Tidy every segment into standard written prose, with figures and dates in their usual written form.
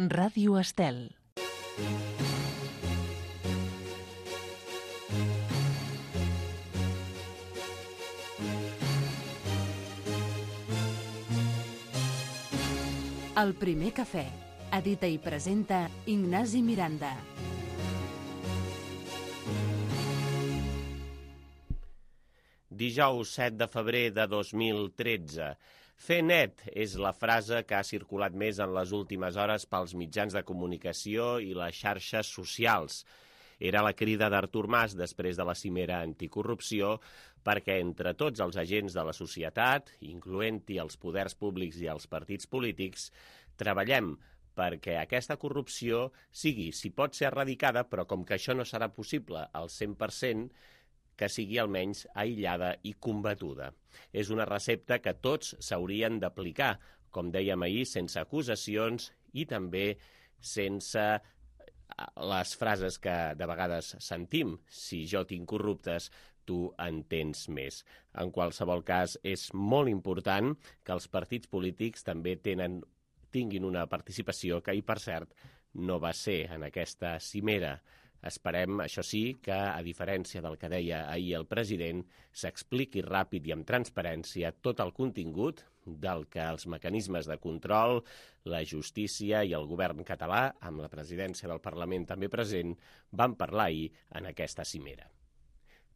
Ràdio Estel. El primer cafè. Edita i presenta Ignasi Miranda. Dijous 7 de febrer de 2013. Fer net és la frase que ha circulat més en les últimes hores pels mitjans de comunicació i les xarxes socials. Era la crida d'Artur Mas després de la cimera anticorrupció perquè entre tots els agents de la societat, incloent-hi els poders públics i els partits polítics, treballem perquè aquesta corrupció sigui, si pot ser erradicada, però com que això no serà possible al 100%, que sigui almenys aïllada i combatuda. És una recepta que tots s'haurien d'aplicar, com dèiem ahir, sense acusacions i també sense les frases que de vegades sentim. Si jo tinc corruptes, tu en tens més. En qualsevol cas, és molt important que els partits polítics també tinguin una participació que, i per cert, no va ser en aquesta cimera. Esperem, això sí, que, a diferència del que deia ahir el president, s'expliqui ràpid i amb transparència tot el contingut del que els mecanismes de control, la justícia i el govern català, amb la presidència del Parlament també present, van parlar ahir en aquesta cimera.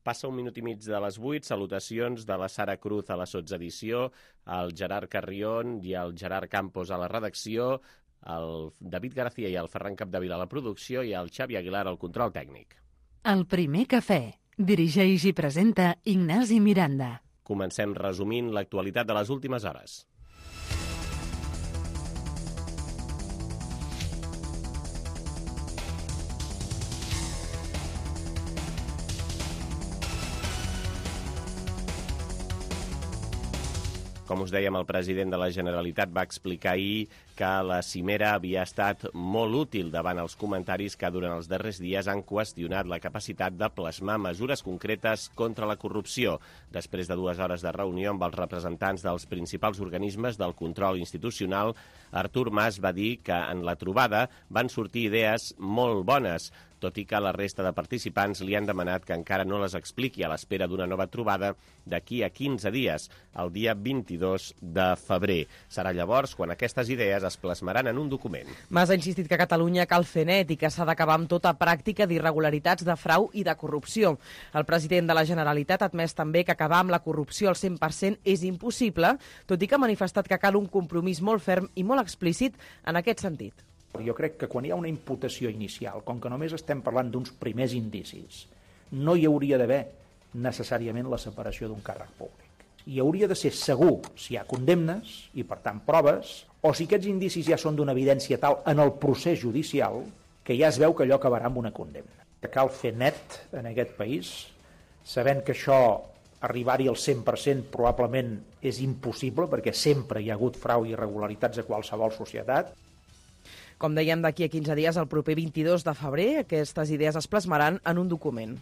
Passa 1 minut i mig de les 8, salutacions de la Sara Cruz a la sotsedició, el Gerard Carrión i el Gerard Campos a la redacció, el David García i el Ferran Capdevila a la producció i el Xavi Aguilar al control tècnic. El primer cafè. Dirigeix i presenta Ignasi Miranda. Comencem resumint l'actualitat de les últimes hores. Com us dèiem, el president de la Generalitat va explicar ahir que la cimera havia estat molt útil davant els comentaris que durant els darrers dies han qüestionat la capacitat de plasmar mesures concretes contra la corrupció. Després de 2 hores de reunió amb els representants dels principals organismes del control institucional, Artur Mas va dir que en la trobada van sortir idees molt bones, tot i que la resta de participants li han demanat que encara no les expliqui a l'espera d'una nova trobada d'aquí a 15 dies, el dia 22 de febrer. Serà llavors quan aquestes idees es plasmaran en un document. Mas ha insistit que a Catalunya cal fer net i que s'ha d'acabar amb tota pràctica d'irregularitats, de frau i de corrupció. El president de la Generalitat ha admès també que acabar amb la corrupció al 100% és impossible, tot i que ha manifestat que cal un compromís molt ferm i molt explícit en aquest sentit. Jo crec que quan hi ha una imputació inicial, com que només estem parlant d'uns primers indicis, no hi hauria d'haver necessàriament la separació d'un càrrec públic. Hi hauria de ser segur si hi ha condemnes i, per tant, proves, o si aquests indicis ja són d'una evidència tal en el procés judicial que ja es veu que allò acabarà amb una condemna. Cal fer net en aquest país, sabent que això, arribar-hi al 100% probablement és impossible, perquè sempre hi ha hagut frau i irregularitats a qualsevol societat. Com dèiem, d'aquí a 15 dies, el proper 22 de febrer, aquestes idees es plasmaran en un document.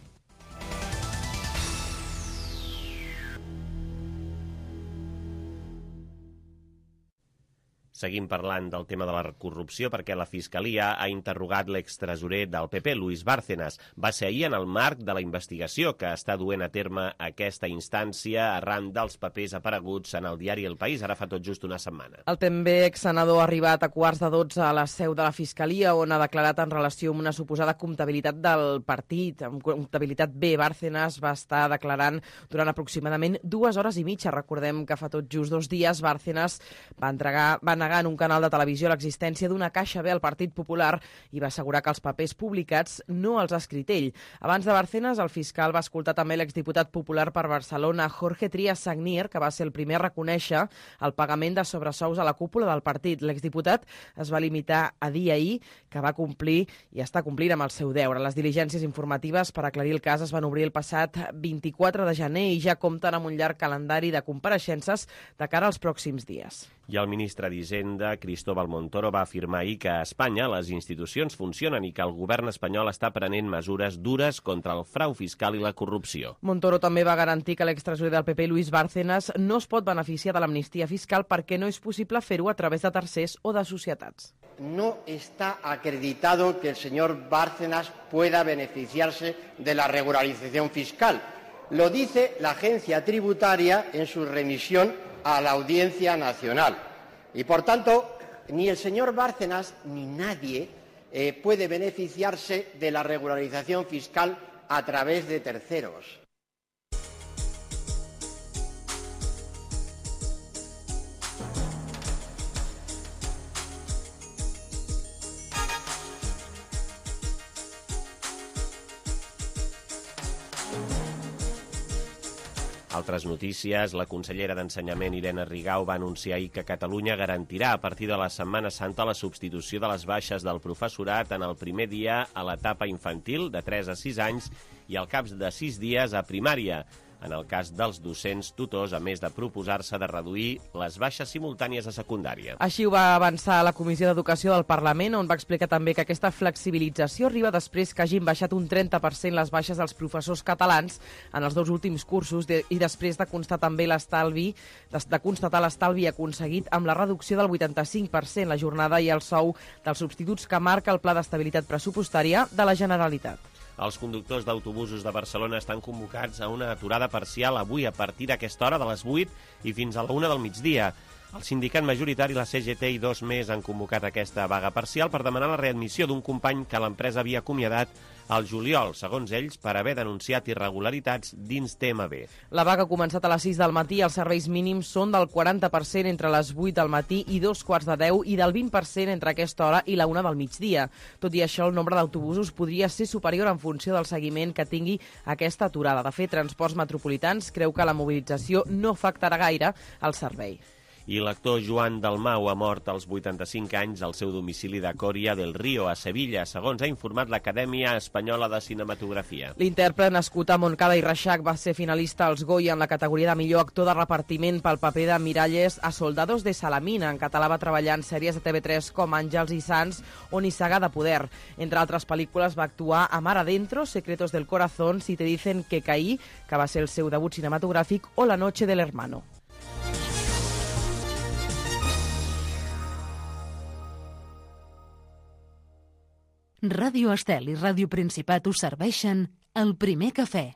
Seguim parlant del tema de la corrupció perquè la Fiscalia ha interrogat l'extresorer del PP, Luis Bárcenas. Va ser ahir en el marc de la investigació que està duent a terme aquesta instància arran dels papers apareguts en el diari El País, ara fa tot just una setmana. El també exsenador ha arribat a 11:15 a la seu de la Fiscalia, on ha declarat en relació amb una suposada comptabilitat del partit. Amb comptabilitat B, Bárcenas va estar declarant durant aproximadament 2 hores i mitja. Recordem que fa tot just 2 dies Bárcenas va negar en un canal de televisió l'existència d'una caixa B al Partit Popular i va assegurar que els papers publicats no els ha escrit ell. Abans de Bárcenas, el fiscal va escoltar també l'exdiputat popular per Barcelona, Jorge Trias Sagnier, que va ser el primer a reconèixer el pagament de sobresous a la cúpula del partit. L'exdiputat es va limitar a dir ahir que va complir i està complint amb el seu deure. Les diligències informatives per aclarir el cas es van obrir el passat 24 de gener i ja compten amb un llarg calendari de compareixences de cara als pròxims dies. I el ministre d'Hisenda, Cristóbal Montoro, va afirmar ahir que a Espanya les institucions funcionen i que el govern espanyol està prenent mesures dures contra el frau fiscal i la corrupció. Montoro també va garantir que l'extresorer del PP, Luis Bárcenas, no es pot beneficiar de l'amnistia fiscal perquè no és possible fer-ho a través de tercers o de societats. no está acreditado que el señor Bárcenas pueda beneficiarse de la regularización fiscal. Lo dice la agencia tributaria en su remisión a la Audiencia Nacional. Y, por tanto, ni el señor Bárcenas ni nadie puede beneficiarse de la regularización fiscal a través de terceros. Altres notícies. La consellera d'Ensenyament, Irene Rigau, va anunciar ahir que Catalunya garantirà a partir de la Setmana Santa la substitució de les baixes del professorat en el primer dia a l'etapa infantil, de 3 a 6 anys, i al cap de 6 dies a primària. En el cas dels docents tutors, a més de proposar-se de reduir les baixes simultànies a secundària. Així ho va avançar la Comissió d'Educació del Parlament, on va explicar també que aquesta flexibilització arriba després que hagin baixat un 30% les baixes dels professors catalans en els 2 últims cursos i després de constatar també l'estalvi aconseguit amb la reducció del 85% la jornada i el sou dels substituts que marca el Pla d'Estabilitat Pressupostària de la Generalitat. Els conductors d'autobusos de Barcelona estan convocats a una aturada parcial avui a partir d'aquesta hora de les 8 i fins a la 1 del migdia. El sindicat majoritari, la CGT i 2 més han convocat aquesta vaga parcial per demanar la readmissió d'un company que l'empresa havia acomiadat al juliol, segons ells, per haver denunciat irregularitats dins TMB. La vaga ha començat a les 6 del matí i els serveis mínims són del 40% entre les 8 del matí i 2:15 i del 20% entre aquesta hora i la 1 del migdia. Tot i això, el nombre d'autobusos podria ser superior en funció del seguiment que tingui aquesta aturada. De fet, Transports Metropolitans creu que la mobilització no afectarà gaire el servei. I l'actor Joan Dalmau ha mort als 85 anys al seu domicili de Coria del Río, a Sevilla, segons ha informat l'Acadèmia Espanyola de Cinematografia. L'intèrpret, nascut a Montcada i Reixac, va ser finalista als Goya en la categoria de millor actor de repartiment pel paper de Miralles a Soldados de Salamina. En català va treballar en sèries de TV3 com Àngels i Sants o Nissaga de Poder. Entre altres pel·lícules va actuar a Mar Adentro, Secretos del Corazón, Si te dicen que caí, que va ser el seu debut cinematogràfic, o La noche del hermano. Ràdio Estel i Ràdio Principat us serveixen el primer cafè.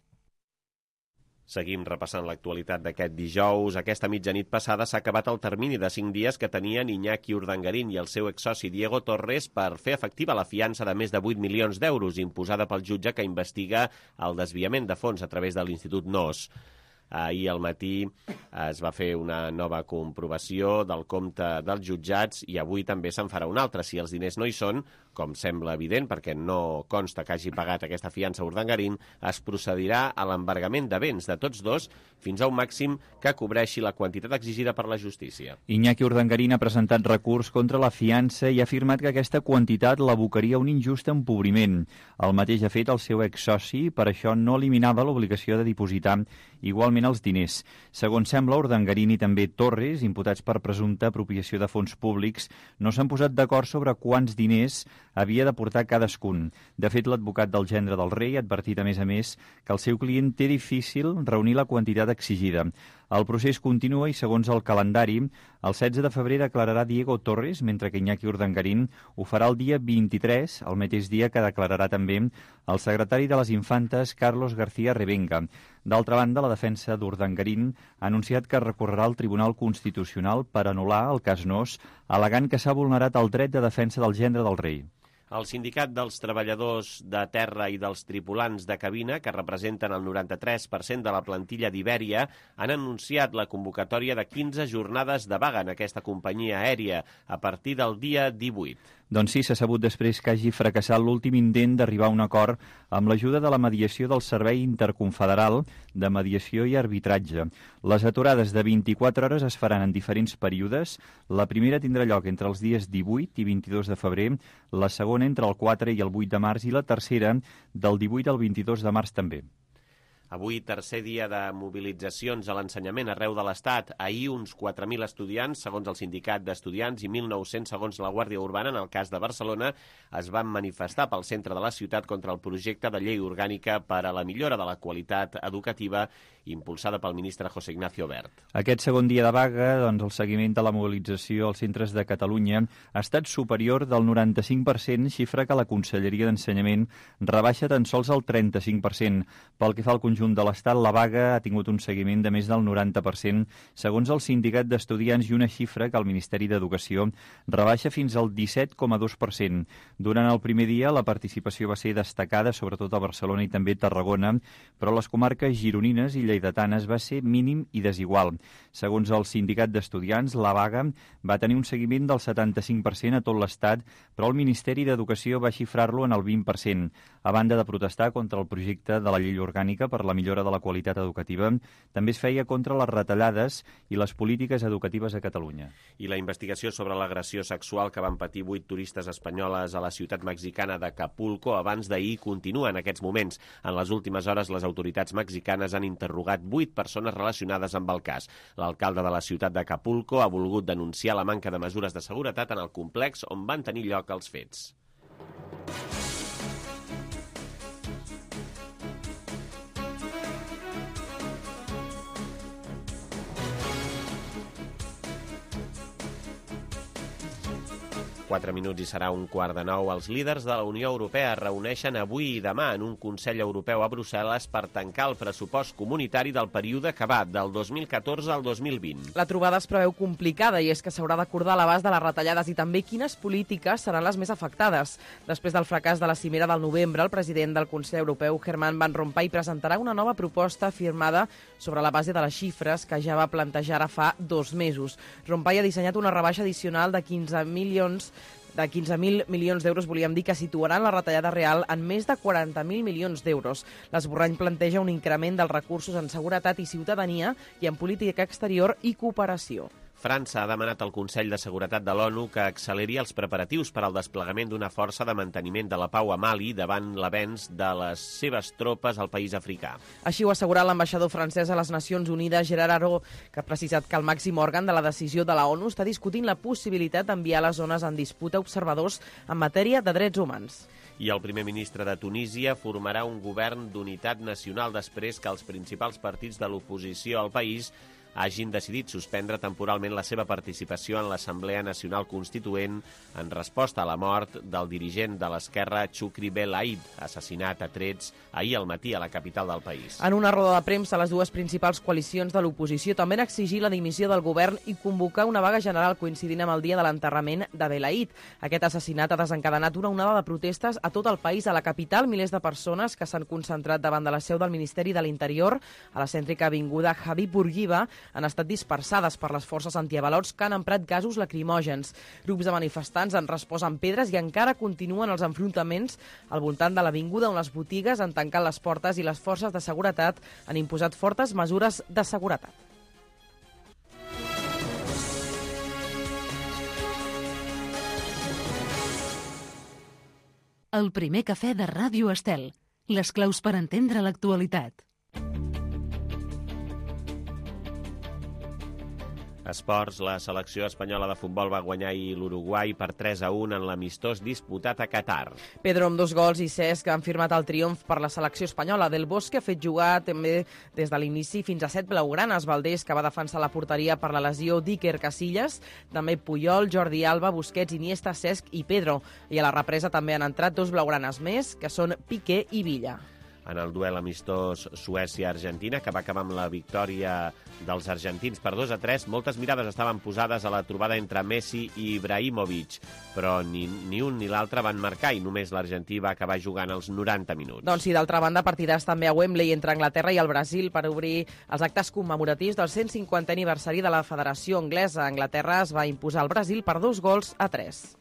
Seguim repassant l'actualitat d'aquest dijous. Aquesta mitjanit passada s'ha acabat el termini de 5 dies que tenien Iñaki Urdangarín i el seu exsoci Diego Torres per fer efectiva la fiança de més de 8 milions d'euros imposada pel jutge que investiga el desviament de fons a través de l'Institut NOS. Ahir al matí es va fer una nova comprovació del compte dels jutjats i avui també se'n farà una altra. Si els diners no hi són, com sembla evident, perquè no consta que hagi pagat aquesta fiança a Urdangarín, es procedirà a l'embargament de béns de tots dos fins a un màxim que cobreixi la quantitat exigida per la justícia. Iñaki Urdangarín ha presentat recurs contra la fiança i ha afirmat que aquesta quantitat l'abocaria a un injust empobriment. El mateix ha fet el seu exsoci, per això no eliminava l'obligació de dipositar igualment els diners. Segons sembla, Urdangarín i també Torres, imputats per presumpta apropiació de fons públics, no s'han posat d'acord sobre quants diners havia de portar cadascun. De fet, l'advocat del gendre del rei ha advertit, a més, que el seu client té difícil reunir la quantitat exigida. El procés continua i, segons el calendari, el 16 de febrer declararà Diego Torres, mentre que Iñaki Urdangarín ho farà el dia 23, el mateix dia que declararà també el secretari de les Infantes, Carlos García Revenga. D'altra banda, la defensa d'Urdangarín ha anunciat que recorrerà al Tribunal Constitucional per anul·lar el cas NOS, al·legant que s'ha vulnerat el dret de defensa del gendre del rei. El Sindicat dels Treballadors de Terra i dels Tripulants de Cabina, que representen el 93% de la plantilla d'Ibèria, han anunciat la convocatòria de 15 jornades de vaga en aquesta companyia aèria a partir del dia 18. Doncs sí, s'ha sabut després que hagi fracassat l'últim intent d'arribar a un acord amb l'ajuda de la mediació del Servei Interconfederal de Mediació i Arbitratge. Les aturades de 24 hores es faran en diferents períodes. La primera tindrà lloc entre els dies 18 i 22 de febrer, la segona entre el 4 i el 8 de març i la tercera del 18 al 22 de març també. Avui, tercer dia de mobilitzacions a l'ensenyament arreu de l'Estat. Ahir, uns 4.000 estudiants, segons el Sindicat d'Estudiants, i 1.900, segons la Guàrdia Urbana, en el cas de Barcelona, es van manifestar pel centre de la ciutat contra el projecte de llei orgànica per a la millora de la qualitat educativa impulsada pel ministre José Ignacio Wert. Aquest segon dia de vaga, doncs, el seguiment de la mobilització als centres de Catalunya ha estat superior del 95%, xifra que la Conselleria d'Ensenyament rebaixa tan sols el 35%. Pel que fa al conjunt de l'Estat, la vaga ha tingut un seguiment de més del 90%, segons el Sindicat d'Estudiants, i una xifra que el Ministeri d'Educació rebaixa fins al 17,2%. Durant el primer dia, la participació va ser destacada, sobretot a Barcelona i també a Tarragona, però les comarques gironines i lleidatanes va ser mínim i desigual. Segons el Sindicat d'Estudiants, la vaga va tenir un seguiment del 75% a tot l'Estat, però el Ministeri d'Educació va xifrar-lo en el 20%. A banda de protestar contra el projecte de la llei orgànica per la millora de la qualitat educativa, també es feia contra les retallades i les polítiques educatives a Catalunya. I la investigació sobre l'agressió sexual que van patir 8 turistes espanyoles a la ciutat mexicana d'Acapulco abans d'ahir continua en aquests moments. En les últimes hores, les autoritats mexicanes han interrogat 8 persones relacionades amb el cas. L'alcalde de la ciutat d'Acapulco ha volgut denunciar la manca de mesures de seguretat en el complex on van tenir lloc els fets. Quatre minuts i serà 8:45. Els líders de la Unió Europea es reuneixen avui i demà en un Consell Europeu a Brussel·les per tancar el pressupost comunitari del període que va del 2014 al 2020. La trobada es preveu complicada i és que s'haurà d'acordar l'abast de les retallades i també quines polítiques seran les més afectades. Després del fracàs de la cimera del novembre, el president del Consell Europeu, Herman Van Rompuy, presentarà una nova proposta firmada sobre la base de les xifres que ja va plantejar ara fa 2 mesos. Rompuy ha dissenyat una rebaixa addicional de 15.000 milions d'euros, volíem dir, que situaran la retallada real en més de 40.000 milions d'euros. L'esborrany planteja un increment dels recursos en seguretat i ciutadania i en política exterior i cooperació. França ha demanat al Consell de Seguretat de l'ONU que acceleri els preparatius per al desplegament d'una força de manteniment de la pau a Mali davant l'avenç de les seves tropes al país africà. Així ho ha assegurat l'ambaixador francès a les Nacions Unides, Gerard Aró, que ha precisat que el màxim òrgan de la decisió de la ONU està discutint la possibilitat d'enviar a les zones en disputa observadors en matèria de drets humans. I el primer ministre de Tunísia formarà un govern d'unitat nacional després que els principals partits de l'oposició al país hagin decidit suspendre temporalment la seva participació en l'Assemblea Nacional Constituent en resposta a la mort del dirigent de l'esquerra Chukri Bel Aid, assassinat a trets ahir al matí a la capital del país. En una roda de premsa, les dues principals coalicions de l'oposició també han exigit la dimissió del govern i convocar una vaga general coincidint amb el dia de l'enterrament de Bel Aid. Aquest assassinat ha desencadenat una onada de protestes a tot el país. A la capital, milers de persones que s'han concentrat davant de la seu del Ministeri de l'Interior, a la cèntrica avinguda Habib Bourguiba, han estat dispersades per les forces antiavalots que han emprat gasos lacrimògens. Grups de manifestants han respost amb pedres i encara continuen els enfrontaments al voltant de l'avinguda, on les botigues han tancat les portes i les forces de seguretat han imposat fortes mesures de seguretat. El primer cafè de Ràdio Estel. Les claus per entendre l'actualitat. Esports, la selecció espanyola de futbol va guanyar ahir l'Uruguai per 3-1 en l'amistós disputat a Qatar. Pedro amb 2 gols i Cesc han firmat el triomf per la selecció espanyola. Del Bosque ha fet jugar també des de l'inici fins a 7 blaugranes. Valdés, que va defensar la porteria per la lesió d'Iker Casillas, també Puyol, Jordi Alba, Busquets, Iniesta, Cesc i Pedro. I a la represa també han entrat 2 blaugranes més, que són Piqué i Villa. En el duel amistós Suècia-Argentina, que va acabar amb la victòria dels argentins per 2-3, moltes mirades estaven posades a la trobada entre Messi i Ibrahimovic, però ni un ni l'altre van marcar i només l'argentí va acabar jugant els 90 minuts. Doncs sí, d'altra banda, partiràs també a Wembley entre Anglaterra i el Brasil per obrir els actes commemoratius del 150è aniversari de la Federació Anglesa. Anglaterra es va imposar al Brasil per 2-3.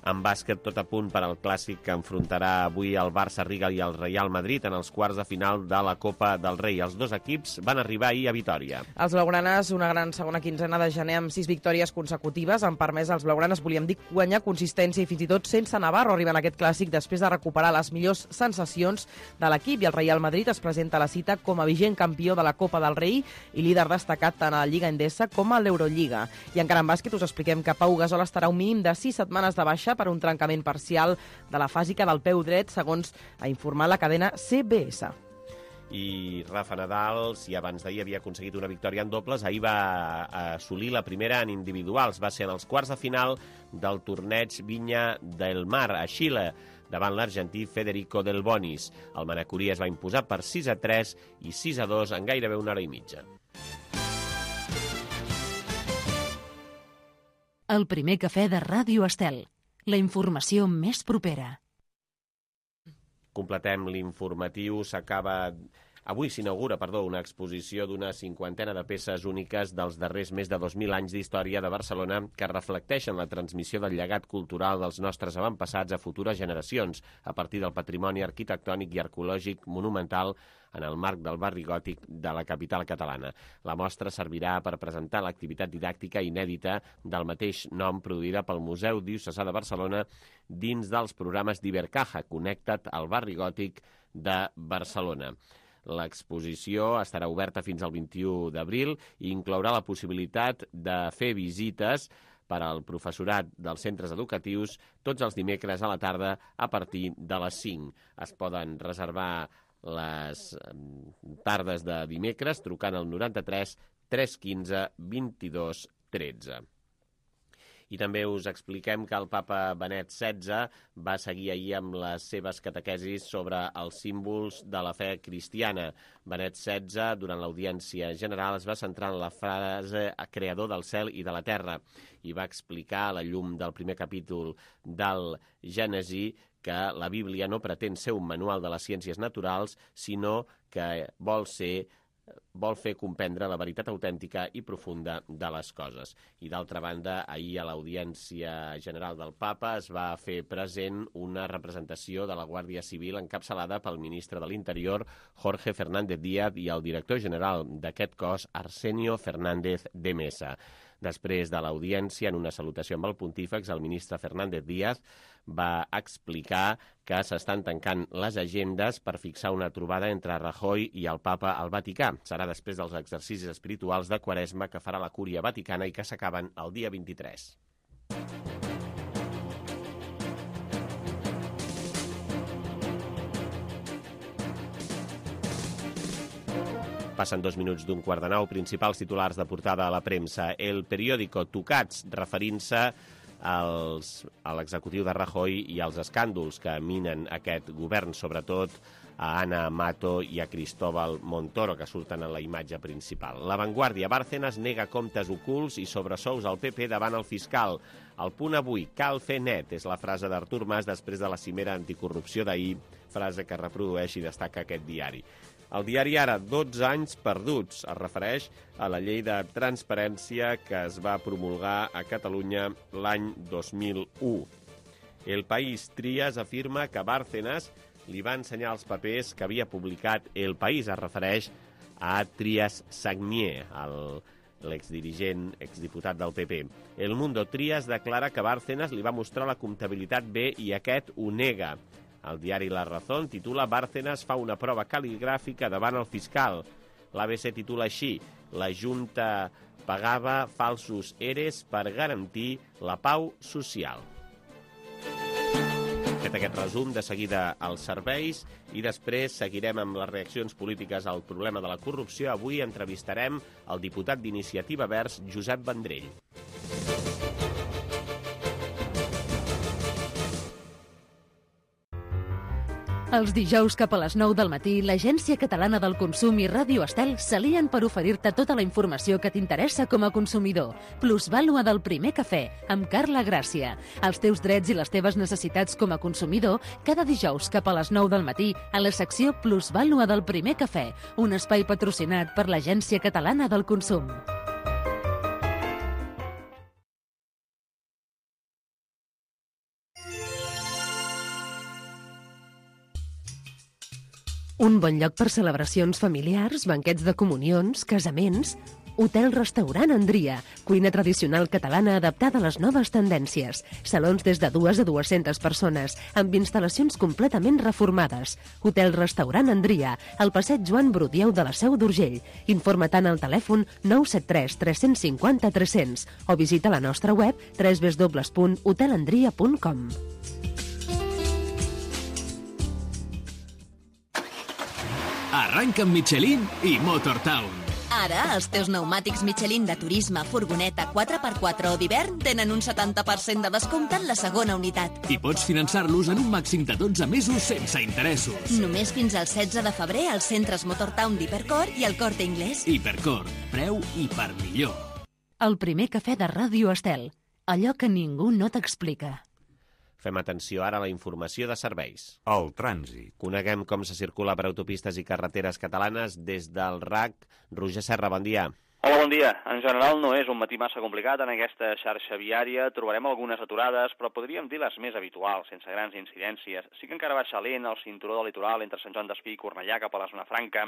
En bàsquet, tot a punt per al clàssic que enfrontarà avui el Barça-Riga i el Real Madrid en els quarts de final de la Copa del Rei. Els dos equips van arribar ahir a Vitòria. Els blaugranes, una gran segona quinzena de gener amb 6 victòries consecutives, han permès als blaugranes, volíem dir, guanyar consistència i fins i tot sense Navarro arriben a aquest clàssic després de recuperar les millors sensacions de l'equip, i el Real Madrid es presenta a la cita com a vigent campió de la Copa del Rei i líder destacat tant a la Lliga Endesa com a l'Eurolliga. I encara en bàsquet us expliquem que Pau Gasol estarà un mínim de 6 setmanes de baixa per un trencament parcial de la fàsica del peu dret, segons ha informat la cadena CBS. I Rafa Nadal, si abans d'ahir havia aconseguit una victòria en dobles, ahir va assolir la primera en individuals. Va ser en els quarts de final del torneig Vinya del Mar a Xile, davant l'argentí Federico Del Bonis. El manacorí es va imposar per 6-3 i 6-2 en gairebé una hora i mitja. El primer cafè de Ràdio Estel. La informació més propera. Completem l'informatiu. Avui s'inaugura, una exposició d'una 50 de peces úniques dels darrers més de 2.000 anys d'història de Barcelona que reflecteixen la transmissió del llegat cultural dels nostres avantpassats a futures generacions a partir del patrimoni arquitectònic i arqueològic monumental en el marc del barri gòtic de la capital catalana. La mostra servirà per presentar l'activitat didàctica inèdita del mateix nom produïda pel Museu Diocesà de Barcelona dins dels programes d'Ibercaja, Connecta't al barri gòtic de Barcelona. L'exposició estarà oberta fins al 21 d'abril i inclourà la possibilitat de fer visites per al professorat dels centres educatius tots els dimecres a la tarda a partir de les 5. Es poden reservar les tardes de dimecres trucant al 93 315 22 13. I també us expliquem que el papa Benet XVI va seguir ahir amb les seves catequesis sobre els símbols de la fe cristiana. Benet XVI, durant l'audiència general, es va centrar en la frase creador del cel i de la terra i va explicar a la llum del primer capítol del Gènesi que la Bíblia no pretén ser un manual de les ciències naturals, sinó que vol fer comprendre la veritat autèntica i profunda de les coses. I d'altra banda, ahir a l'Audiència General del Papa es va fer present una representació de la Guàrdia Civil encapçalada pel ministre de l'Interior, Jorge Fernández Díaz, i el director general d'aquest cos, Arsenio Fernández de Mesa. Després de l'audiència, en una salutació amb el pontífex, el ministre Fernández Díaz va explicar que s'estan tancant les agendes per fixar una trobada entre Rajoy i el papa al Vaticà. Serà després dels exercicis espirituals de Quaresma que farà la Cúria Vaticana i que s'acaben el dia 23. Passen 2 minuts d'un quart de 9. Principals titulars de portada a la premsa. El periòdico Tocats, referint-se a l'executiu de Rajoy i als escàndols que minen aquest govern, sobretot a Ana Mato i a Cristóbal Montoro, que surten en la imatge principal. La Vanguardia, Bárcenas nega comptes ocults i sobresous al PP davant el fiscal. El Punt avui, cal fer net, és la frase d'Artur Mas després de la cimera anticorrupció d'ahir, frase que reprodueix i destaca aquest diari. El diari Ara, 12 anys perduts, es refereix a la llei de transparència que es va promulgar a Catalunya l'any 2001. El País, Trias afirma que Bárcenas li va ensenyar els papers que havia publicat El País, es refereix a Trias Sagnier, l'exdirigent, exdiputat del PP. El Mundo, Trias declara que Bárcenas li va mostrar la comptabilitat bé i aquest ho nega. El diari La Razón titula Bárcenas fa una prova cal·ligràfica davant el fiscal. L'ABC titula així: la Junta pagava falsos EREs per garantir la pau social. Fet aquest resum, de seguida als serveis i després seguirem amb les reaccions polítiques al problema de la corrupció. Avui entrevistarem el diputat d'Iniciativa Verds, Josep Vendrell. Els dijous cap a les 9 del matí, l'Agència Catalana del Consum i Ràdio Estel s'alien per oferir-te tota la informació que t'interessa com a consumidor. Plusvàlua del primer cafè, amb Carla Gràcia. Els teus drets i les teves necessitats com a consumidor, cada dijous cap a les 9 del matí, a la secció Plusvàlua del primer cafè, un espai patrocinat per l'Agència Catalana del Consum. Un bon lloc per celebracions familiars, banquets de comunions, casaments... Hotel-restaurant Andria, cuina tradicional catalana adaptada a les noves tendències. Salons des de 2 a 200 persones, amb instal·lacions completament reformades. Hotel-restaurant Andria, al passeig Joan Brudieu de la Seu d'Urgell. Informa-te'n al telèfon 973 350 300 o visita la nostra web www.hotelandria.com. Arranca amb Michelin i Motortown. Ara, els teus pneumàtics Michelin de turisme, furgoneta, 4x4 o d'hivern tenen un 70% de descompte en la segona unitat. I pots finançar-los en un màxim de 12 mesos sense interessos. Només fins al 16 de febrer als centres Motortown d'Hipercor i al Corte Inglés. Hipercor, preu i per millor. El primer cafè de Ràdio Estel. Allò que ningú no t'explica. Fem atenció ara a la informació de serveis. El trànsit. Coneguem com se circula per autopistes i carreteres catalanes des del RAC. Roger Serra, bon dia. Hola, bon dia. En general no és un matí massa complicat en aquesta xarxa viària. Trobarem algunes aturades, però podríem dir les més habituals, sense grans incidències. Sí que encara baixa lent el cinturó del litoral entre Sant Joan d'Espí i Cornellà cap a la zona franca.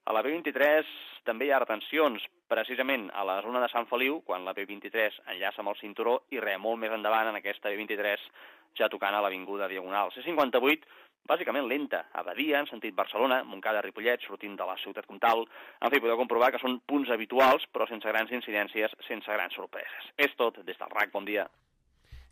A la B23 també hi ha retencions, precisament a la zona de Sant Feliu, quan la B23 enllaça amb el cinturó, i molt més endavant en aquesta B23 ja tocant a l'avinguda Diagonal. C58, bàsicament lenta, a Badia, en sentit Barcelona, Montcada-Ripollet, sortint de la ciutat comtal. En fi, podeu comprovar que són punts habituals, però sense grans incidències, sense grans sorpreses. És tot, des del RAC, bon dia.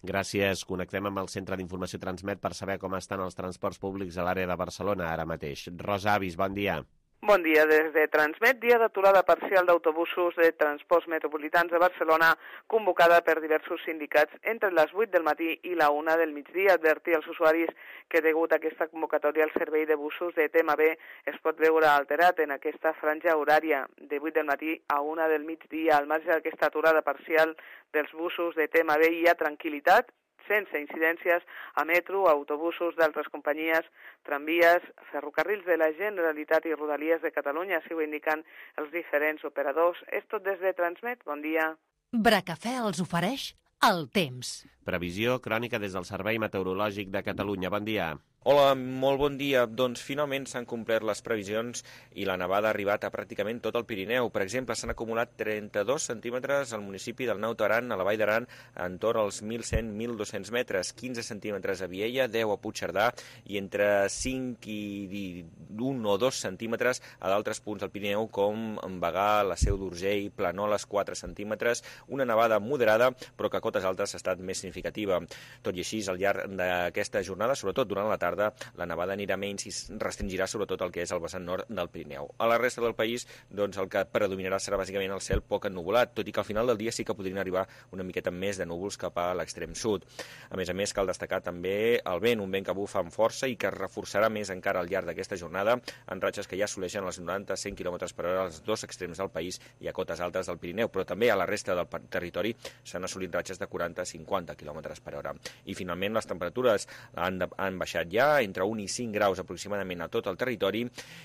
Gràcies. Connectem amb el Centre d'Informació Transmet per saber com estan els transports públics a l'àrea de Barcelona ara mateix. Rosa Avis, bon dia. Bon dia. Des de Transmet, dia d'aturada parcial d'autobusos de transports metropolitans de Barcelona, convocada per diversos sindicats entre les 8 del matí i la 1 del migdia. Advertir als usuaris que degut a aquesta convocatòria el servei de busos de TMB es pot veure alterat en aquesta franja horària de 8 del matí a 1 del migdia. Al marge d'aquesta aturada parcial dels busos de TMB hi ha tranquil·litat, sense incidències a metro, autobusos d'altres companyies, tramvies, ferrocarrils de la Generalitat i Rodalies de Catalunya, així ho indiquen els diferents operadors. És tot des de Transmet. Bon dia. Bracafè els ofereix el temps. Previsió crònica des del Servei Meteorològic de Catalunya. Bon dia. Hola, molt bon dia. Doncs finalment s'han complert les previsions i la nevada ha arribat a pràcticament tot el Pirineu. Per exemple, s'han acumulat 32 centímetres al municipi del Naut Aran, a la Vall d'Aran, entorn als 1.100-1.200 metres, 15 centímetres a Viella, 10 a Puigcerdà i entre 5 i 1 o 2 centímetres a d'altres punts del Pirineu, com Bagà, la Seu d'Urgell, Planoles, 4 centímetres, una nevada moderada, però que a cotes altes ha estat més significativa. Tot i així, al llarg d'aquesta jornada, sobretot durant la tarda, la nevada anirà menys i restringirà sobretot el que és el vessant nord del Pirineu. A la resta del país, doncs, el que predominarà serà bàsicament el cel poc ennuvolat, tot i que al final del dia sí que podrien arribar una miqueta més de núvols cap a l'extrem sud. A més, cal destacar també el vent, un vent que bufa amb força i que es reforçarà més encara al llarg d'aquesta jornada, en ratxes que ja assoleixen els 90-100 km per hora als dos extrems del país i a cotes altes del Pirineu, però també a la resta del territori s'han assolit ratxes de 40-50 km per hora. I finalment les temperatures han baixat ja entre 1 i 5 graus aproximadament a tot el territori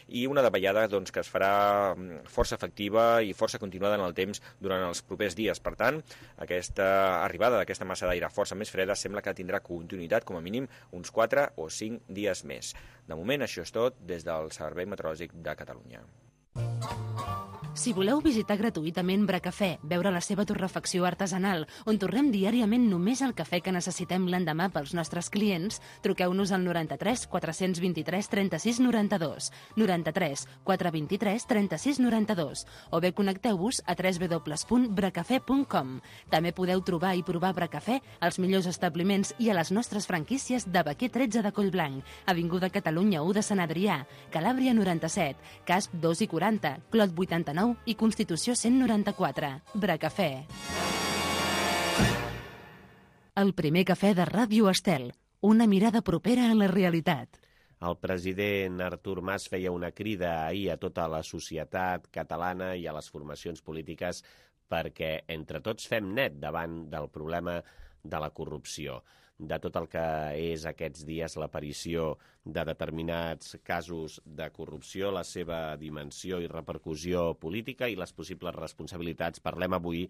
i una davallada doncs, que es farà força efectiva i força continuada en el temps durant els propers dies. Per tant, aquesta arribada d'aquesta massa d'aire força més freda sembla que tindrà continuïtat com a mínim uns 4 o 5 dies més. De moment, això és tot des del Servei Meteorològic de Catalunya. Si voleu visitar gratuïtament Bracafè, veure la seva torrefacció artesanal, on torrem diàriament només el cafè que necessitem l'endemà pels nostres clients, truqueu-nos al 93 423 36 92, 93 423 36 92, o bé connecteu-vos a www.bracafè.com. També podeu trobar i provar Bracafè als millors establiments i a les nostres franquícies de Baquer 13 de Collblanc, Avinguda Catalunya 1 de Sant Adrià, Calàbria 97, Casp 2 i 40, Clot 89 i Constitució 194. Bracafè. El primer cafè de Ràdio Estel. Una mirada propera a la realitat. El president Artur Mas feia una crida ahir a tota la societat catalana i a les formacions polítiques perquè entre tots fem net davant del problema de la corrupció, de tot el que és aquests dies l'aparició de determinats casos de corrupció, la seva dimensió i repercussió política i les possibles responsabilitats. Parlem avui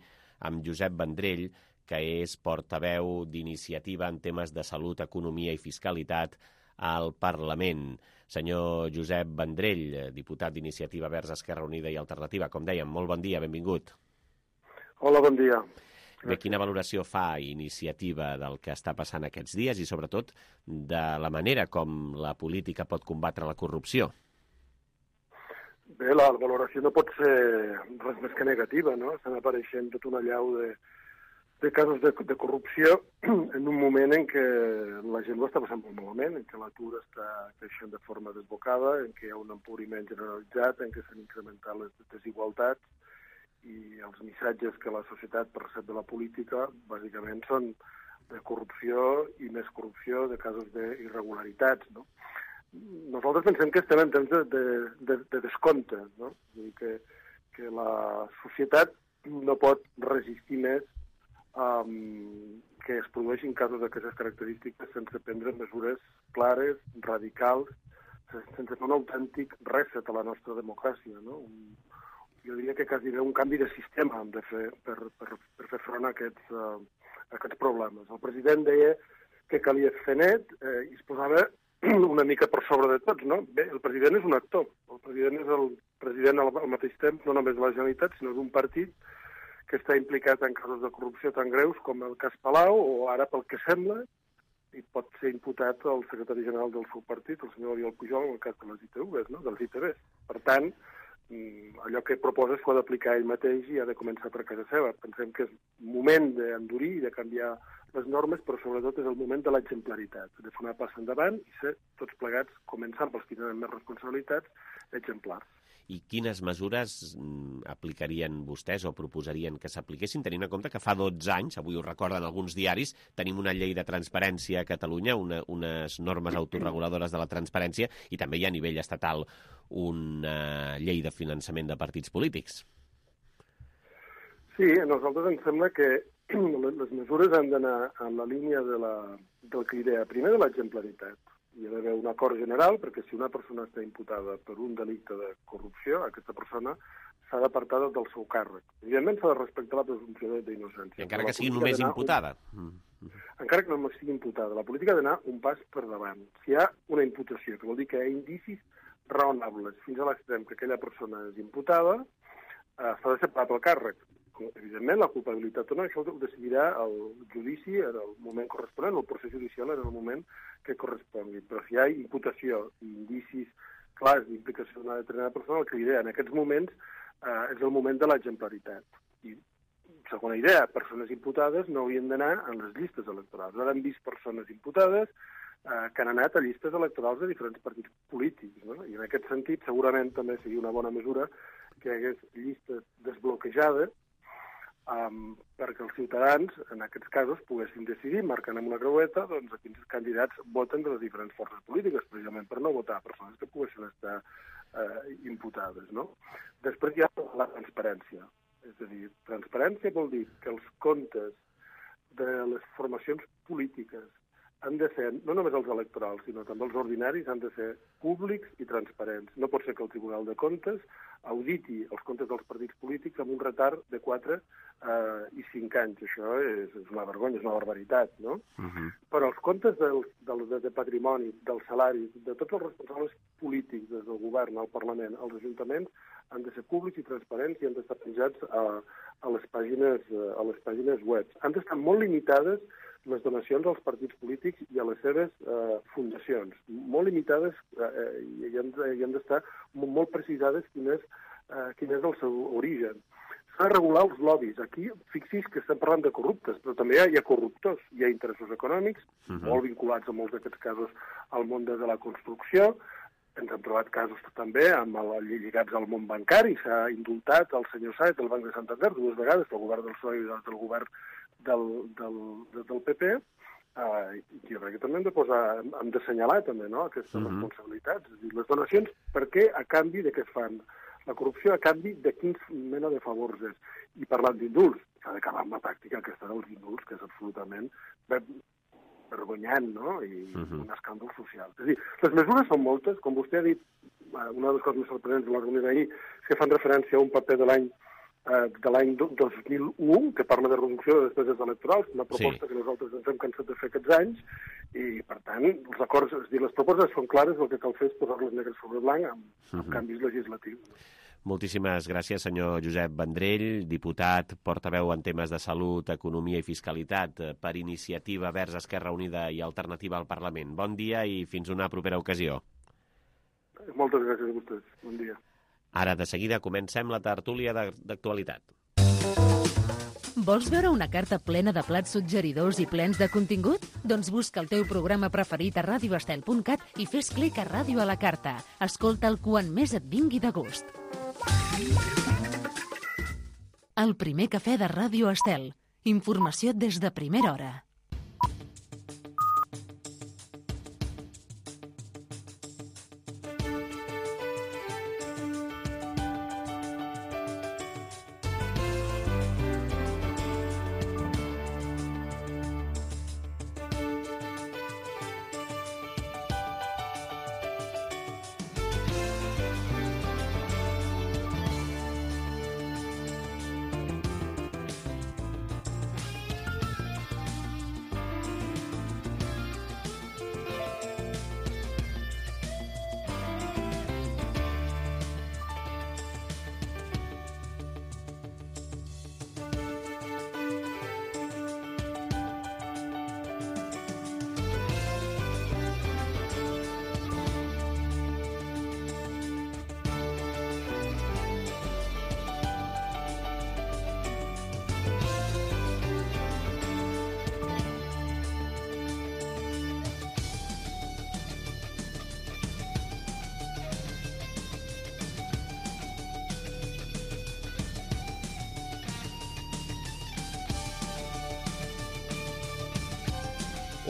amb Josep Vendrell, que és portaveu d'iniciativa en temes de salut, economia i fiscalitat al Parlament. Senyor Josep Vendrell, diputat d'Iniciativa Verds, Esquerra Unida i Alternativa, com dèiem, molt bon dia, benvingut. Hola, bon dia. Bé, quina valoració fa Iniciativa del que està passant aquests dies i, sobretot, de la manera com la política pot combatre la corrupció? Bé, la valoració no pot ser res més que negativa, no? Estan apareixent tot una allau de casos de corrupció en un moment en què la gent ho està passant molt malament, en què l'atur està creixent de forma desbocada, en què hi ha un empobriment generalitzat, en què s'han incrementat les desigualtats i els missatges que la societat percep de la política bàsicament són de corrupció i més corrupció, de casos d'irregularitats, no? Nosaltres pensem que estem en temps de descompte, no? Vull dir que la societat no pot resistir més que es produeixin casos d'aquestes característiques sense prendre mesures clares, radicals, sense fer un autèntic reset a la nostra democràcia, no? Jo diria que quasi un canvi de sistema hem de fer per fer front a aquests problemes. El president deia que calia fer net i es posava una mica per sobre de tots, no? Bé, el president és un actor. El president és el president al mateix temps, no només de la Generalitat, sinó d'un partit que està implicat en casos de corrupció tan greus com el cas Palau, o ara, pel que sembla, i pot ser imputat el secretari general del seu partit, el senyor Oriol Pujol, en el cas de les ITVs, no? Dels ITVs. Per tant, allò que proposa s'ho ha d'aplicar ell mateix i ha de començar per casa seva. Pensem que és moment d'endurir i de canviar les normes, però sobretot és el moment de l'exemplaritat, de fer una passa endavant i ser tots plegats, començant pels que tenen més responsabilitats, exemplars. I quines mesures aplicarien vostès o proposarien que s'apliquessin, tenint en compte que fa 12 anys, avui ho recorden alguns diaris, tenim una llei de transparència a Catalunya, unes normes autorreguladores de la transparència, i també hi ha a nivell estatal una llei de finançament de partits polítics? Sí, a nosaltres ens sembla que les mesures han d'anar en la línia del que idea, primer de l'exemplaritat. Hi ha d'haver un acord general, perquè si una persona està imputada per un delicte de corrupció, aquesta persona s'ha d'apartar del seu càrrec. Evidentment s'ha de respectar la presumpció d'innocència. Encara que sigui només imputada. Encara que no sigui imputada. La política ha d'anar un pas per davant. Si hi ha una imputació, que vol dir que hi ha indicis raonables fins a l'extrem que aquella persona és imputada, s'ha de separar pel càrrec. Evidentment, la culpabilitat o no, això ho decidirà el judici en el moment corresponent, el procés judicial en el moment que correspongui. Però si hi ha imputació i indicis clars d'implicació d'una determinada persona, el que diré en aquests moments és el moment de l'exemplaritat. I, segona idea, persones imputades no haurien d'anar en les llistes electorals. Ara hem vist persones imputades que han anat a llistes electorals de diferents partits polítics, no? I en aquest sentit segurament també seria una bona mesura que hi hagués llistes desbloquejades perquè els ciutadans, en aquests casos, poguessin decidir, marcant amb una creueta, doncs, a quins candidats voten de les diferents forces polítiques, precisament per no votar persones que poguessin estar imputades, no? Després hi ha la transparència. És a dir, transparència vol dir que els comptes de les formacions polítiques han de ser, no només els electorals, sinó també els ordinaris, han de ser públics i transparents. No pot ser que el Tribunal de Comptes auditi els comptes dels partits polítics amb un retard de 4 i 5 anys. Això és una vergonya, és una barbaritat, no? Però els comptes de patrimoni, dels salaris, de tots els responsables polítics, des del govern, al Parlament, als ajuntaments, han de ser públics i transparents i han d'estar penjats a les pàgines web. Han d'estar molt limitades les donacions als partits polítics i a les seves fundacions. Molt limitades i han d'estar molt precisades quin és el seu origen. S'ha de regular els lobbies. Aquí, fixi's que estem parlant de corruptes, però també hi ha corruptors. Hi ha interessos econòmics, molt vinculats en molts d'aquests casos al món de la construcció. Ens hem trobat casos també lligats al món bancari. S'ha indultat el senyor Sáez del Banc de Santander 2 vegades pel govern del PSOE i del govern del PP. Jo crec que també hem d'assenyalar també, no, aquestes responsabilitats. És a dir, les donacions, per què? A canvi de què es fan? La corrupció a canvi de quins mena de favors és. I parlant d'indults, s'ha d'acabar amb la pràctica aquesta dels indults, que és absolutament vergonyant, no? I un escàndol social. És a dir, les mesures són moltes, com vostè ha dit, una de les coses més sorprenents de la reunió d'ahir és que fan referència a un paper de l'any de l'any 2001, que parla de reducció de despeses electorals, una proposta que nosaltres ens hem cansat de fer aquests anys, i, per tant, els acords, és a dir, les propostes són clares, el que cal fer és posar-les negre sobre blanc amb canvis legislatius. Moltíssimes gràcies, senyor Josep Vendrell, diputat, portaveu en temes de salut, economia i fiscalitat per Iniciativa Verds Esquerra Unida i Alternativa al Parlament. Bon dia i fins una propera ocasió. Moltes gràcies a vostès. Bon dia. Ara, de seguida, comencem la tertúlia d'actualitat. Vols veure una carta plena de plats suggeridors i plens de contingut? Doncs busca el teu programa preferit a radioestel.cat i fes clic a Ràdio a la Carta. Escolta'l quan més et vingui de gust. El primer cafè de Ràdio Estel. Informació des de primera hora.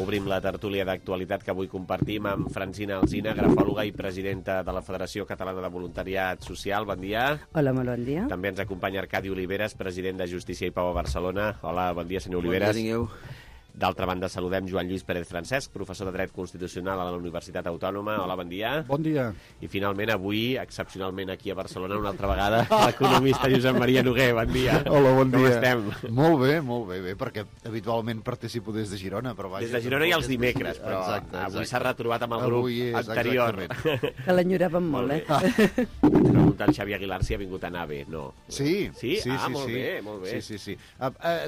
Obrim la tertúlia d'actualitat que avui compartim amb Francina Alsina, grafòloga i presidenta de la Federació Catalana de Voluntariat Social. Bon dia. Hola, molt bon dia. També ens acompanya Arcadi Oliveres, president de Justícia i Pau a Barcelona. Hola, bon dia, senyor Oliveres. Bon dia, tingueu. D'altra banda, saludem Joan Lluís Pérez Francesc, professor de Dret Constitucional a la Universitat Autònoma. Hola, bon dia. Bon dia. I finalment, avui, excepcionalment aquí a Barcelona, una altra vegada, l'economista Josep Maria Noguer. Bon dia. Hola, bon dia. Com estem? Molt bé, perquè habitualment participo des de Girona. Però vaja, des de Girona i els dimecres, però avui s'ha retrobat amb el grup anterior. Que l'enyoràvem molt, eh? Pregunta el Xavi Aguilar si ha vingut a nave. No. Sí? Sí? Molt bé, molt bé. Sí.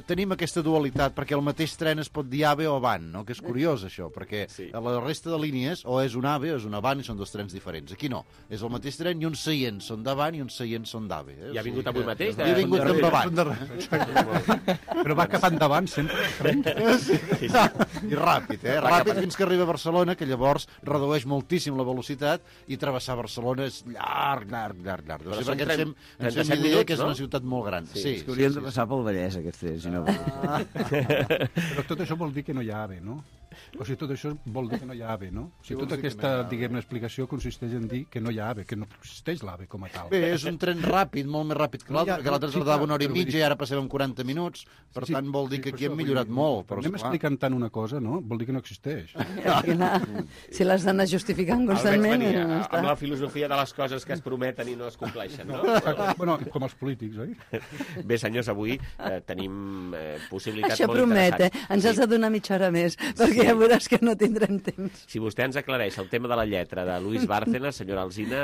Tenim aquesta dualitat, perquè el mateix tren es pot dir AVE o van, no? Que és curiós, això, perquè a la resta de línies o és un AVE o és una van i són dos trens diferents. Aquí no, és el mateix tren i uns seients són de van i uns seients són d'AVE. I ha vingut avui mateix? I ha vingut amb avant. Però va cap endavant sempre. Sí. I ràpid, ràpid fins que arriba a Barcelona, que llavors redueix moltíssim la velocitat i travessar Barcelona és llarg. Però són perquè ens fem idea que és una ciutat molt gran. Sí, és que haurien de passar pel Vallès, aquests, si no. Però tot això vol dir que no hi ha AVE, no? O sigui, tot això vol dir que no hi ha AVE, no? O sigui, tota aquesta, diguem-ne, explicació consisteix en dir que no hi ha AVE, que no existeix l'AVE com a tal. Bé, és un tren ràpid, molt més ràpid que l'altre, perquè l'altre tardava una hora i mitja i ara passem en 40 minuts, per tant vol dir que aquí hem millorat molt. Però anem explicant tant una cosa, no? Vol dir que no existeix. Si l'has d'anar justificant constantment... Amb la filosofia de les coses que es prometen i no es compleixen, no? Bueno, com els polítics, oi? Bé, senyors, avui tenim possibilitats molt interessants. Això promet, ens has de donar mitja hora més, perquè ja veuràs que no tindrem temps. Si vostè ens aclareix el tema de la lletra de Luis Bárcenas, senyora Alsina,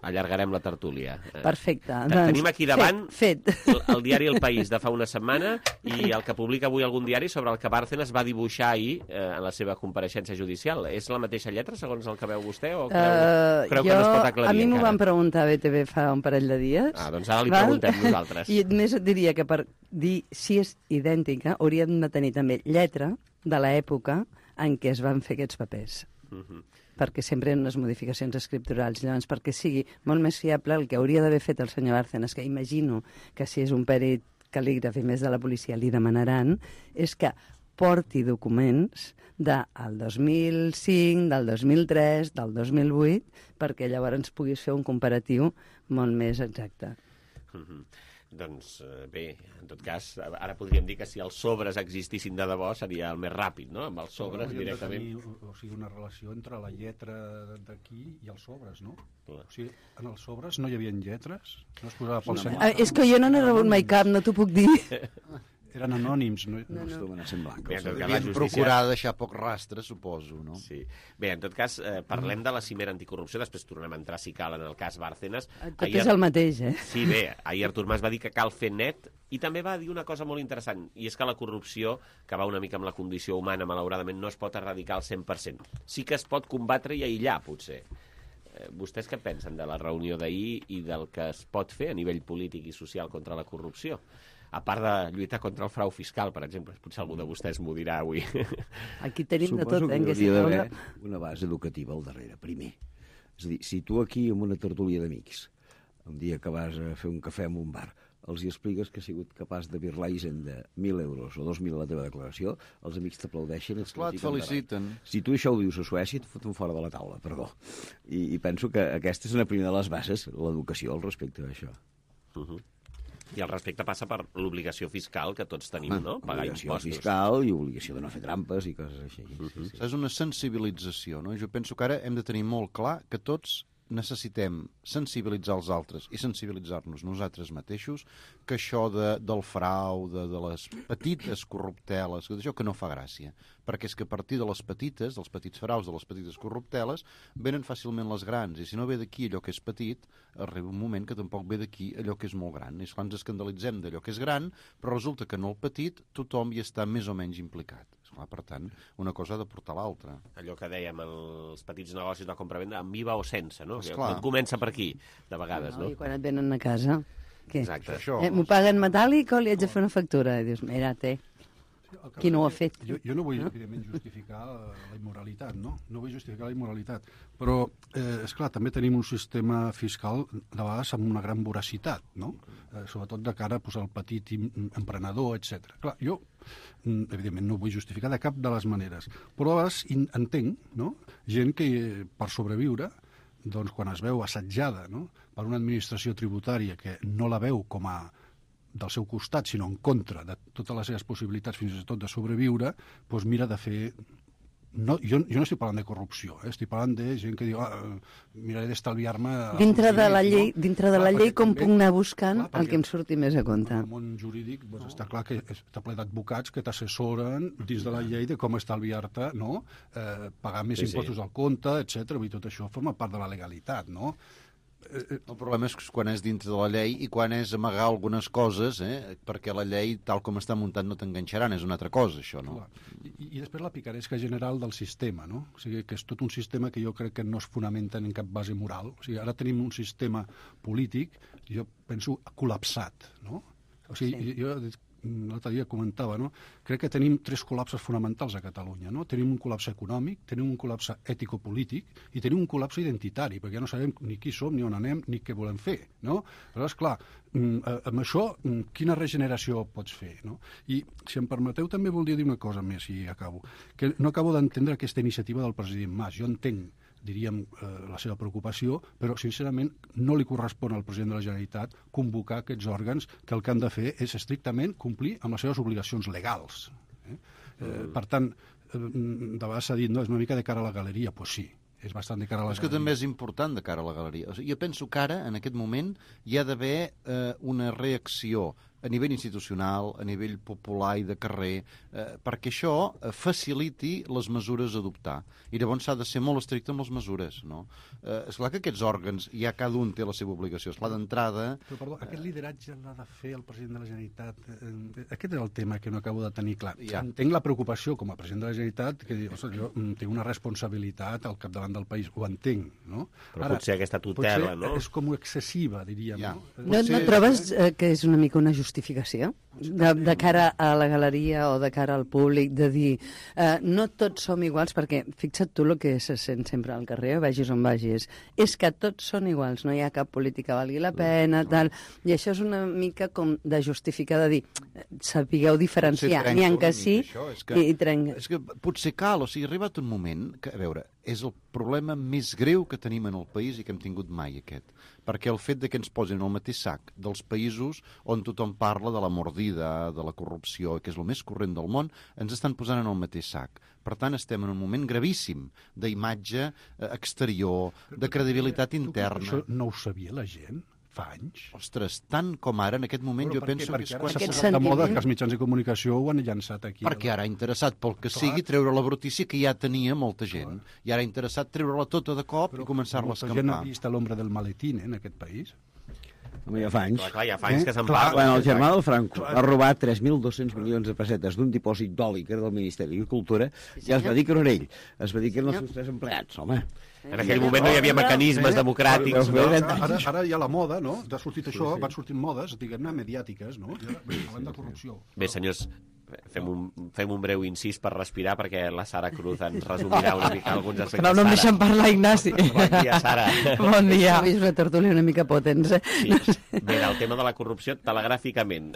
allargarem la tertúlia. Perfecte. Tenim aquí davant fet. El diari El País de fa una setmana i el que publica avui algun diari sobre el que Bárcenas va dibuixar ahir en la seva compareixença judicial. És la mateixa lletra, segons el que veu vostè, o creu que no es pot aclarir a mi m'ho encara? van preguntar a BTV fa un parell de dies. Doncs ara li preguntem nosaltres. I més et diria que per dir si és idèntica hauríem de tenir també lletra de l'època en què es van fer aquests papers. Perquè sempre hi ha unes modificacions escripturals. Llavors, perquè sigui molt més fiable el que hauria d'haver fet el senyor Bárcenas, que imagino que si és un perit cal·lígraf i més de la policia li demanaran, és que porti documents del 2005, del 2003, del 2008, perquè llavors ens puguis fer un comparatiu molt més exacte. Doncs bé, en tot cas, ara podríem dir que si els sobres existissin de debò seria el més ràpid, no? Amb els sobres directament. O sigui, una relació entre la lletra d'aquí i els sobres, no? Clar. O sigui, en els sobres no hi havia lletres? No es posava pel senyor? És que jo no n'he rebut mai cap, no t'ho puc dir. Eren anònims, no? Devien procurar deixar poc rastre, suposo, no? Sí. Bé, en tot cas, parlem de la cimera anticorrupció, després tornem a entrar, si cal, en el cas Bárcenas. Tot és el mateix, eh? Sí, bé, ahir Artur Mas va dir que cal fer net, i també va dir una cosa molt interessant, i és que la corrupció, que va una mica amb la condició humana, malauradament, no es pot erradicar al 100%. Sí que es pot combatre i aïllar, potser. Vostès què pensen de la reunió d'ahir i del que es pot fer a nivell polític i social contra la corrupció? A part de lluitar contra el frau fiscal, per exemple, potser algú de vostès m'ho dirà avui. Aquí tenim de tot, Suposo que que hauria d'haver una base educativa al darrere, primer. És a dir, si tu aquí, amb una tertúlia d'amics, un dia que vas a fer un cafè en un bar, els hi expliques que has sigut capaç de birlar Hisenda 1.000 euros o 2.000 a la teva declaració, els amics t'aplaudeixen. Clar, et feliciten. Si tu això ho dius a Suècia, et foten fora de la taula, perdó. I penso que aquesta és una primera de les bases, l'educació al respecte d'això. I el respecte passa per l'obligació fiscal que tots tenim, no? Pagar Obligació impostos. fiscal i obligació de no fer trampes i coses així. És una sensibilització, no? Jo penso que ara hem de tenir molt clar que tots necessitem sensibilitzar els altres i sensibilitzar-nos nosaltres mateixos, que això del frau, de les petites corrupteles, això que no fa gràcia, perquè és que a partir de les petites, dels petits fraus, de les petites corrupteles, venen fàcilment les grans, i si no ve d'aquí allò que és petit, arriba un moment que tampoc ve d'aquí allò que és molt gran. És quan ens escandalitzem d'allò que és gran, però resulta que en el petit tothom hi està més o menys implicat. Esclar, per tant, una cosa ha de portar l'altra. Allò que dèiem, els petits negocis de compra-venda, amb IVA o sense, no? Esclar. Tot comença per aquí, de vegades, no? I quan et venen a casa, què? Exacte. M'ho paguen metàl·lic o li haig de fer una factura? I dius, mira, qui no ho ha fet? Jo no vull, evidentment, justificar la immoralitat, no? No vull justificar la immoralitat. Però, esclar, també tenim un sistema fiscal, de vegades, amb una gran voracitat, no? Sobretot de cara a posar el petit emprenedor, etc. Clar, jo, evidentment, no ho vull justificar de cap de les maneres, però a vegades entenc, no?, gent que, per sobreviure, doncs, quan es veu assetjada, no?, per una administració tributària que no la veu com a del seu costat, sinó en contra de totes les seves possibilitats, fins i tot de sobreviure, doncs mira de fer... No, jo no estic parlant de corrupció, estic parlant de gent que diu miraré d'estalviar-me... Dintre de la llei, com puc anar buscant el que em surti més a compte? En el món jurídic està clar que està ple d'advocats que t'assessoren dins de la llei de com estalviar-te, no? Pagar més impostos al compte, etc. Tot això forma part de la legalitat, no? El problema és quan és dintre de la llei i quan és amagar algunes coses, perquè la llei, tal com està muntat, no t'enganxaran, és una altra cosa, això, no? I després la picaresca general del sistema, no? O sigui, que és tot un sistema que jo crec que no es fonamenta en cap base moral. O sigui, ara tenim un sistema polític, jo penso, col·lapsat, no? O sigui, jo l'altre dia comentava, no? Crec que tenim 3 col·lapses fonamentals a Catalunya, no? Tenim un col·lapse econòmic, tenim un col·lapse ètico-polític i tenim un col·lapse identitari, perquè ja no sabem ni qui som, ni on anem, ni què volem fer, no? Aleshores, clar, amb això, quina regeneració pots fer, no? I, si em permeteu, també voldria dir una cosa més, i acabo, que no acabo d'entendre aquesta iniciativa del president Mas. Jo entenc, diríem, la seva preocupació, però, sincerament, no li correspon al president de la Generalitat convocar aquests òrgans que el que han de fer és estrictament complir amb les seves obligacions legals. Per tant, de vegades s'ha dit, no, és una mica de cara a la galeria. Doncs sí, és bastant de cara a la galeria. És que també és important de cara a la galeria. O sigui, jo penso que ara, en aquest moment, hi ha d'haver una reacció a nivell institucional, a nivell popular i de carrer, perquè això faciliti les mesures a adoptar. I llavors s'ha de ser molt estricte amb les mesures, no? Esclar que aquests òrgans, ja cada un té la seva obligació. Esclar, d'entrada... Però, perdó, aquest lideratge l'ha de fer el president de la Generalitat. Aquest és el tema que no acabo de tenir clar. Ja. Entenc la preocupació com a president de la Generalitat, que diu, jo tinc una responsabilitat al capdavant del país, ho entenc, no? Però potser aquesta tutela, no? És com excessiva, diríem, ja. no? No trobes que és una mica una justificació de cara a la galeria o de cara al públic, de dir no tots som iguals, perquè fixa't tu el que se sent sempre al carrer, vagis on vagis, és que tots són iguals, no hi ha cap política que valgui la pena, tal, i això és una mica com de justificar, de dir, sapigueu diferenciar, n'hi ha que sí i trenca. És que potser cal, o sigui, ha arribat un moment que, a veure, és el problema més greu que tenim en el país i que hem tingut mai, aquest. Perquè el fet de que ens posin al mateix sac dels països on tothom parla de la mordida, de la corrupció, que és el més corrent del món, ens estan posant en el mateix sac. Per tant, estem en un moment gravíssim d'imatge exterior, de credibilitat interna. Això no ho sabia la gent? Fa anys? Ostres, tant com ara, en aquest moment, jo penso que és quan s'ha posat de moda que els mitjans de comunicació ho han llançat aquí. Perquè ara ha interessat, pel que sigui, treure la brutícia que ja tenia molta gent. I ara ha interessat treure-la tota de cop i començar-la a escampar. Però molta gent ha vist l'ombra del maletín, en aquest país. Home, ja fa anys. Clar, ja fa anys que se'n parla. Quan el germà del Franco va robar 3.200 milions de pessetes d'un dipòsit d'oli que era del Ministeri d'Agricultura, ja es va dir que no era ell. Es va dir que eren els seus 3 empleats, home. En aquell moment no hi havia mecanismes democràtics. Ara hi ha la moda, no? Ha sortit això, van sortint modes, diguem-ne, mediàtiques, no? Parlant de corrupció. Bé, senyors, fem un breu incís per respirar perquè la Sara Cruz ens resumirà una mica alguns aspectes. No em deixen parlar, Ignasi. Bon dia, Sara. Bon dia. És una tertúlia una mica potents, eh? Sí. Bé, el tema de la corrupció, telegràficament,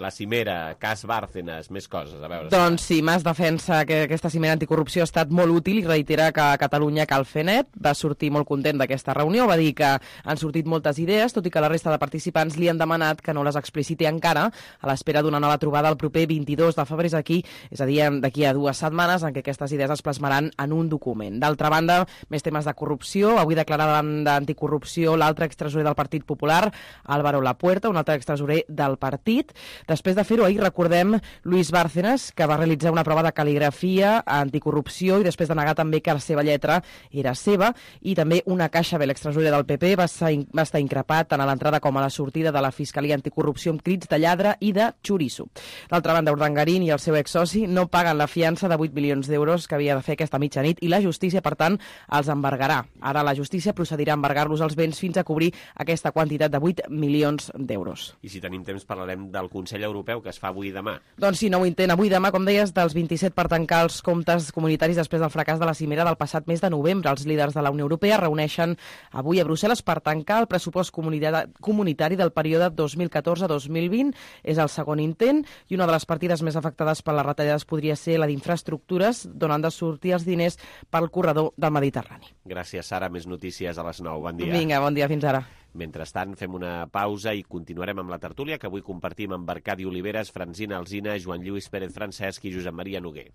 la cimera, cas Bárcenas, més coses, a veure. Doncs sí, Mas defensa que aquesta cimera anticorrupció ha estat molt útil i reitera que a Catalunya cal fer net. Va sortir molt content d'aquesta reunió, va dir que han sortit moltes idees, tot i que la resta de participants li han demanat que no les expliciti encara, a l'espera d'una nova trobada el proper 22 de febrer aquí, és a dir, d'aquí a 2 setmanes, en què aquestes idees es plasmaran en un document. D'altra banda, més temes de corrupció. Avui declara davant d'anticorrupció l'altre extresorer del Partit Popular, Álvaro Lapuerta, un altre extresorer del partit. Després de fer-ho, ahir recordem Luis Bárcenas, que va realitzar una prova de cal·ligrafia anticorrupció i després de negar també que la seva lletra era seva, i també una caixa bé, l'extresorer del PP, va estar increpat tant a l'entrada com a la sortida de la Fiscalia Anticorrupció amb crits de lladre i de xoriço. D'altra banda, Urdangarín i el seu exsoci no paguen la fiança de 8 milions d'euros que havia de fer aquesta mitjanit i la justícia, per tant, els embargarà. Ara la justícia procedirà a embargar-los els béns fins a cobrir aquesta quantitat de 8 milions d'euros. I si tenim temps parlarem del Consell Europeu que es fa avui i demà. Doncs sí, nou intent avui i demà, com deies, dels 27 per tancar els comptes comunitaris després del fracàs de la cimera del passat mes de novembre. Els líders de la Unió Europea reuneixen avui a Brussel·les per tancar el pressupost comunitari del període 2014-2020. És el segon intent i una de les partides més afectades per les retallades podria ser la d'infraestructures, d'on han de sortir els diners pel corredor del Mediterrani. Gràcies, Sara. Més notícies a les 9. Bon dia. Vinga, bon dia, fins ara. Mentrestant, fem una pausa i continuarem amb la tertúlia que avui compartim amb Arcadi Oliveres, Francina Alsina, Joan Lluís Pérez Francesc i Josep Maria Noguer.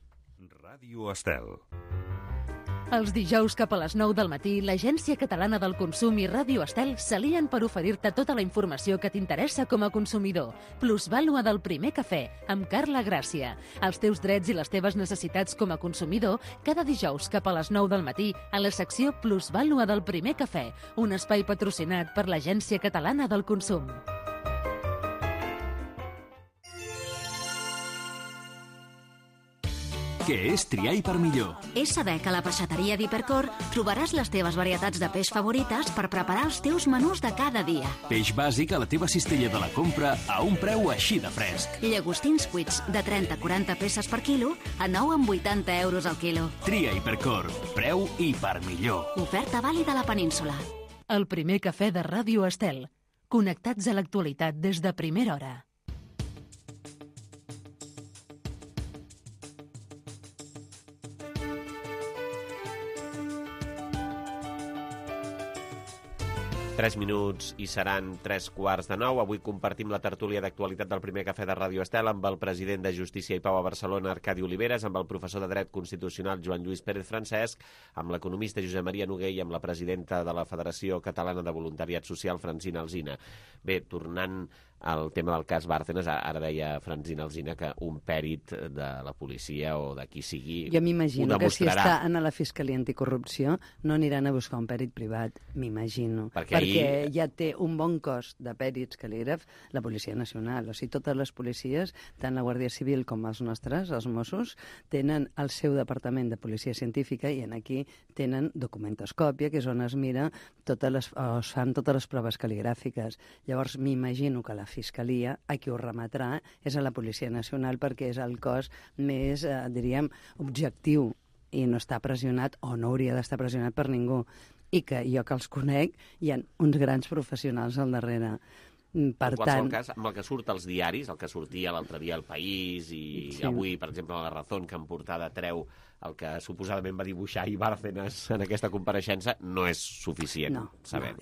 Ràdio Estel. Els dijous cap a les 9 del matí, l'Agència Catalana del Consum i Ràdio Estel s'alien per oferir-te tota la informació que t'interessa com a consumidor. Plusvàlua del primer cafè, amb Carla Gràcia. Els teus drets i les teves necessitats com a consumidor, cada dijous cap a les 9 del matí, a la secció Plusvàlua del primer cafè, un espai patrocinat per l'Agència Catalana del Consum. Què és triar i per millor? És saber que a la peixateria d'Hipercor trobaràs les teves varietats de peix favorites per preparar els teus menús de cada dia. Peix bàsic a la teva cistella de la compra a un preu així de fresc. Llagostins cuits de 30-40 peces per quilo a 9,80 euros al quilo. Tria Hipercor. Preu i per millor. Oferta vàlida a la península. El primer cafè de Ràdio Estel. Connectats a l'actualitat des de primera hora. Tres minuts i seran 8:45. Avui compartim la tertúlia d'actualitat del primer cafè de Ràdio Estel amb el president de Justícia i Pau a Barcelona, Arcadi Oliveres, amb el professor de Dret Constitucional, Joan Lluís Pérez Francesc, amb l'economista Josep Maria Noguer i amb la presidenta de la Federació Catalana de Voluntariat Social, Francina Alsina. Bé, tornant al tema del cas Bárcenas, ara deia Francina Alsina que un pèrit de la policia o de qui sigui jo m'imagino que si demostrarà. està en la Fiscalia Anticorrupció no aniran a buscar un pèrit privat, m'imagino. Perquè ja té un bon cos de pèrits cal·lígrafs la Policia Nacional. O sigui, totes les policies, tant la Guàrdia Civil com els nostres, els Mossos, tenen el seu departament de policia científica i aquí tenen documentoscòpia, que és on es mira es fan totes les proves cal·ligràfiques. Llavors, m'imagino que la Fiscalia a qui ho remetrà és a la Policia Nacional perquè és el cos més, diríem, objectiu i no està pressionat o no hauria d'estar pressionat per ningú. I que jo que els conec hi ha uns grans professionals al darrere. Per en qualsevol tant, cas, amb el que surt als diaris, el que sortia l'altre dia al País i sí. Avui, per exemple, a La Razón, que en portada treu el que suposadament va dibuixar Bárcenas en aquesta compareixença no és suficient. No.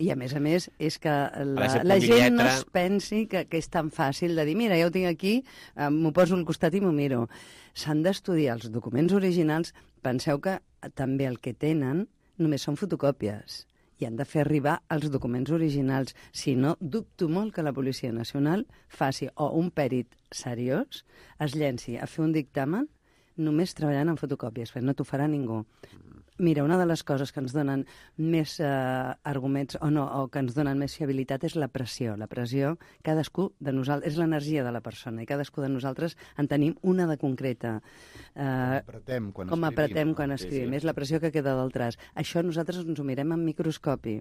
I a més, és que la gent no es pensi que és tan fàcil de dir, mira, ja ho tinc aquí, m'ho poso al costat i m'ho miro. S'han d'estudiar els documents originals. Penseu que també el que tenen només són fotocòpies i han de fer arribar els documents originals. Si no, dubto molt que la Policia Nacional faci, o un pèrit seriós, es llenci a fer un dictamen només treballant en fotocòpies, perquè no t'ho farà ningú. Mira, una de les coses que ens donen més arguments o que ens donen més fiabilitat és la pressió. La pressió, cadascú de nosaltres, és l'energia de la persona i cadascú de nosaltres en tenim una de concreta. Com apretem quan escrivim. És la pressió que queda del traç. Això nosaltres ens ho mirem amb microscopi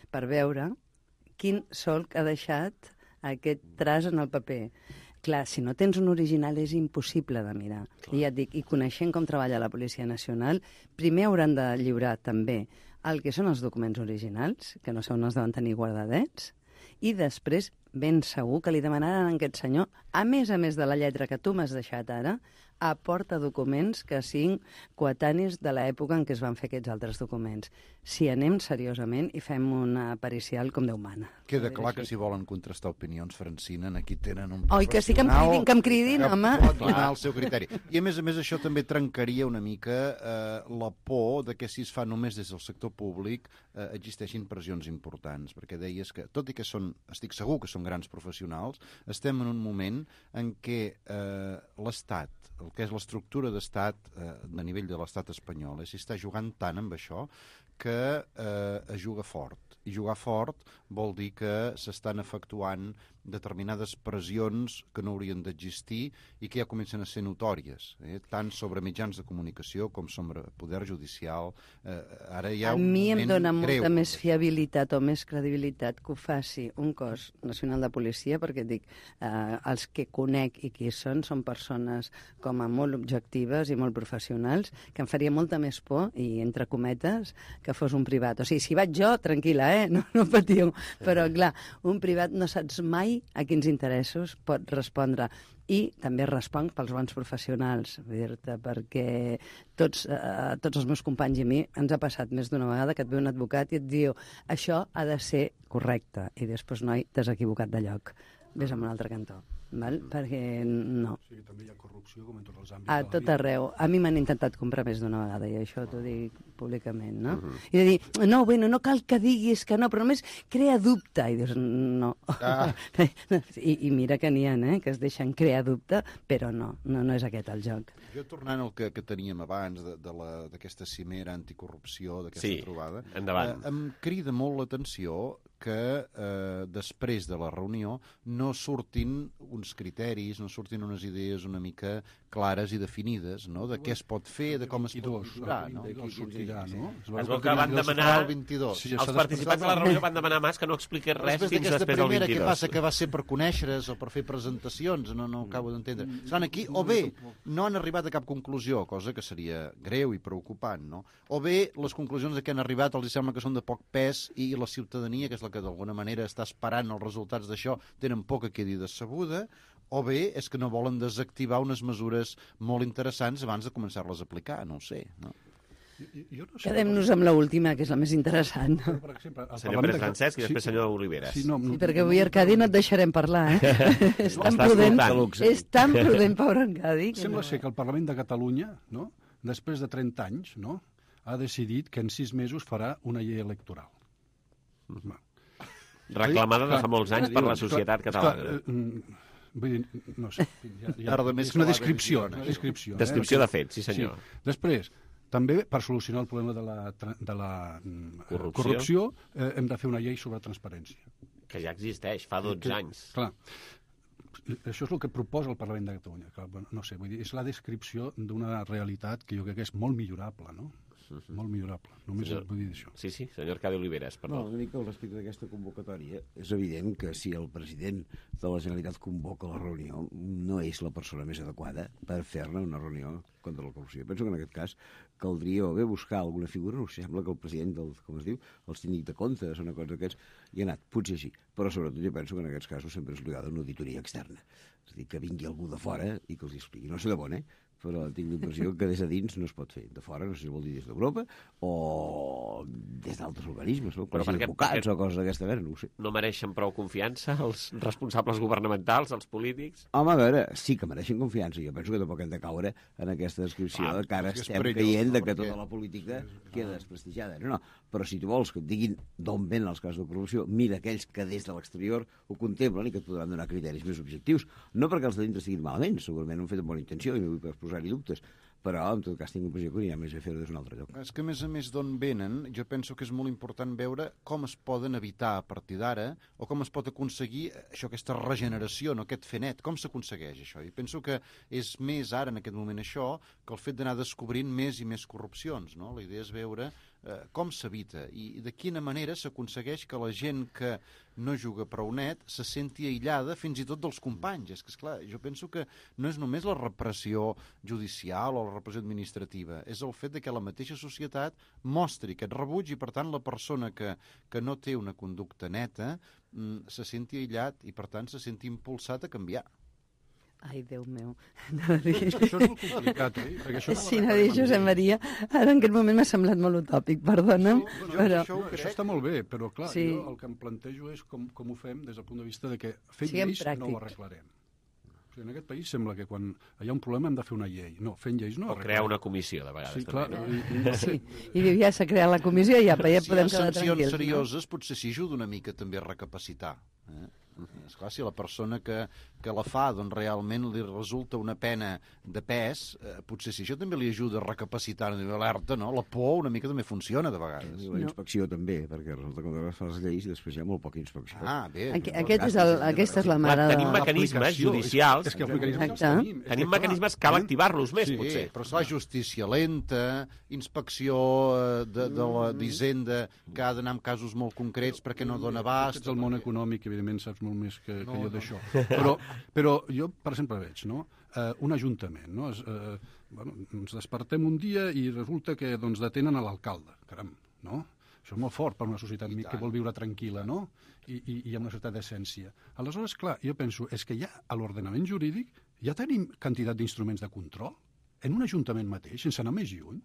per veure quin solc ha deixat aquest traç en el paper. Clar, si no tens un original és impossible de mirar. I ja et dic, i coneixent com treballa la Policia Nacional, primer hauran de lliurar també el que són els documents originals, que no sé on els deuen tenir guardadets, i després, ben segur que li demanaran a aquest senyor, a més de la lletra que tu m'has deixat ara, aporta documents que siguin coetanis de l'època en què es van fer aquests altres documents. Si anem seriosament i fem una pericial com Déu mana. Queda clar que si volen contrastar opinions, Francina, aquí tenen un professional... Oi, que sí que em cridin, home. Que pot donar el seu criteri. I a més això també trencaria una mica la por de que si es fa només des del sector públic existeixin pressions importants, perquè deies que, tot i que estic segur que són grans professionals, estem en un moment en què l'Estat, el que és l'estructura d'estat a nivell de l'estat espanyol, s'hi està jugant tant amb això que es juga fort. I jugar fort vol dir que s'estan efectuant determinades pressions que no haurien d'existir i que ja comencen a ser notòries, tant sobre mitjans de comunicació com sobre poder judicial. Ara hi ha un moment greu. A mi em dona molta més fiabilitat o més credibilitat que ho faci un cos nacional de policia, perquè dic, els que conec i qui són persones com a molt objectives i molt professionals, que em faria molta més por, i entre cometes, que fos un privat. O sigui, si vaig jo, tranquil·la, no patiu. Però, clar, un privat no saps mai a quins interessos pot respondre. I també responc pels bons professionals, perquè tots els meus companys i a mi ens ha passat més d'una vegada que et ve un advocat i et diu això ha de ser correcte, i després, noi, t'has equivocat de lloc. Ves a un altre cantó. Val? Perquè no. Sí, també hi ha corrupció, com en tots els àmbits. A tot arreu. A mi m'han intentat comprar més d'una vegada, i això t'ho dic públicament, no? I de dir, no, bueno, no cal que diguis que no, però només crea dubte. I dius, no. I mira que n'hi ha, que es deixen crear dubte, però no és aquest el joc. Jo, tornant al que teníem abans d'aquesta cimera anticorrupció, d'aquesta trobada, em crida molt l'atenció que després de la reunió no surtin uns criteris, no surtin unes idees una mica clares i definides, no?, de què es pot fer, de com es pot millorar, no? Es veu que van demanar, els participants de la reunió van demanar Mas que no expliqués res fins després del 22. Què passa, que va ser per conèixer-es o per fer presentacions? No acabo d'entendre. Estan aquí, o bé no han arribat a cap conclusió, cosa que seria greu i preocupant, no? O bé les conclusions a què han arribat els sembla que són de poc pes i la ciutadania, que és la que d'alguna manera està esperant els resultats d'això, tenen poc a quedi decebuda, o bé és que no volen desactivar unes mesures molt interessants abans de començar-les a aplicar, no ho sé, no? Quedem-nos amb l'última, que és la més interessant. Per exemple, senyor Pérez Francesc i després senyor Oliveres. Sí, perquè avui, Arcadi, no et deixarem parlar, És tan prudent, pobre Arcadi. Sembla ser que el Parlament de Catalunya, després de 30 anys, ha decidit que en 6 mesos farà una llei electoral. Reclamada de fa molts anys per la societat catalana. Vull dir, no sé, és una descripció. Descripció de fet, sí senyor. Després, també per solucionar el problema de la corrupció hem de fer una llei sobre transparència. Que ja existeix, fa 12 anys. Clar, això és el que proposa el Parlament de Catalunya. No sé, vull dir, és la descripció d'una realitat que jo crec que és molt millorable, no? Molt millorable. Només vull dir això. Sí, senyor Arcadi Oliveres, perdó. No, una mica al respecte d'aquesta convocatòria, és evident que si el president de la Generalitat convoca la reunió, no és la persona més adequada per fer-ne una reunió contra la corrupció. Penso que en aquest cas caldria o bé buscar alguna figura, no sé, sembla que el president com es diu, el síndic de comptes o una cosa d'aquests, hi ha anat, potser sí, però sobretot jo penso que en aquests casos sempre és obligada una auditoria externa. És a dir, que vingui algú de fora i que els expliqui. No sé de bon, però tinc l'impressió que des de dins no es pot fer. De fora, no sé si vol dir des d'Europa o des d'altres organismes, no? Però advocats o coses d'aquesta mena, no ho sé. No mereixen prou confiança els responsables governamentals, els polítics? Home, a veure, sí que mereixen confiança. Jo penso que tampoc hem de caure en aquesta descripció de que ara estem caient de que tota la política queda desprestigiada. No, però si tu vols que et diguin d'on venen els casos de corrupció, mira aquells que des de l'exterior ho contemplen i que et podran donar criteris més objectius. No perquè els de dintre estiguin malament, segurament ho han fet amb bona intenció i no vull posar-hi dubtes, però en tot cas tinc l'impressió que n'hi ha més a fer des d'un altre lloc. És que a més d'on venen, jo penso que és molt important veure com es poden evitar a partir d'ara o com es pot aconseguir això, aquesta regeneració, no? Aquest fer net, com s'aconsegueix això? I penso que és més ara en aquest moment això que el fet d'anar descobrint més i més corrupcions, no? La idea és veure com s'evita i de quina manera s'aconsegueix que la gent que no juga prou net se senti aïllada fins i tot dels companys. És que, esclar, jo penso que no és només la repressió judicial o la repressió administrativa, és el fet de que la mateixa societat mostri aquest rebuig i, per tant, la persona que no té una conducta neta se senti aïllat i, per tant, se senti impulsat a canviar. Ai, Déu meu. És que això és molt complicat, Sí, no dir Josep Maria, ara en aquest moment m'ha semblat molt utòpic, perdona'm. Això està molt bé, però clar, jo el que em plantejo és com ho fem des del punt de vista de que fent lleis no ho arreglarem. O sigui, en aquest país sembla que quan hi ha un problema hem de fer una llei. No, fent lleis no. O crear una comissió, de vegades. Sí, clar. Sí, i ja s'ha creat la comissió i ja podem quedar tranquils. Si hi ha sancions serioses, potser s'hi ajuda una mica també a recapacitar. Esclar, si la persona que la fa doncs realment li resulta una pena de pes, potser si això també li ajuda a recapacitar a nivell alerta, no? La por una mica també funciona de vegades. La inspecció també, perquè resulta que quan fas les lleis després hi ha molt poca inspecció. Bé. Aquesta és la mare de... Tenim mecanismes judicials. Tenim mecanismes, cal activar-los més, potser. Però és la justícia lenta, inspecció d'Hisenda que ha d'anar en casos molt concrets perquè no dona abast. Ets el món econòmic, evidentment saps molt més que jo d'això. Però jo, per exemple, veig un ajuntament. Ens despertem un dia i resulta que detenen a l'alcalde. Caram, no? Això és molt fort per una societat que vol viure tranquil·la, no? I amb una certa decència. Aleshores, clar, jo penso, és que ja a l'ordenament jurídic ja tenim quantitat d'instruments de control en un ajuntament mateix, sense anar més lluny,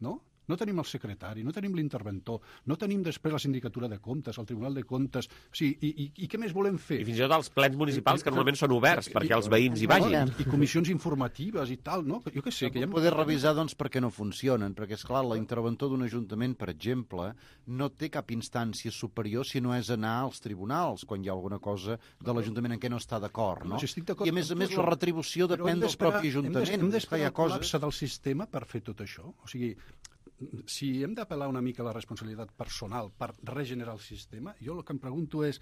no? No tenim el secretari, no tenim l'interventor, no tenim després la sindicatura de comptes, el tribunal de comptes... O sigui, i què més volem fer? I fins i tot els plens municipals, que normalment són oberts perquè els veïns hi vagin. I comissions informatives i tal, no? Jo què sé... Que ja poder revisar, doncs, per què no funcionen, perquè, esclar, l'interventor d'un ajuntament, per exemple, no té cap instància superior si no és anar als tribunals, quan hi ha alguna cosa de l'Ajuntament en què no està d'acord, no? I, a més, la retribució depèn del propi Ajuntament. Hem d'esperar el col·lapse del sistema per fer tot això. O sigui, si hem d'apel·lar una mica a la responsabilitat personal per regenerar el sistema, jo el que em pregunto és,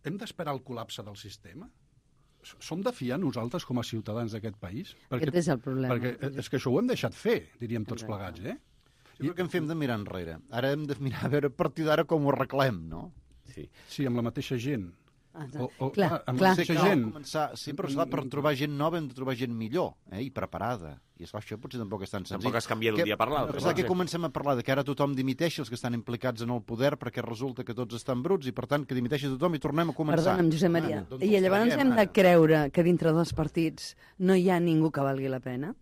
hem d'esperar el col·lapse del sistema? Som de fiar nosaltres com a ciutadans d'aquest país? Aquest és el problema. Perquè és que això ho hem deixat fer, diríem tots plegats, Jo crec que hem de mirar enrere. Ara hem de mirar a veure a partir d'ara com ho arreglem, no? Sí, amb la mateixa gent. Clar. Sí, però per trobar gent nova hem de trobar gent millor i preparada. I això potser tampoc és tan senzill. Tampoc es canvia d'un dia per l'altre. Que comencem a parlar de que ara tothom dimiteixi els que estan implicats en el poder perquè resulta que tots estan bruts i per tant que dimiteixi tothom i tornem a començar. Perdona'm, Josep Maria. I llavors hem de creure que dintre dels partits no hi ha ningú que valgui la pena?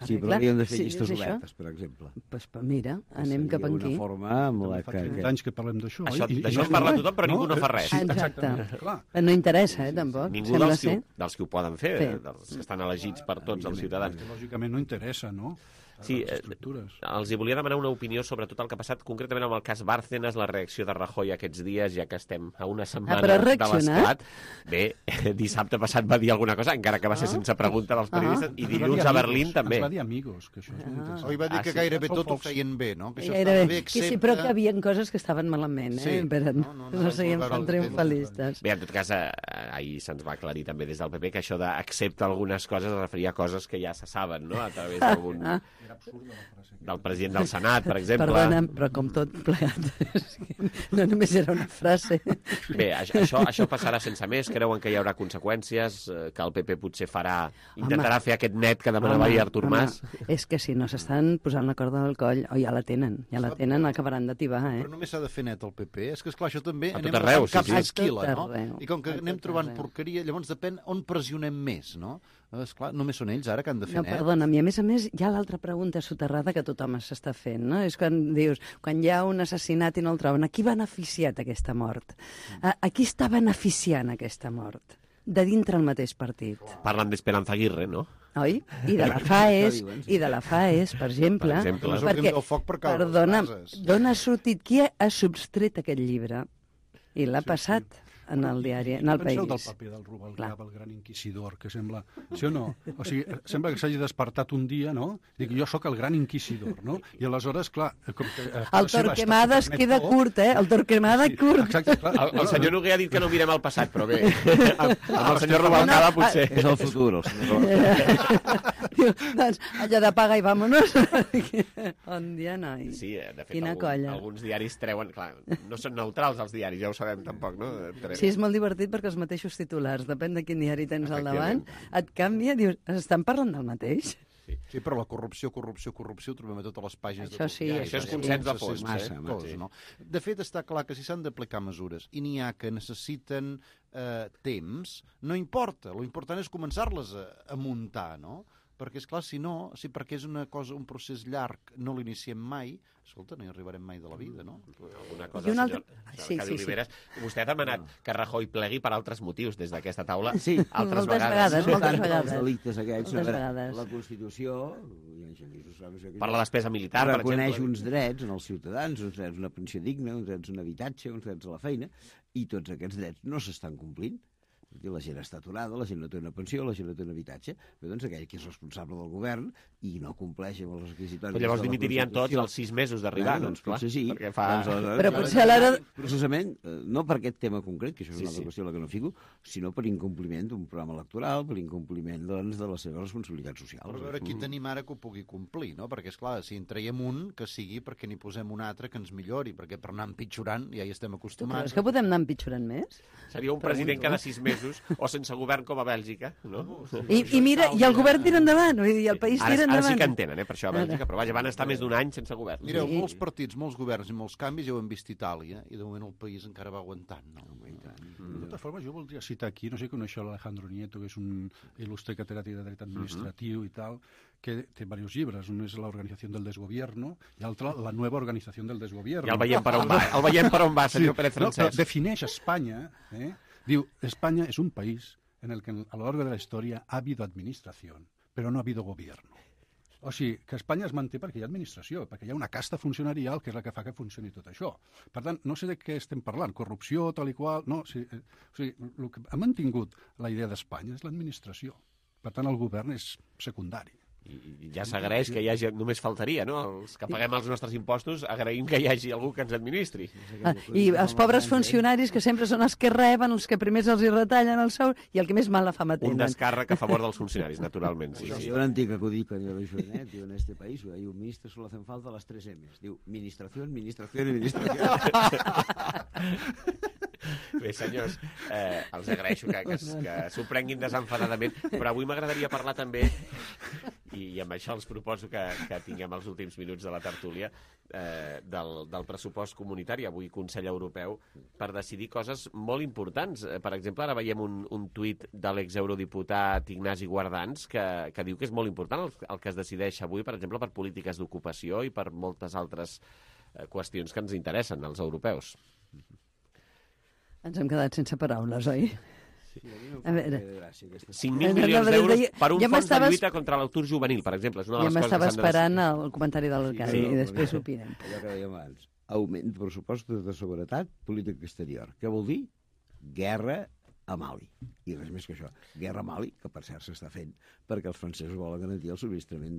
Sí, però hauríem de fer llistes obertes, per exemple. Doncs mira, anem cap aquí. Una forma amb la que... Fa anys que parlem d'això. D'això en parla tothom, però ningú no fa res. Exacte. No interessa, tampoc. Ningú dels que ho poden fer, dels que estan elegits per tots els ciutadans. Lògicament no interessa, no? Sí, els hi volia demanar una opinió sobre tot el que ha passat, concretament amb el cas Bárcenas, la reacció de Rajoy aquests dies, ja que estem a una setmana de l'esclat. Bé, dissabte passat va dir alguna cosa, encara que va ser sense pregunta dels periodistes, i dilluns a Berlín també. Va dir amigos, que això és molt interessant. Oi, va dir que gairebé tot ho feien bé, no? Que sí, però que hi havia coses que estaven malament, no seguim fent triomfalistes. Bé, en tot cas, ahir se'ns va aclarir també des del PP que això d'excepte algunes coses es referia a coses que ja se saben, no? A través d'algun... del president del Senat, per exemple. Perdona, però com tot plegat. No només era una frase. Bé, això passarà sense més. Creuen que hi haurà conseqüències, que el PP potser intentarà fer aquest net que demanava ahir Artur Mas? És que si no s'estan posant la corda del coll, ja la tenen, acabaran de tibar, Però només s'ha de fer net el PP. És que, esclar, això també a tot arreu, caps d'esquila, no? I com que anem trobant porqueria, llavors depèn on pressionem més, no? Esclar, només són ells ara que han de fer net. Perdona'm, i a més, hi ha l'altra pregunta soterrada que tothom s'està fent, no? És quan dius, quan hi ha un assassinat i no el troben, a qui ha beneficiat aquesta mort? A qui està beneficiant aquesta mort? De dintre el mateix partit. Parlen d'Esperanza Aguirre, no? Oi? I de la FAES, per exemple. Perquè, perdona'm, d'on ha sortit? Qui ha substret aquest llibre? I l'ha passat en el diari, en el País. Penseu del paper del Rubalcaba, el gran inquisidor, que sembla... Sí o no? O sigui, sembla que s'hagi despertat un dia, no? Dic, jo sóc el gran inquisidor, no? I aleshores, clar... Com que, el Torquemada es queda curt, eh? El Torquemada curt. Exacte, clar. El senyor Noguer ha dit que no mirem al passat, però bé, amb el senyor Rubalcaba potser... És el futur, el senyor Rubalcaba. Doncs allò de paga i vámonos. Bon dia, noi. Sí, de fet, alguns diaris treuen... Clar, no són neutrals els diaris, ja ho sabem tampoc, no? Sí, és molt divertit perquè els mateixos titulars, depèn de quin diari tens al davant, et canvia, dius, estan parlant del mateix? Sí, però la corrupció ho trobem a totes les pàgines de tot diari. Això és consens de fons. No? De fet, està clar que si s'han d'aplicar mesures i n'hi ha que necessiten temps, no importa. L'important és començar-les a muntar, no? Perquè, esclar, si no, perquè és una cosa, un procés llarg, no l'iniciem mai, escolta, no hi arribarem mai de la vida, no? Alguna cosa, senyor Cadi Oliveres. Vostè ha demanat que Rajoy plegui per altres motius des d'aquesta taula. Sí, moltes vegades. Els delictes aquests. La Constitució... Per la despesa militar, per exemple. Reconeix uns drets en els ciutadans, uns drets a una pensió digna, uns drets a un habitatge, uns drets a la feina, i tots aquests drets no s'estan complint. La gent està aturada, la gent no té una pensió, la gent no té un habitatge. Però doncs aquell que és responsable del govern i no compleix amb els requisitoris... Però llavors dimitirien tots els 6 mesos d'arribar, doncs clar. Potser sí. Però potser a l'hora... Precisament, no per aquest tema concret, que això és una altra qüestió a la que no fico, sinó per incompliment d'un programa electoral, per incompliment, doncs, de les seves responsabilitats socials. Però a veure qui tenim ara que ho pugui complir, no? Perquè, esclar, si en traiem un, que sigui perquè n'hi posem un altre que ens millori, perquè per anar empitjorant ja hi estem acostumats. Però és que podem anar empitjorant més? Seria un president cada 6 mesos o sense govern com a Bèlgica, no? I mira, i el govern tira endavant, i el país tira endavant. Ara sí que en tenen, per això a Bèlgica, però vaja, van estar més d'un any sense govern. Mireu, molts partits, molts governs i molts canvis ja ho hem vist a Itàlia, i de moment el país encara va aguantant, no? De totes formes, jo voldria citar aquí, no sé si coneixeu l'Alejandro Nieto, que és un il·lustre catedràtic de dret administratiu i tal, que té diversos llibres. Un és l'Organització del Desgobierno i l'altre la Nueva Organización del Desgobierno. Ja el veiem per on va, senyor Pérez Francesc. Defineix Espanya, diu, España es un país en el que a lo largo de la historia ha habido administración, pero no ha habido gobierno. O sigui, que Espanya es manté perquè hi ha administració, perquè hi ha una casta funcionarial que és la que fa que funcioni tot això. Per tant, no sé de què estem parlant, corrupció, tal i qual... No, o sigui, el que ha mantingut la idea d'Espanya és l'administració. Per tant, el govern és secundari. I ja s'agraeix que hi hagi, només faltaria, no? Els que paguem els nostres impostos agraïm que hi hagi algú que ens administri. I els pobres funcionaris, que sempre són els que reben, els que primer els hi retallen el sou i el que més mala fama tenen. Un descàrrec a favor dels funcionaris, naturalment. Sí. Yo un antic acudit quan jo vaig fer diu, en este país hay un ministre, solo hacen falta las 3 M's. Diu, administración, administración y administración. Bé, senyors, els agraeixo que s'ho prenguin desenfadadament, però avui m'agradaria parlar també, i amb això els proposo que tinguem els últims minuts de la tertúlia, del pressupost comunitari, avui Consell Europeu, per decidir coses molt importants. Per exemple, ara veiem un tuit de l'exeurodiputat Ignasi Guardans que diu que és molt important el que es decideix avui, per exemple, per polítiques d'ocupació i per moltes altres qüestions que ens interessen, als europeus. Ens hem quedat sense paraules, oi? Sí. A veure... 5.000 milions d'euros per un fons de lluita contra l'atur juvenil, per exemple. És una de les coses que m'estava esperant el comentari del Cadi i després opinem. Allò que dèiem abans. Augment de pressupostos de seguretat, política exterior. Què vol dir? Guerra a Mali. I res més que això. Guerra a Mali, que per cert s'està fent perquè els francesos volen garantir el subministrament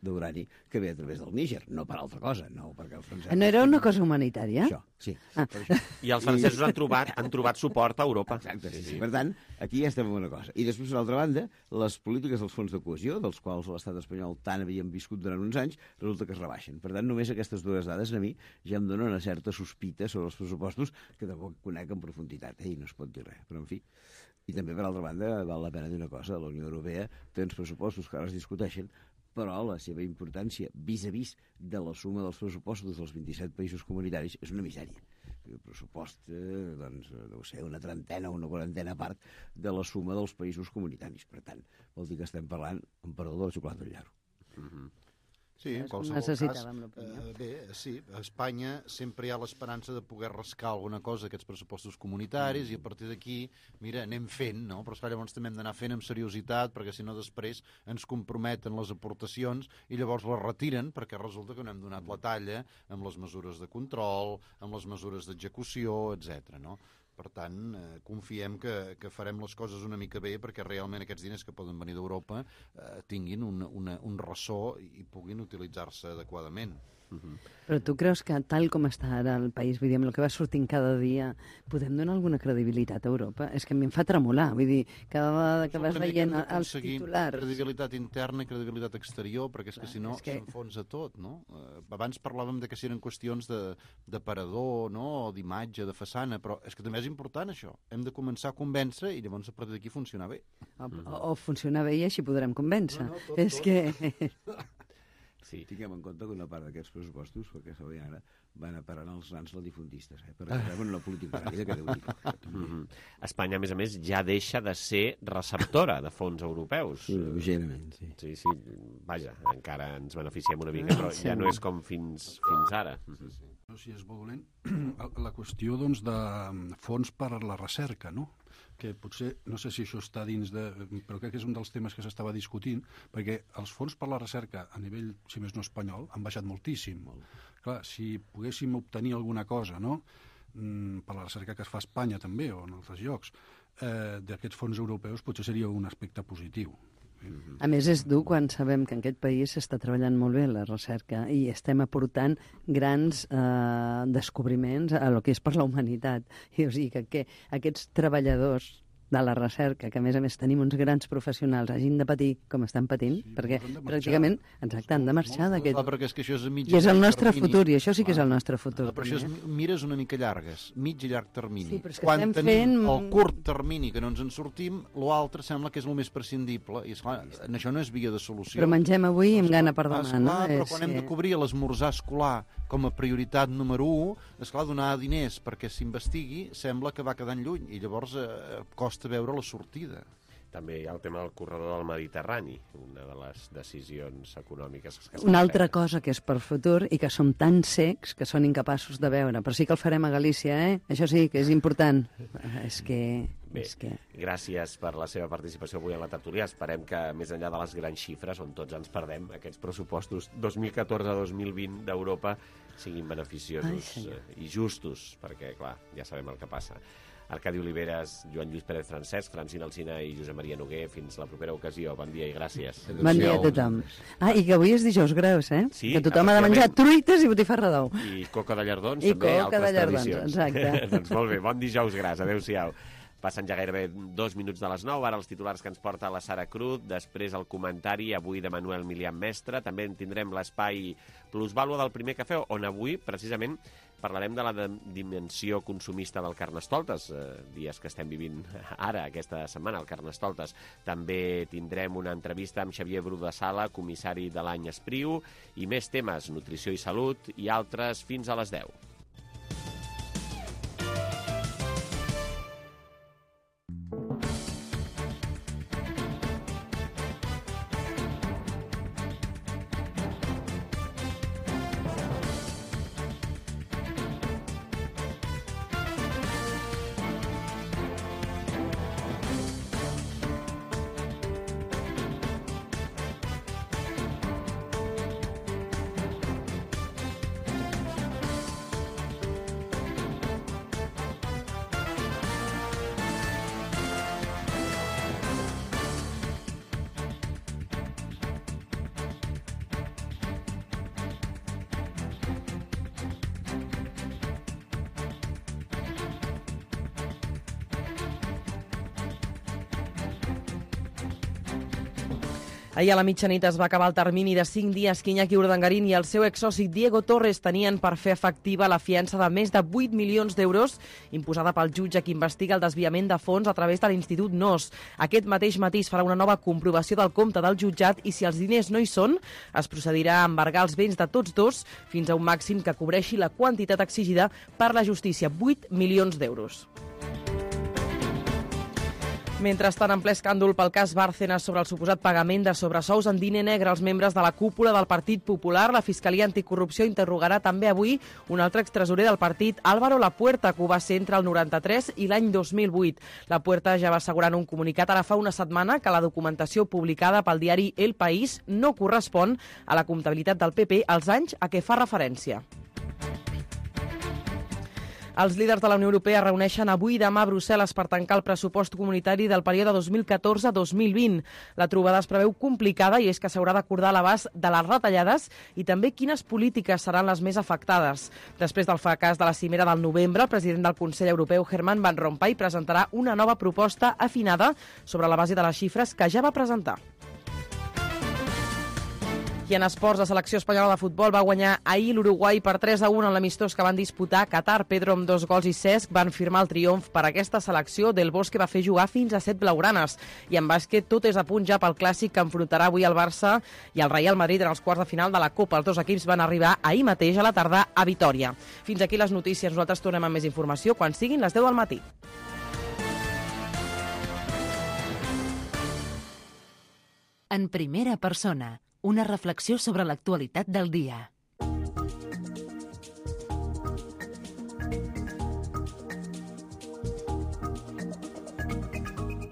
d'urani que ve a través del Níger, no per altra cosa, no perquè els francesos... No era una cosa humanitària? Això, sí. I els francesos han trobat suport a Europa. Exacte, sí. Per tant, aquí ja estem en una cosa. I després, per l'altra banda, les polítiques dels fons de cohesió, dels quals l'estat espanyol tant havíem viscut durant uns anys, resulta que es rebaixen. Per tant, només aquestes dues dades a mi ja em donen una certa sospita sobre els pressupostos que tampoc conec en profunditat, i no es pot dir res, però en fi. I també, per altra banda, val la pena dir una cosa, la Unió Europea té uns pressupostos que ara es discuteixen, però la seva importància vis-a-vis de la suma dels pressupostos dels 27 països comunitaris és una misèria. El pressupost, doncs, deu ser una trentena o una quarantena part de la suma dels països comunitaris. Per tant, vol dir que estem parlant, amb perdó, de la xocolata del llarg. Sí, en qualsevol cas, bé, sí, a Espanya sempre hi ha l'esperança de poder rascar alguna cosa d'aquests pressupostos comunitaris i a partir d'aquí, mira, anem fent, no? Però esclar, llavors també hem d'anar fent amb seriositat perquè si no després ens comprometen les aportacions i llavors les retiren perquè resulta que no hem donat la talla amb les mesures de control, amb les mesures d'execució, etc. no? Per tant, confiem que farem les coses una mica bé perquè realment aquests diners que poden venir d'Europa tinguin un ressò i puguin utilitzar-se adequadament. Però tu creus que tal com està ara el país, vull dir, amb el que va sortint cada dia, podem donar alguna credibilitat a Europa? És que a mi em fa tremolar, vull dir, cada vegada que vas veient els titulars... Credibilitat interna i credibilitat exterior, perquè és que si no s'enfonsa tot, no? Abans parlàvem de que si eren qüestions d'aparador, no?, o d'imatge, de façana, però és que també és important això. Hem de començar a convèncer i llavors a partir d'aquí funcionar bé. O funcionar bé i així podrem convèncer. És que... Sí. Tinguem en compte que una part d'aquests pressupostos, perquè sabeu ara, van a parar als grans latifundistes, perquè reben una política ràpida que deu dir. Espanya, a més, ja deixa de ser receptora de fons europeus. Sí, lleugerament, sí. Sí, vaja, encara ens beneficiem una mica, però ja no és com fins ara. Si és molt dolent, la qüestió doncs, de fons per a la recerca, no? Que potser, no sé si això està dins de... però crec que és un dels temes que s'estava discutint, perquè els fons per la recerca a nivell, si més no espanyol, han baixat moltíssim. Clar, si poguéssim obtenir alguna cosa, no?, per la recerca que es fa a Espanya també, o en altres llocs, d'aquests fons europeus potser seria un aspecte positiu. A més, és dur quan sabem que en aquest país s'està treballant molt bé la recerca i estem aportant grans descobriments a lo que és per la humanitat. I, o sigui, que aquests treballadors de la recerca, que a més tenim uns grans professionals, hagin de patir com estan patint, perquè pràcticament, exacte, han de marxar d'aquest... Perquè és que això és a mig i és el nostre futur, i això sí que és el nostre futur. Però això és mires una mica llargues, mig i llarg termini. Sí, però és que quan estem tenim fent... el curt termini que no ens en sortim, l'altre sembla que és el més prescindible, i esclar, això no és via de solució. Però mengem avui i amb gana per demà, no? Però quan hem de cobrir l'esmorzar escolar com a prioritat número 1, esclar, donar diners perquè s'investigui sembla que va quedant lluny, i llavors costa veure la sortida. També hi ha el tema del corredor del Mediterrani, una de les decisions econòmiques que una altra cosa que és per futur i que som tan secs que són incapaços de veure, però sí que el farem a Galícia, Això sí, que és important. És que... Bé, gràcies per la seva participació avui en la tertúlia. Esperem que, més enllà de les grans xifres, on tots ens perdem, aquests pressupostos 2014-2020 d'Europa siguin beneficiosos i justos, perquè, clar, ja sabem el que passa. Arcadi Oliveres, Joan Lluís Pérez Francesc, Francina Alsina i Josep Maria Noguer. Fins la propera ocasió. Bon dia i gràcies. Bon dia a tothom. I que avui és dijous greus, Sí, que tothom ha de menjar truites i botifarra d'ou. I coca de llardons, I també, coca de llardons, tradicions. exacte. Doncs molt bé, bon dijous gras. Adéu-siau. Passen ja gairebé 2 minuts de les 9, ara els titulars que ens porta la Sara Cruz, després el comentari avui de Manuel Milian Mestre, també en tindrem l'espai Plusvàlua del Primer Cafè, on avui, precisament, parlarem de la dimensió consumista del Carnestoltes, dies que estem vivint ara, aquesta setmana, el Carnestoltes. També tindrem una entrevista amb Xavier Bru de Sala, comissari de l'any Espriu, i més temes, nutrició i salut, i altres fins a les 10. Ahir a la mitjanit es va acabar el termini de 5 dies que Iñaki Urdangarín i el seu exsoci Diego Torres tenien per fer efectiva la fiança de més de 8 milions d'euros imposada pel jutge que investiga el desviament de fons a través de l'Institut NOS. Aquest mateix matí es farà una nova comprovació del compte del jutjat i si els diners no hi són, es procedirà a embargar els béns de tots dos fins a un màxim que cobreixi la quantitat exigida per la justícia, 8 milions d'euros. Mentrestant, en ple escàndol pel cas Bárcenas sobre el suposat pagament de sobresous en diner negre als membres de la cúpula del Partit Popular, la Fiscalia Anticorrupció interrogarà també avui un altre extresorer del partit, Álvaro Lapuerta, que ho va ser entre el 93 i l'any 2008. Lapuerta ja va assegurar en un comunicat ara fa una setmana que la documentació publicada pel diari El País no correspon a la comptabilitat del PP als anys a què fa referència. Els líders de la Unió Europea reuneixen avui i demà a Brussel·les per tancar el pressupost comunitari del període 2014-2020. La trobada es preveu complicada i és que s'haurà d'acordar l'abast de les retallades i també quines polítiques seran les més afectades. Després del fracàs de la cimera del novembre, el president del Consell Europeu, Herman Van Rompuy, presentarà una nova proposta afinada sobre la base de les xifres que ja va presentar. I en esports, la selecció espanyola de futbol va guanyar ahir l'Uruguai per 3-1 en l'amistós que van disputar a Qatar. Pedro amb 2 gols i Cesc van firmar el triomf per aquesta selecció. Del Bosque va fer jugar fins a 7 blaugranes. I en bàsquet tot és a punt ja pel clàssic que enfrontarà avui el Barça i el Real Madrid en els quarts de final de la Copa. Els dos equips van arribar ahir mateix a la tarda a Vitòria. Fins aquí les notícies. Nosaltres tornem amb més informació quan siguin les 10 del matí. En primera persona, una reflexió sobre l'actualitat del dia.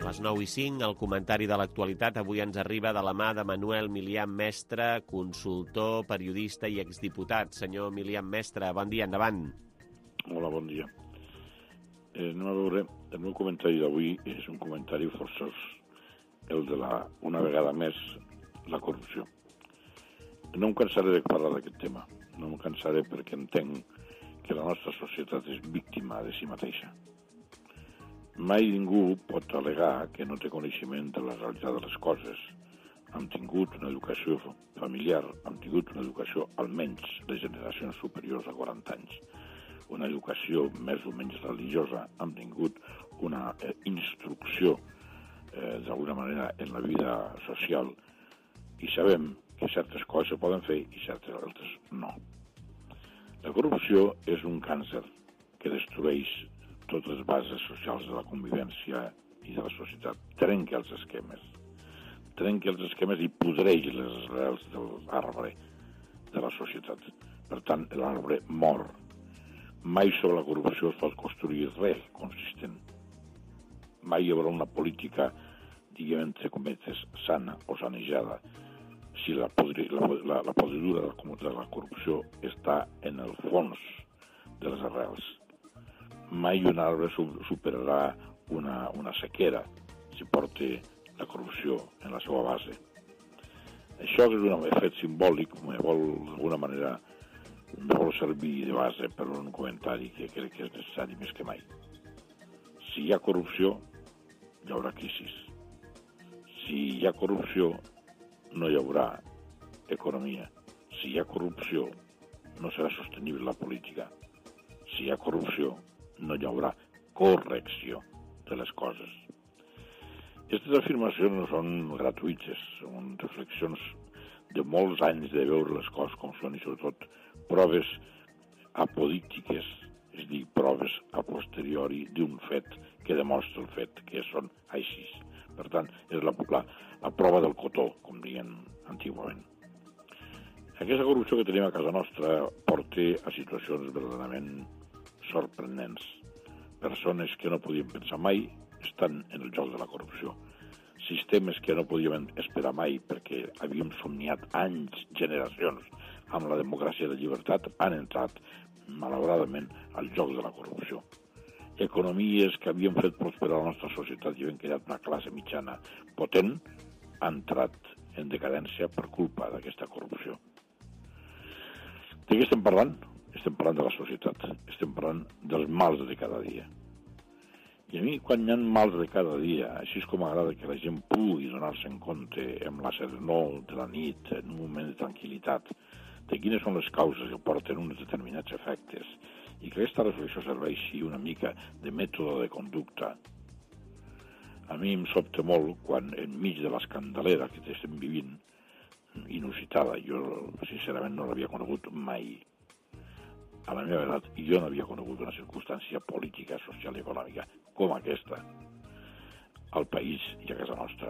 Les 9:05, el comentari de l'actualitat avui ens arriba de la mà de Manuel Milian Mestre, consultor, periodista i exdiputat. Senyor Milian Mestre, bon dia, endavant. Hola, bon dia. Anem a veure, el meu comentari d'avui és un comentari forçós, el de una vegada més, la corrupció. No em cansaré de parlar d'aquest tema. No em cansaré perquè entenc que la nostra societat és víctima de si mateixa. Mai ningú pot al·legar que no té coneixement de la realitat de les coses. Hem tingut una educació familiar, hem tingut una educació almenys de generacions superiors a 40 anys. Una educació més o menys religiosa, hem tingut una instrucció d'alguna manera en la vida social i sabem que certes coses se poden fer i certes altres no. La corrupció és un càncer que destrueix totes les bases socials de la convivència i de la societat. Trenca els esquemes i podreix les arrels de l'arbre de la societat. Per tant, l'arbre mor. Mai sobre la corrupció es pot construir res consistent. Mai hi haurà una política, diguem, entre cometes, sana o sanejada, si la podridura de la corrupció està en el fons de les arrels. Mai un arbre superarà una sequera si porta la corrupció en la seva base. Això és un fet simbòlic, d'alguna manera, me vol servir de base per un comentari que crec que és necessari més que mai. Si hi ha corrupció, hi haurà crisi. Si hi ha corrupció, no hi haurà economia. Si hi ha corrupció, no serà sostenible la política. Si hi ha corrupció, no hi haurà correcció de les coses. Aquestes afirmacions no són gratuïtes, són reflexions de molts anys de veure les coses com són i sobretot proves apodíctiques, és a dir, proves a posteriori d'un fet que demostra el fet que són així. Per tant, és la prova del cotó, com diuen antigament. Aquesta corrupció que tenim a casa nostra porta a situacions verdaderament sorprenents. Persones que no podien pensar mai estan en el joc de la corrupció. Sistemes que no podíem esperar mai perquè havíem somniat anys, generacions, amb la democràcia i la llibertat, han entrat, malauradament, al joc de la corrupció. Economies que havien fet prosperar la nostra societat i havien creat una classe mitjana potent, han entrat en decadència per culpa d'aquesta corrupció. De què estem parlant? Estem parlant de la societat, estem parlant dels mals de cada dia. I a mi, quan hi ha mals de cada dia, així és com m'agrada que la gent pugui donar-se en compte amb la serenor de la nit, en un moment de tranquil·litat, de quines són les causes que porten uns determinats efectes, i que aquesta reflexió serveixi una mica de mètode de conducta. A mi em sobta molt quan, enmig de l'escandalera que estem vivint, inusitada, jo sincerament no l'havia conegut mai. A la meva edat jo no havia conegut una circumstància política, social i econòmica com aquesta al país i a casa nostra.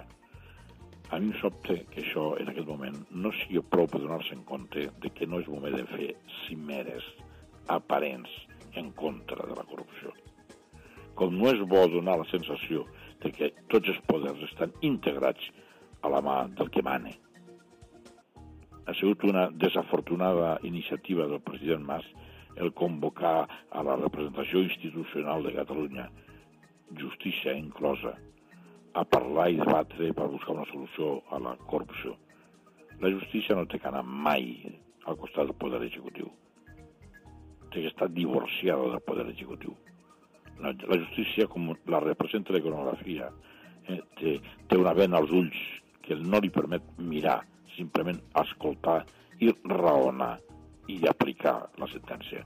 A mi em sobta que això, en aquest moment, no sigui prou per donar-se en compte de que no és moment de fer cimeres aparents en contra de la corrupció. Com no és bo donar la sensació de que tots els poders estan integrats a la mà del que mane. Ha sigut una desafortunada iniciativa del president Mas el convocar a la representació institucional de Catalunya, justícia inclosa, a parlar i debatre per buscar una solució a la corrupció. La justícia no té que anar mai al costat del poder executiu. Té que estar divorciada del poder executiu. La justícia, com la representa la iconografia, té una vena als ulls que no li permet mirar, simplement escoltar i raonar i aplicar la sentència.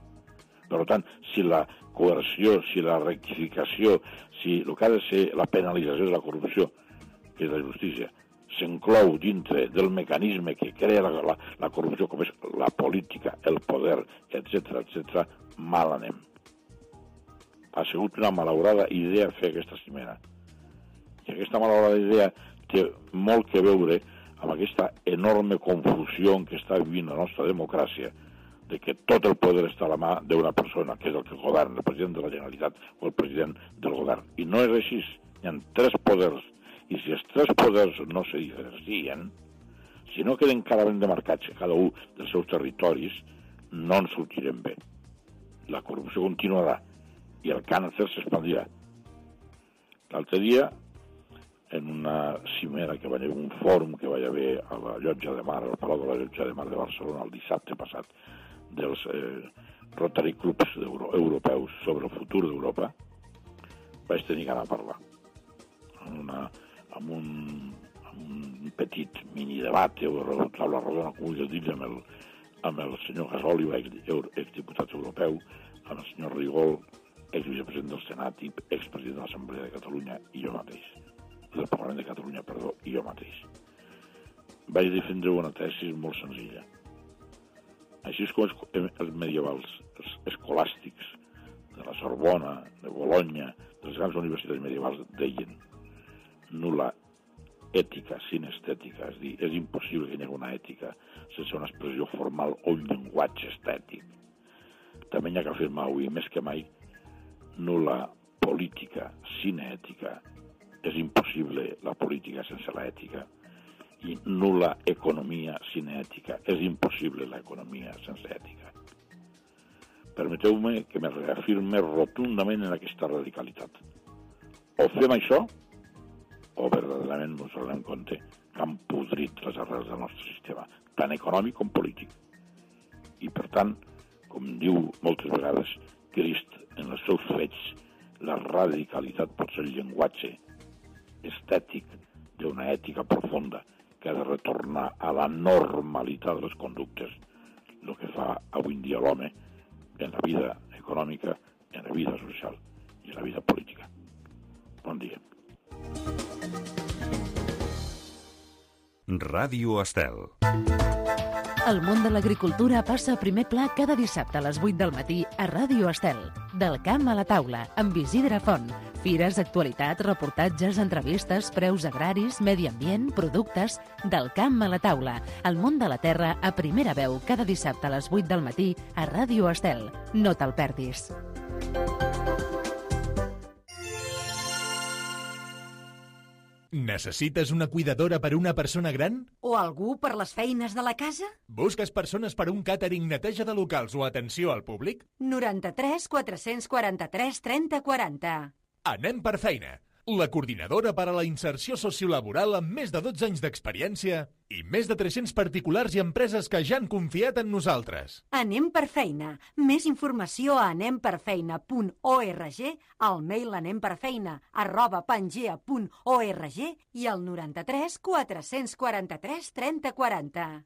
Per tant, si la coerció, si la rectificació, si el que ha de ser la penalització de la corrupció, que és la justícia, s'inclou dintre del mecanisme que crea la corrupció, com és la política, el poder, etc., mal anem. Ha sigut una malaurada idea fer aquesta cimera. I aquesta malaurada idea té molt que veure amb aquesta enorme confusió en què està vivint la nostra democràcia, de que tot el poder està a la mà d'una persona, que és el que governa, el president de la Generalitat o el president del govern. I no és així. Hi ha 3 poders. I si els 3 poders no se diferencien, si no queden clarament demarcats cada un dels seus territoris, no en sortirem bé. La corrupció continuarà i el càncer s'expandirà. L'altre dia, en una cimera que va haver, un fòrum que va haver a la Llotja de Mar, al Palau de la Llotja de Mar de Barcelona, el dissabte passat, dels Rotary Clubs europeus sobre el futur d'Europa, vaig tenir gana de parlar. Amb un petit mini-debat o taula rodona, com vulguis dir, amb el senyor Gasòliba, exdiputat europeu, amb el senyor Rigol, exvicepresident del Senat i expresident de l'Assemblea de Catalunya, i jo mateix. Del Parlament de Catalunya, perdó, i jo mateix. Vaig defendre una tesi molt senzilla. Així és com els medievals, els escolàstics de la Sorbona, de Bologna, de les grans universitats medievals, deien nul·la ètica sin estètica, és a dir, és impossible que hi hagi una ètica sense una expressió formal o un llenguatge estètic. També hi ha que afirmar avui, més que mai, nul·la política sin ètica, és impossible la política sense l'ètica, i nul·la economia sin ètica, és impossible l'economia sense ètica. Permeteu-me que me reafirme rotundament en aquesta radicalitat. O fem això, o verdaderament ens donem compte que han podrit les arrels del nostre sistema, tant econòmic com polític. I, per tant, com diu moltes vegades Crist en els seus fets, la radicalitat pot ser el llenguatge estètic d'una ètica profunda que ha de retornar a la normalitat de les conductes, el que fa avui en dia l'home en la vida econòmica, en la vida social i en la vida política. Bon dia. Ràdio Estel. El món de l'agricultura passa a primer pla cada dissabte a les 8 del matí a Ràdio Estel. Del camp a la taula, amb Isidre Font. Fires, actualitats, reportatges, entrevistes, preus agraris, medi ambient, productes... Del camp a la taula. El món de la terra a primera veu cada dissabte a les 8 del matí a Ràdio Estel. No te'l perdis. Necessites una cuidadora per a una persona gran? O algú per les feines de la casa? Busques persones per a un càtering, neteja de locals o atenció al públic? 93 443 30 40. Anem per feina. la coordinadora per a la inserció sociolaboral amb més de 12 anys d'experiència i més de 300 particulars i empreses que ja han confiat en nosaltres. Anem per feina. Més informació a anemperfeina.org, al mail anemperfeina@pangea.org i al 93 443 3040.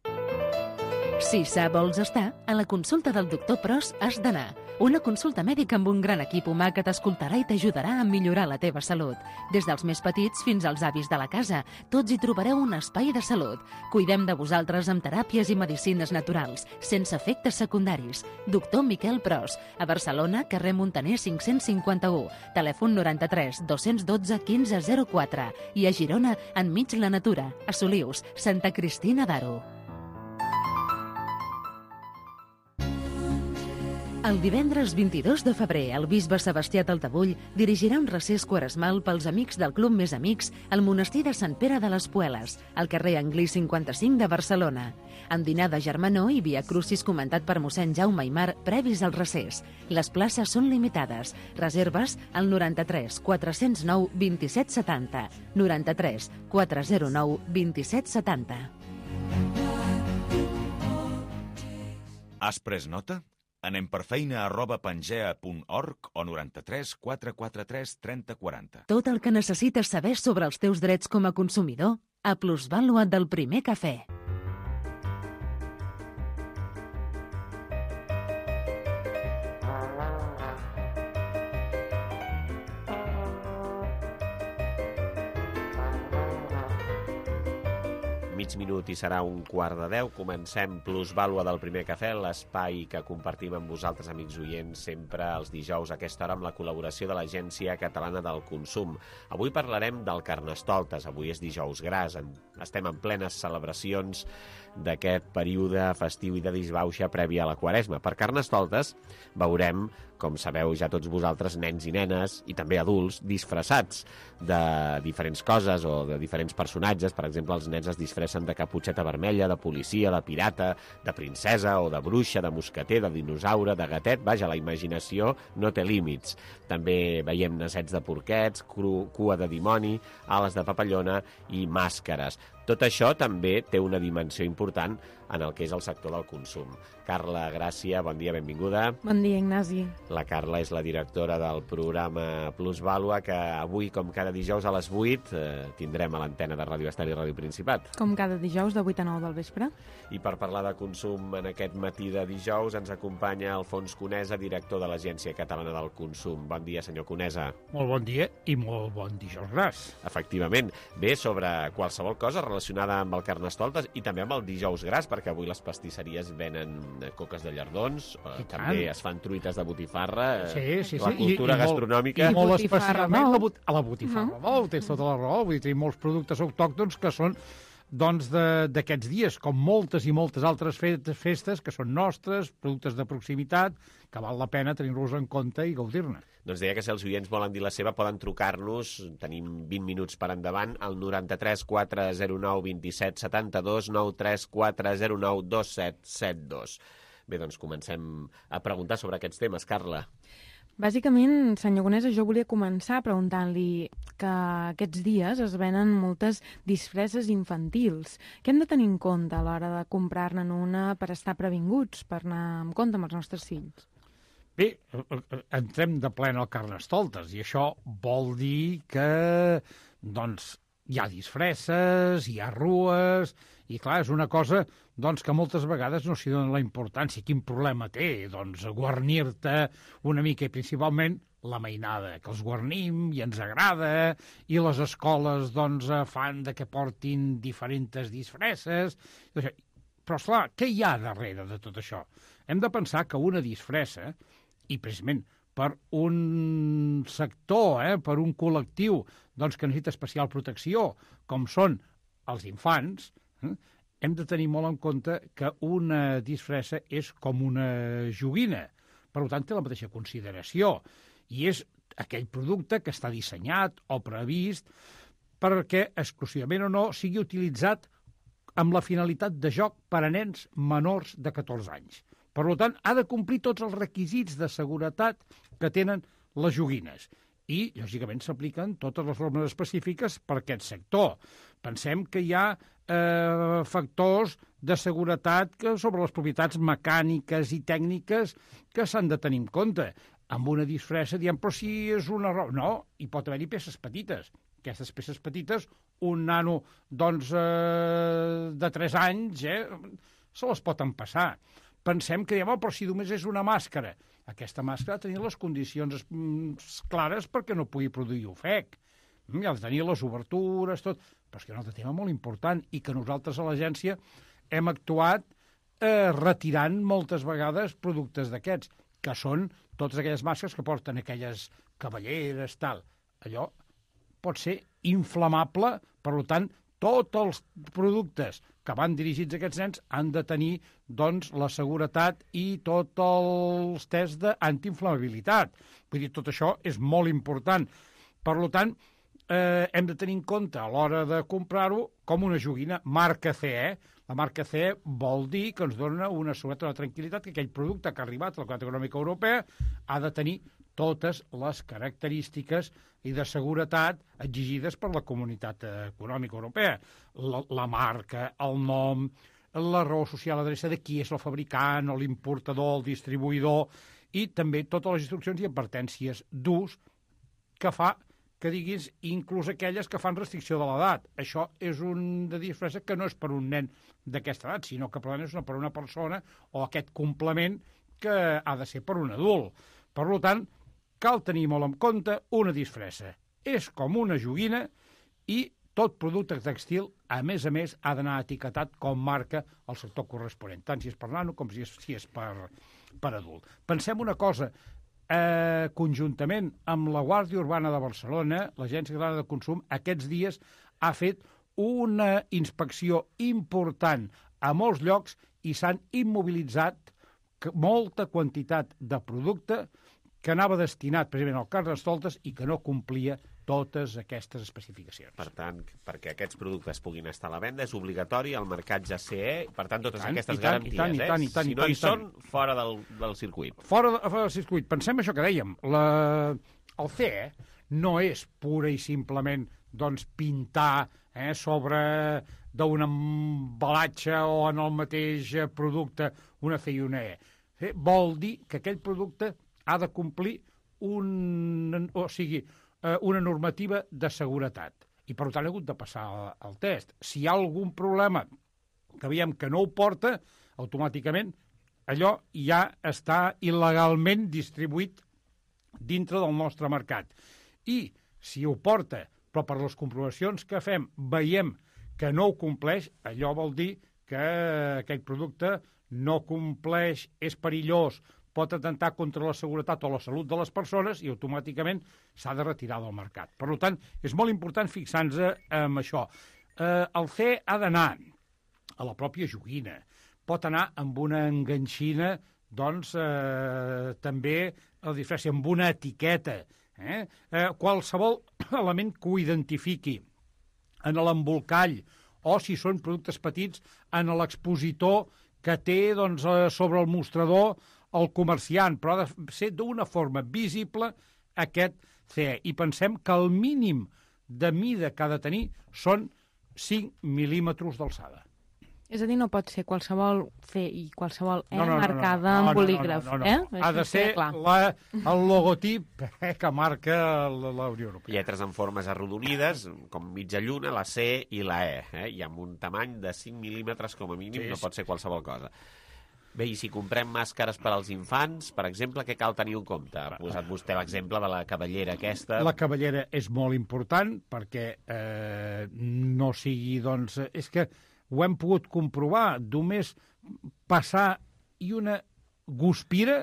Si sa vols estar, a la consulta del doctor Pros has d'anar. Una consulta mèdica amb un gran equip humà que t'escoltarà i t'ajudarà a millorar la teva salut. Des dels més petits fins als avis de la casa, tots hi trobareu un espai de salut. Cuidem de vosaltres amb teràpies i medicines naturals, sense efectes secundaris. Doctor Miquel Pros, a Barcelona, carrer Montaner 551, telèfon 93 212 1504 i a Girona, enmig la natura, a Solius, Santa Cristina d'Aro. El divendres 22 de febrer, el bisbe Sebastià Taltabull dirigirà un recés quaresmal pels amics del Club Més Amics al monestir de Sant Pere de les Pueles, al carrer Anglí 55 de Barcelona. En dinar de germanor i via crucis comentat per mossèn Jaume Aimar previs al recés. Les places són limitades. Reserves al 93 409 2770. 93 409 2770. Has pres nota? Anem per feina@pangea.org o 93 443 3040. Tot el que necessites saber sobre els teus drets com a consumidor a Plusvàlua del Primer Cafè. Mig minut i serà 11:45. Comencem Plusvàlua del Primer Cafè, l'espai que compartim amb vosaltres, amics oients, sempre els dijous a aquesta hora amb la col·laboració de l'Agència Catalana del Consum. Avui parlarem del Carnestoltes. Avui és dijous gras, estem en plenes celebracions d'aquest període festiu i de disbauxa prèvia a la Quaresma. Per Carnestoltes veurem, com sabeu ja tots vosaltres, nens i nenes, i també adults, disfressats de diferents coses o de diferents personatges. Per exemple, els nens es disfressen de caputxeta vermella, de policia, de pirata, de princesa o de bruixa, de mosqueter, de dinosaure, de gatet. Vaja, la imaginació no té límits. També veiem nasets de porquets, cua de dimoni, ales de papallona i màscares. Tot això també té una dimensió important en el que és el sector del consum. Carla Gràcia, bon dia, benvinguda. Bon dia, Ignasi. La Carla és la directora del programa Plusvàlua, que avui, com cada dijous a les 8, tindrem a l'antena de Ràdio Estel i Ràdio Principat. Com cada dijous, de 8 a 9 del vespre. I per parlar de consum en aquest matí de dijous ens acompanya Alfons Conesa, director de l'Agència Catalana del Consum. Bon dia, senyor Conesa. Molt bon dia i molt bon dijous gras. Efectivament. Bé, sobre qualsevol cosa relacionada amb el Carnestoltes i també amb el dijous gras, perquè avui les pastisseries venen coques de llardons, també es fan truites de botifarra, sí. La cultura gastronòmica... I molt especialment a la botifarra. Tens tota la raó, vull dir, molts productes autòctons que són d'aquests dies, com moltes i moltes altres festes que són nostres, productes de proximitat, que val la pena tenir-los en compte i gaudir-ne. Doncs deia que si els oients volen dir la seva poden trucar-nos, tenim 20 minuts per endavant, al 93 409 27 72, 93 409 2772. Bé, doncs comencem a preguntar sobre aquests temes. Carla. Bàsicament, senyor Conesa, jo volia començar preguntant-li que aquests dies es venen moltes disfresses infantils. Què hem de tenir en compte a l'hora de comprar-ne una per estar previnguts, per anar amb compte amb els nostres fills? Bé, entrem de plena al Carnestoltes i això vol dir que doncs, hi ha disfresses, hi ha rues, i clar, és una cosa doncs, que moltes vegades no s'hi dona la importància. Quin problema té? Doncs guarnir-te una mica, i principalment la mainada, que els guarnim i ens agrada, i les escoles doncs, fan de que portin diferents disfresses. Però, esclar, què hi ha darrere de tot això? Hem de pensar que una disfressa, i precisament per un sector, per un col·lectiu doncs, que necessita especial protecció, com són els infants, hem de tenir molt en compte que una disfressa és com una joguina. Per tant, té la mateixa consideració. I és aquell producte que està dissenyat o previst perquè, exclusivament o no, sigui utilitzat amb la finalitat de joc per a nens menors de 14 anys. Per tant, ha de complir tots els requisits de seguretat que tenen les joguines. i, lògicament, s'apliquen totes les normes específiques per aquest sector. Pensem que hi ha factors de seguretat sobre les propietats mecàniques i tècniques que s'han de tenir en compte. Amb una disfressa diem, però si és una roba... No, hi pot haver-hi peces petites. Aquestes peces petites, un nano doncs, de 3 anys, se les pot empassar. Pensem que diem, però si només és una màscara. Aquesta màscara ha de tenir les condicions clares perquè no pugui produir ofec. Ha de tenir les obertures, tot. Però és que hi ha un altre tema molt important i que nosaltres a l'agència hem actuat retirant moltes vegades productes d'aquests, que són totes aquelles màscares que porten aquelles cavalleres, tal. Allò pot ser inflamable, per tant, tots els productes que van dirigits a aquests nens han de tenir doncs, la seguretat i tots els tests d'antiinflamabilitat. Vull dir, tot això és molt important. Per tant, hem de tenir en compte a l'hora de comprar-ho com una joguina marca CE. La marca CE vol dir que ens dona una seguretat, una tranquil·litat, que aquell producte que ha arribat a la Comunitat Econòmica Europea ha de tenir totes les característiques i de seguretat exigides per la Comunitat Econòmica Europea. La marca, el nom, la raó social, l'adreça de qui és el fabricant, o l'importador, el distribuïdor, i també totes les instruccions i advertències d'ús que fa que diguis inclús aquelles que fan restricció de l'edat. Això és una disfressa que no és per un nen d'aquesta edat, sinó que per una persona o aquest complement que ha de ser per un adult. Per tant, cal tenir molt en compte una disfressa. És com una joguina i tot producte textil, a més, ha d'anar etiquetat com marca el sector corresponent, tant si és per nano com si és per adult. Pensem una cosa, conjuntament amb la Guàrdia Urbana de Barcelona, l'Agència Catalana de Consum, aquests dies ha fet una inspecció important a molts llocs i s'han immobilitzat molta quantitat de producte que anava destinat precisament al Carnestoltes i que no complia totes aquestes especificacions. Per tant, perquè aquests productes puguin estar a la venda, és obligatori el marcatge CE, per tant, totes aquestes garanties. Si no hi són, fora del circuit. Fora del circuit. Pensem això que dèiem. El CE no és pura i simplement doncs, pintar sobre d'un embalatge o en el mateix producte una C i una E. Vol dir que aquell producte ha de complir una normativa de seguretat. I, per tant, ha hagut de passar el test. Si hi ha algun problema que veiem que no ho porta, automàticament allò ja està il·legalment distribuït dintre del nostre mercat. I si ho porta, però per les comprovacions que fem veiem que no ho compleix, allò vol dir que aquell producte no compleix, és perillós, pot atentar contra la seguretat o la salut de les persones i automàticament s'ha de retirar del mercat. Per tant, és molt important fixar-nos en això. El CE ha d'anar a la pròpia joguina, pot anar amb una enganxina, doncs, també, a diferència, amb una etiqueta. Qualsevol element que ho identifiqui en l'embolcall o, si són productes petits, en l'expositor que té doncs, sobre el mostrador el comerciant, però ha de ser d'una forma visible aquest CE. I pensem que el mínim de mida que ha de tenir són 5 mil·límetres d'alçada. És a dir, no pot ser qualsevol C i qualsevol E marcada amb bolígraf. Ha de ser el logotip que marca la Unió Europea. Lletres en formes arrodonides, com mitja lluna, la C i la E. I amb un tamany de 5 mil·límetres com a mínim, no pot ser qualsevol cosa. Bé, i si comprem màscares per als infants, per exemple, què cal tenir en compte? Ha posat vostè l'exemple de la cavallera aquesta. La cavallera és molt important perquè no sigui, doncs... És que ho hem pogut comprovar. Només passar i una guspira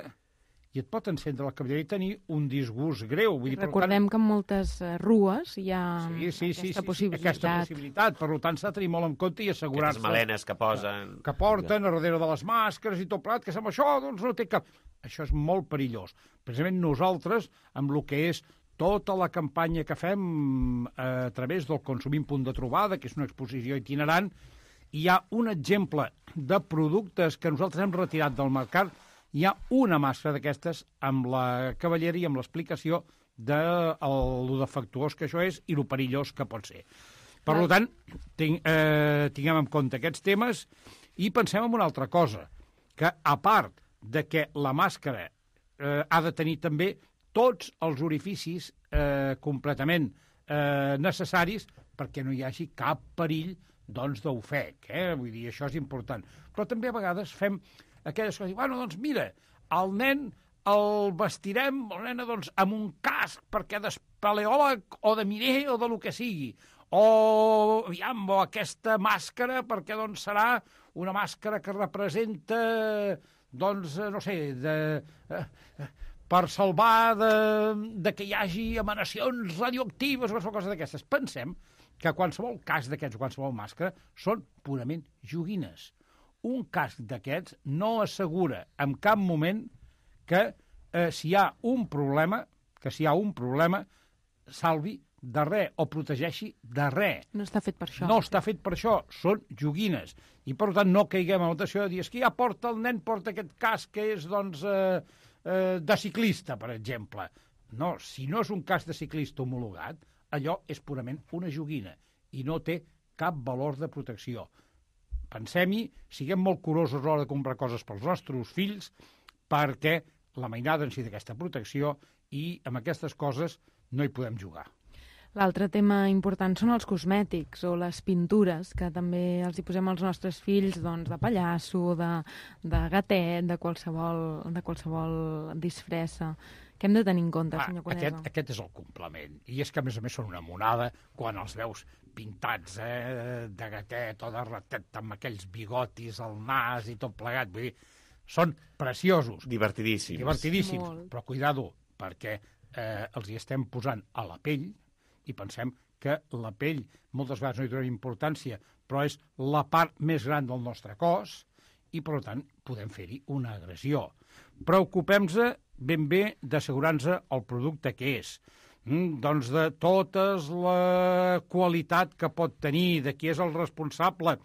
i et pot encendre la cavallera i tenir un disgust greu. Vull dir, recordem que en moltes rues hi ha aquesta possibilitat. Per tant, s'ha de tenir molt en compte i assegurar-se... Aquestes melenes que posen... Que porten a darrere de les màscares i tot plat, que sembla això, doncs no té cap... Això és molt perillós. Precisament nosaltres, amb el que és tota la campanya que fem a través del Consumim Punt de Trobada, que és una exposició itinerant, hi ha un exemple de productes que nosaltres hem retirat del mercat hi ha una màscara d'aquestes amb la cavallera i amb l'explicació de lo defectuós que això és i lo perillós que pot ser. Per tant, tinguem en compte aquests temes i pensem en una altra cosa, que a part de que la màscara ha de tenir també tots els orificis completament necessaris perquè no hi hagi cap perill d'ofec, vull dir, això és important. Però també a vegades fem aquelles coses, bueno, doncs mira, el nen el vestirem, la nena, doncs, amb un casc perquè d'espeleòleg o de miner o de lo que sigui, o aquesta màscara perquè doncs serà una màscara que representa, doncs, no sé, per salvar de que hi hagi emanacions radioactives o qualsevol cosa d'aquestes. Pensem que qualsevol casc d'aquests, qualsevol màscara, són purament joguines. Un casc d'aquests no assegura en cap moment que si hi ha un problema, salvi de res o protegeixi de res. No està fet per això. No està fet per això, són joguines. I, per tant, no caiguem en la tentació de dir que ja el nen porta aquest casc que és, doncs, de ciclista, per exemple. No, si no és un casc de ciclista homologat, allò és purament una joguina i no té cap valor de protecció. Pensem-hi, siguem molt curosos a l'hora de comprar coses pels nostres fills perquè la mainada en si d'aquesta protecció i amb aquestes coses no hi podem jugar. L'altre tema important són els cosmètics o les pintures, que també els hi posem als nostres fills, doncs, de pallasso, de gatet, de qualsevol disfressa. Què hem de tenir en compte, senyor Conesa? Aquest és el complement. I és que, a més, són una monada quan els veus pintats de gatet o de ratet amb aquells bigotis al nas i tot plegat. Vull dir, són preciosos. Divertidíssims. Divertidíssims. Però cuidado, perquè els hi estem posant a la pell i pensem que la pell moltes vegades no hi dona importància, però és la part més gran del nostre cos i, per tant, podem fer-hi una agressió. Preocupem-nos ben bé d'assegurar-nos el producte que és. Doncs de tota la qualitat que pot tenir, de qui és el responsable,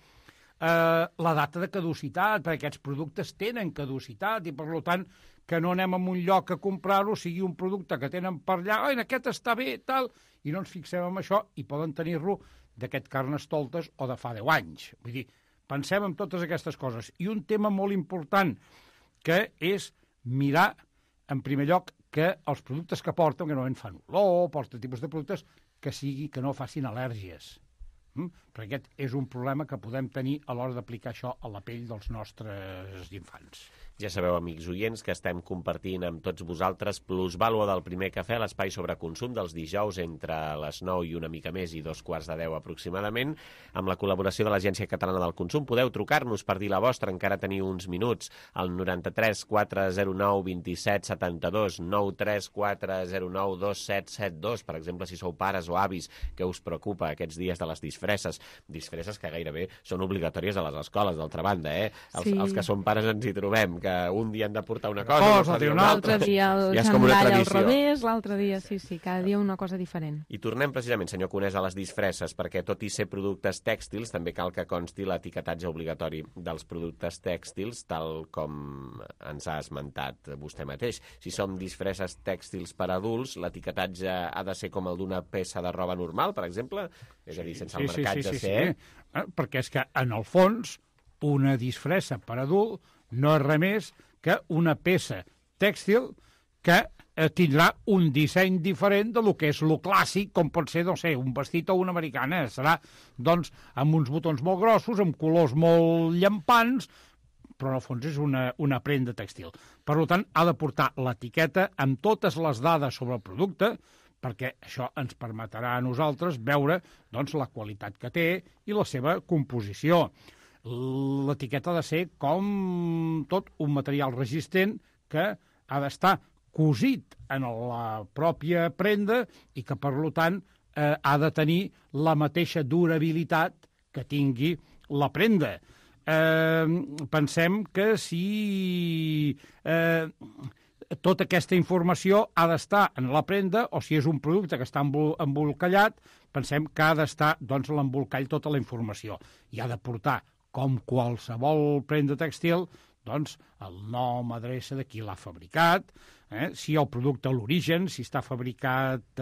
la data de caducitat, perquè aquests productes tenen caducitat i, per tant, que no anem a un lloc a comprar-ho, sigui un producte que tenen per allà, aquest està bé, tal, i no ens fixem en això i poden tenir-lo d'aquest Carnestoltes o de fa 10 anys. Vull dir, pensem en totes aquestes coses. I un tema molt important, que és mirar, en primer lloc, que els productes que porten, que normalment fan olor, porten tipus de productes, que no facin al·lèrgies. Perquè aquest és un problema que podem tenir a l'hora d'aplicar això a la pell dels nostres infants. Ja sabeu, amics oients, que estem compartint amb tots vosaltres Plusvàlua del Primer Cafè, l'espai sobre consum dels dijous entre les 9 i una mica més i 2:15 aproximadament, amb la col·laboració de l'Agència Catalana del Consum. Podeu trucar-nos per dir la vostra, encara teniu uns minuts, al 93 409 27 72, 93 409 2772, per exemple, si sou pares o avis, que us preocupa aquests dies de les disfresses que gairebé són obligatòries a les escoles, d'altra banda, Els que som pares ens hi trobem, que un dia han de portar una cosa, l'altre dia el xandall al revés, l'altre dia, sí, cada dia una cosa diferent. I tornem precisament, senyor Conesa, a les disfresses, perquè tot i ser productes tèxtils, també cal que consti l'etiquetatge obligatori dels productes tèxtils, tal com ens ha esmentat vostè mateix. Si som disfresses tèxtils per adults, l'etiquetatge ha de ser com el d'una peça de roba normal, per exemple? És a dir, sense el marcatge ser... Perquè és que, en el fons, una disfressa per adult no és res més que una peça tèxtil que tindrà un disseny diferent de lo que és lo clàssic, com pot ser, no sé, un vestit o una americana. Serà, doncs, amb uns botons molt grossos, amb colors molt llampants, però en el fons és una prenda tèxtil. Per tant, ha de portar l'etiqueta amb totes les dades sobre el producte, perquè això ens permetrà a nosaltres veure, doncs, la qualitat que té i la seva composició. L'etiqueta ha de ser com tot un material resistent que ha d'estar cosit en la pròpia prenda i que, per tant, ha de tenir la mateixa durabilitat que tingui la prenda. Pensem que si tota aquesta informació ha d'estar en la prenda, o si és un producte que està embolcallat, pensem que ha d'estar, doncs, l'embolcall tota la informació. I ha de portar, com qualsevol prenda tèxtil, doncs, el nom, adreça de qui l'ha fabricat, si el producte, l'origen, si està fabricat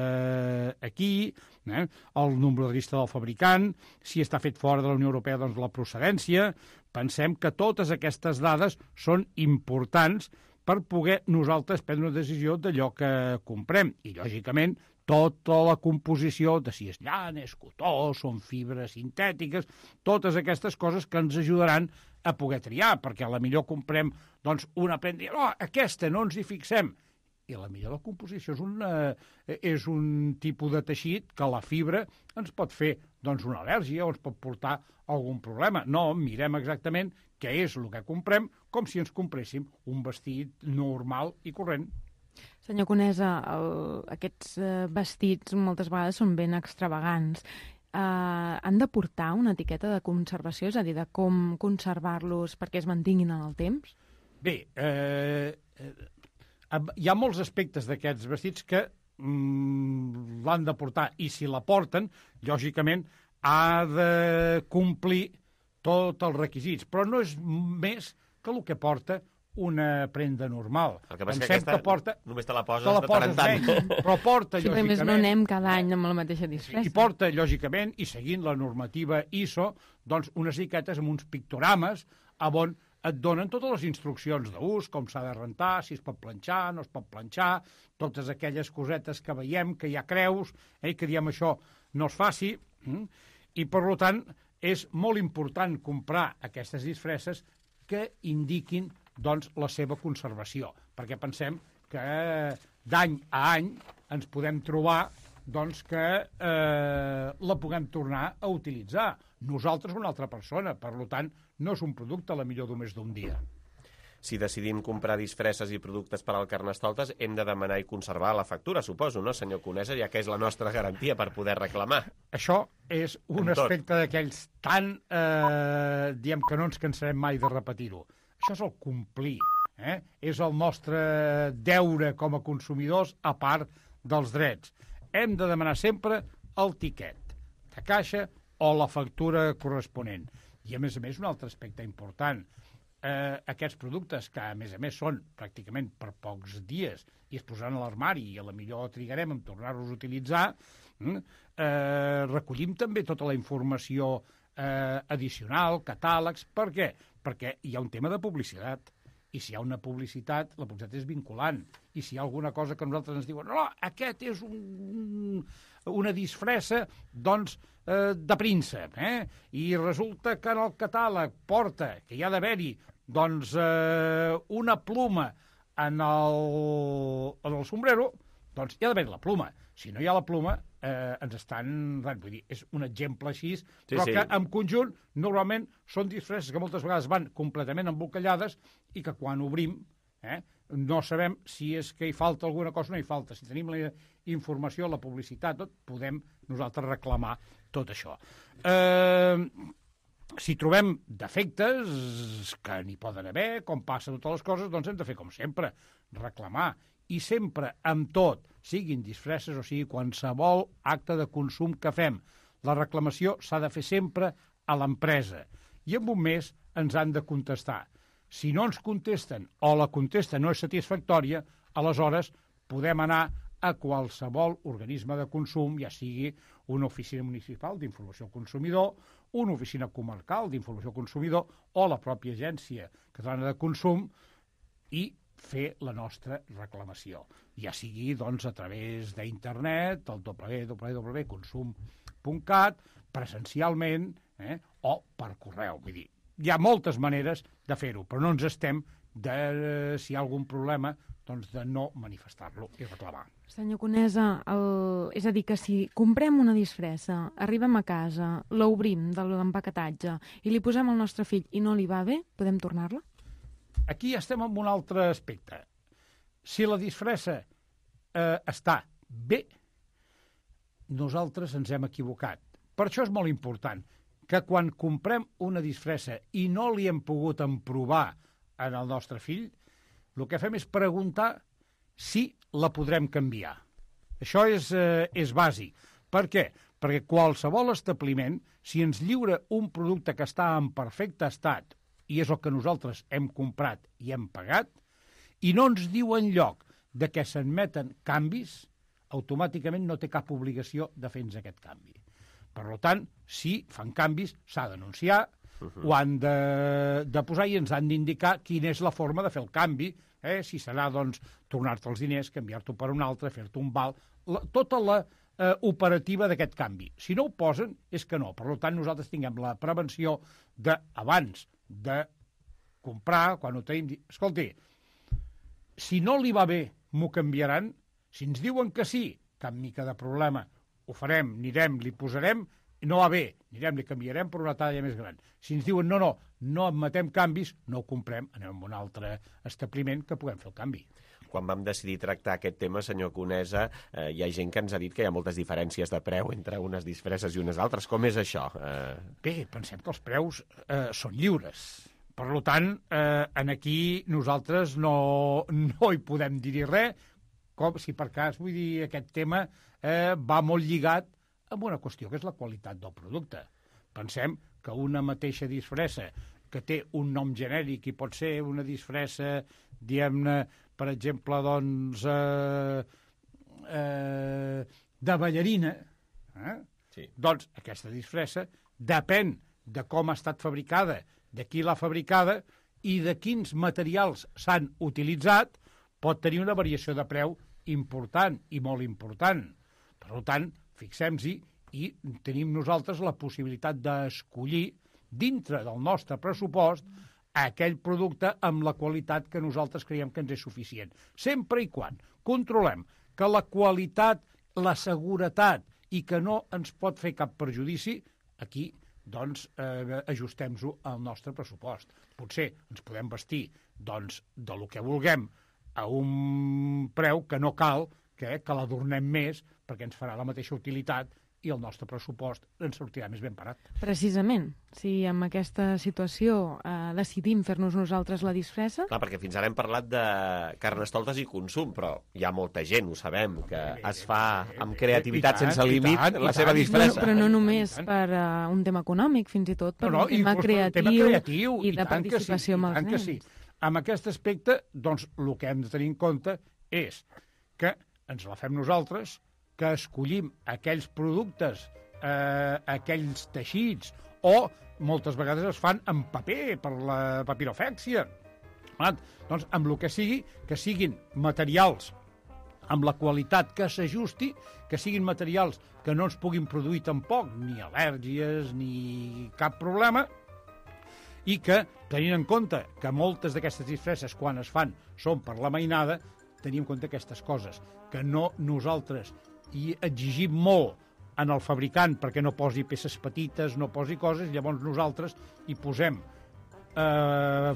aquí, el número de llista del fabricant, si està fet fora de la Unió Europea, doncs la procedència. Pensem que totes aquestes dades són importants per poder nosaltres prendre una decisió d'allò que comprem. I, lògicament, tota la composició de si és llana, és cotó, són fibres sintètiques, totes aquestes coses que ens ajudaran a poder triar, perquè a la millor comprem doncs, una prenda i aquesta no ens hi fixem. I a la millor la composició és un tipus de teixit que la fibra ens pot fer doncs, una al·lèrgia o ens pot portar algun problema. No, mirem exactament què és el que comprem, com si ens compréssim un vestit normal i corrent. Senyor Conesa, aquests vestits moltes vegades són ben extravagants. Han de portar una etiqueta de conservació, és a dir, de com conservar-los perquè es mantinguin en el temps? Bé, hi ha molts aspectes d'aquests vestits que l'han de portar, i si la porten, lògicament, ha de complir tots els requisits, però no és més que el que porta una prenda normal. El que passa que aquesta només te la poses de tant en tant. Però porta, sí, lògicament... Més no anem cada any amb la mateixa disfressa. I porta, lògicament, i seguint la normativa ISO, doncs unes etiquetes amb uns pictorames on et donen totes les instruccions d'ús, com s'ha de rentar, si es pot planxar, no es pot planxar, totes aquelles cosetes que veiem, que hi ha creus, que diem això no es faci, i per tant és molt important comprar aquestes disfresses que indiquin doncs, la seva conservació, perquè pensem que d'any a any ens podem trobar doncs, que la puguem tornar a utilitzar. Nosaltres o una altra persona, per tant, no és un producte a la millor només d'un dia. Si decidim comprar disfresses i productes per al Carnestoltes, hem de demanar i conservar la factura, suposo, no, senyor Conesa, ja que és la nostra garantia per poder reclamar. Això és un aspecte d'aquells tan, diem que no ens cansarem mai de repetir-ho. Això és el complir, és el nostre deure com a consumidors a part dels drets. Hem de demanar sempre el tiquet de caixa o la factura corresponent. I, a més, un altre aspecte important. Aquests productes, que a més són pràcticament per pocs dies i es posaran a l'armari i a la millor trigarem en tornar-los a utilitzar, recollim també tota la informació addicional, catàlegs. Per què? Perquè hi ha un tema de publicitat. I si hi ha una publicitat, la publicitat és vinculant. I si hi ha alguna cosa que nosaltres ens diuen no, aquest és una disfressa, doncs, de príncep, i resulta que en el catàleg porta, que hi ha d'haver-hi, doncs, una pluma en el sombrero, doncs hi ha d'haver la pluma. Si no hi ha la pluma, ens estan... Vull dir, és un exemple així, però que en conjunt normalment són disfresses que moltes vegades van completament embolcallades i que quan obrim no sabem si és que hi falta alguna cosa o no hi falta. Si tenim la informació, la publicitat, tot, podem nosaltres reclamar tot això. Si trobem defectes, que n'hi poden haver, com passa totes les coses, doncs hem de fer com sempre, reclamar. I sempre, amb tot, siguin disfresses o sigui qualsevol acte de consum que fem, la reclamació s'ha de fer sempre a l'empresa. I en un mes ens han de contestar. Si no ens contesten o la contesta no és satisfactòria, aleshores podem anar a qualsevol organisme de consum, ja sigui una oficina municipal d'informació al consumidor, una oficina comarcal d'informació al consumidor o la pròpia agència catalana de consum i fer la nostra reclamació. Ja sigui doncs, a través d'internet, el www.consum.cat, presencialment o per correu. Vull dir, hi ha moltes maneres de fer-ho, però no ens estem de, si hi ha algun problema, doncs de no manifestar-lo i reclamar. Senyor Conesa, és a dir, que si comprem una disfressa, arribem a casa, l'obrim de l'empaquetatge i li posem al nostre fill i no li va bé, podem tornar-la? Aquí estem en un altre aspecte. Si la disfressa està bé, nosaltres ens hem equivocat. Per això és molt important que quan comprem una disfressa i no li hem pogut emprovar en el nostre fill, el que fem és preguntar si la podrem canviar. Això és bàsic. Per què? Perquè qualsevol establiment, si ens lliura un producte que està en perfecte estat i és el que nosaltres hem comprat i hem pagat, i no ens diu enlloc de que s'admeten canvis, automàticament no té cap obligació de fer-nos aquest canvi. Per tant, si fan canvis, s'ha d'anunciar, ho han de posar i ens han d'indicar quina és la forma de fer el canvi, si serà, doncs, tornar-te els diners, canviar-t'ho per un altre, fer-te un val, tota la operativa d'aquest canvi. Si no ho posen, és que no. Per tant, nosaltres tinguem la prevenció d'abans de comprar, quan ho tenim, escolti, si no li va bé, m'ho canviaran. Si ens diuen que sí, cap mica de problema, ho farem, anirem, li posarem, no va bé, anirem, li canviarem per una talla més gran. Si ens diuen no admetem canvis, no ho comprem, anem a un altre establiment que puguem fer el canvi. Quan vam decidir tractar aquest tema, senyor Conesa, hi ha gent que ens ha dit que hi ha moltes diferències de preu entre unes disfresses i unes altres. Com és això? Bé, pensem que els preus són lliures. Per tant, aquí nosaltres no hi podem dir res, com si per cas, vull dir, aquest tema va molt lligat amb una qüestió que és la qualitat del producte. Pensem que una mateixa disfressa que té un nom genèric i pot ser una disfressa, diguem-ne, per exemple, doncs, de ballarina, doncs aquesta disfressa depèn de com ha estat fabricada, de qui l'ha fabricada i de quins materials s'han utilitzat, pot tenir una variació de preu important i molt important. Per tant, fixem-hi i tenim nosaltres la possibilitat d'escollir dintre del nostre pressupost aquell producte amb la qualitat que nosaltres creiem que ens és suficient. Sempre i quan controlem que la qualitat, la seguretat i que no ens pot fer cap perjudici, aquí doncs ajustem-ho al nostre pressupost. Potser ens podem vestir doncs, de lo que vulguem a un preu que no cal que l'adornem més perquè ens farà la mateixa utilitat i el nostre pressupost ens sortirà més ben parat. Precisament, si amb aquesta situació decidim fer-nos nosaltres la disfressa... Clar, perquè fins ara hem parlat de carnestoltes i consum, però hi ha molta gent, ho sabem, que es fa amb creativitat sense límit la seva disfressa. Però no només per un tema econòmic, fins i tot per un tema creatiu i de participació amb els nens. Amb aquest aspecte, doncs, el que hem de tenir en compte és que ens la fem nosaltres, que escollim aquells productes, aquells teixits, o moltes vegades es fan en paper, per la papirofèxia. Doncs amb el que sigui, que siguin materials amb la qualitat que s'ajusti, que siguin materials que no ens puguin produir tampoc ni al·lèrgies ni cap problema, i que, tenint en compte que moltes d'aquestes disfresses, quan es fan, són per la mainada, tenim en compte aquestes coses, que no nosaltres i exigim molt en el fabricant perquè no posi peces petites, no posi coses, llavors nosaltres hi posem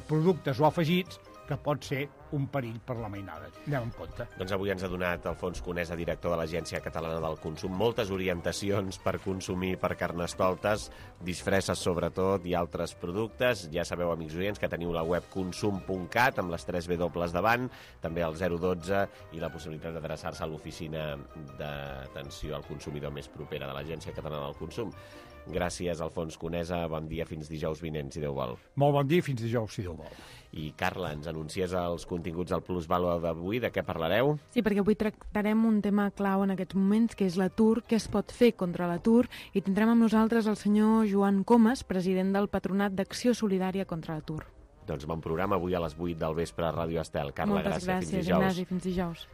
productes o afegits que pot ser un perill per la mainada. Anem en compte. Doncs avui ens ha donat Alfons Conesa, director de l'Agència Catalana del Consum, moltes orientacions per consumir per carnestoltes, disfresses sobretot i altres productes. Ja sabeu, amics oients, que teniu la web consum.cat amb les 3 W davant, també el 012 i la possibilitat d'adreçar-se a l'oficina d'atenció al consumidor més propera de l'Agència Catalana del Consum. Gràcies, Alfons Conesa. Bon dia, fins dijous vinent, si Déu vol. Molt bon dia, fins dijous, si Déu vol. I, Carla, ens anuncies els continguts del Plusvalua d'avui. De què parlareu? Sí, perquè avui tractarem un tema clau en aquests moments, que és l'atur, què es pot fer contra l'atur, i tindrem amb nosaltres el senyor Joan Comas, president del Patronat d'Acció Solidària contra l'atur. Doncs bon programa avui a les 8 del vespre a Ràdio Estel. Carla, moltes gràcies. Fins dijous. Ignasi, fins dijous.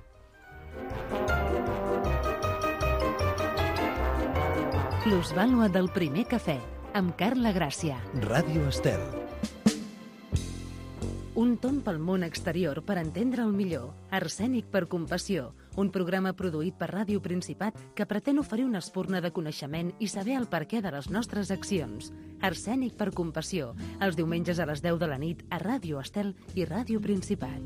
Plusvàlua del primer cafè, amb Carla Gràcia. Ràdio Estel. Un tomb pel món exterior per entendre'l millor. Arsènic per compassió, un programa produït per Ràdio Principat que pretén oferir una espurna de coneixement i saber el perquè de les nostres accions. Arsènic per compassió, els diumenges a les 10 de la nit a Ràdio Estel i Ràdio Principat.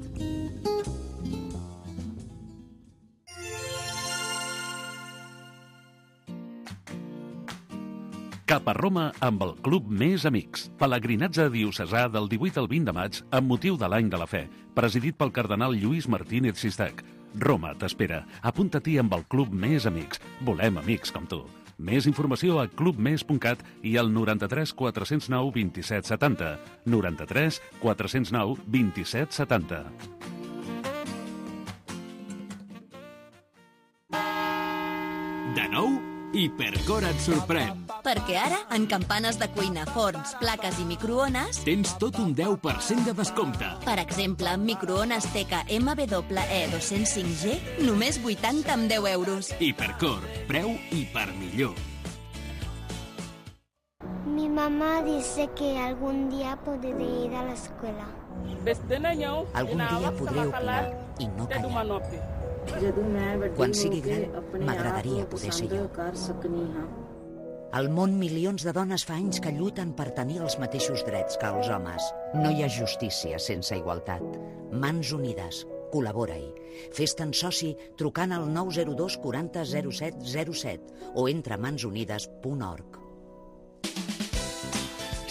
Cap a Roma amb el Club Més Amics. Pelegrinatge diocesà del 18 al 20 de maig amb motiu de l'Any de la Fe, presidit pel cardenal Lluís Martínez Sistac. Roma t'espera. Apunta-t'hi amb el Club Més Amics. Volem amics com tu. Més informació a clubmes.cat i al 93 409 27 70. 93 409 27 70. De nou, Hipercor et sorprèn. Perquè ara, en campanes de cuina, forns, plaques i microones... Tens tot un 10% de descompte. Per exemple, microones Teca MWE 205G, només 80 amb 10 euros. Hipercor, preu hipermillor. Mi mamá dice que algún día podré ir a la escuela. Algun dia podré opinar i no callar. Quan sigui gran, m'agradaria poder ser jo. Al món, milions de dones fa anys que lluiten per tenir els mateixos drets que els homes. No hi ha justícia sense igualtat. Mans Unides. Col·labora-hi. Fes-te'n soci trucant al 902 40 07 07 o entra a mansunides.org.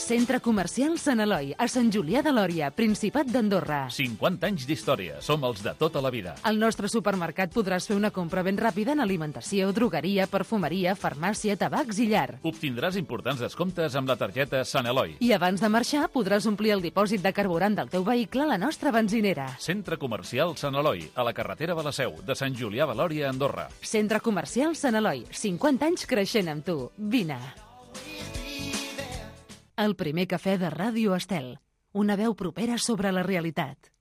Centre Comercial Sant Eloi, a Sant Julià de Lòria, Principat d'Andorra. 50 anys d'història. Som els de tota la vida. Al nostre supermercat podràs fer una compra ben ràpida en alimentació, drogueria, perfumeria, farmàcia, tabacs i llar. Obtindràs importants descomptes amb la targeta Sant Eloi. I abans de marxar podràs omplir el dipòsit de carburant del teu vehicle a la nostra benzinera. Centre Comercial Sant Eloi, a la carretera de la Seu, de Sant Julià de Lòria, Andorra. Centre Comercial Sant Eloi, 50 anys creixent amb tu. Vine. El primer cafè de Ràdio Estel. Una veu propera sobre la realitat.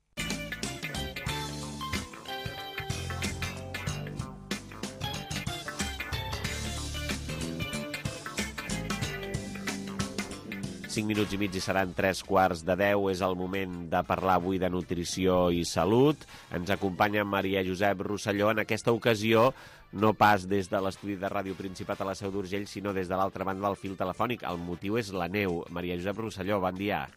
Cinc minuts i mig i seran 9:45. És el moment de parlar avui de nutrició i salut. Ens acompanya Maria Josep Rosselló. En aquesta ocasió, no pas des de l'estudi de Ràdio Principat a la Seu d'Urgell, sinó des de l'altra banda del fil telefònic. El motiu és la neu. Maria Josep Rosselló, bon dia.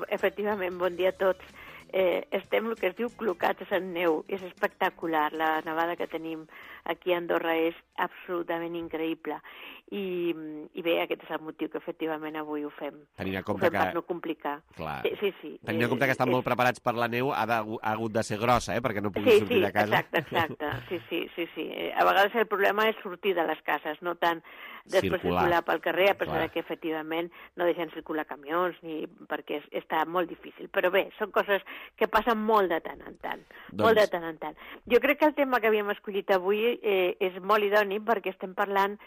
Efectivament, bon dia a tots. Estem, el que es diu, clocats en neu. És espectacular. La nevada que tenim aquí a Andorra és absolutament increïble. I bé, aquest és el motiu que efectivament avui ho fem. Tenint en compte per no complicar. Clar. Sí. Tenint en compte que estan molt preparats per la neu, ha hagut de ser grossa, perquè no pugui sortir de casa. Exacte. Sí. A vegades el problema és sortir de les cases, no tant després circular pel carrer, a pesar que efectivament no deixen circular camions, perquè està molt difícil. Però bé, són coses que passen molt de tant en tant. Molt de tant en tant. Jo crec que el tema que havíem escollit avui és molt idoni perquè estem parlant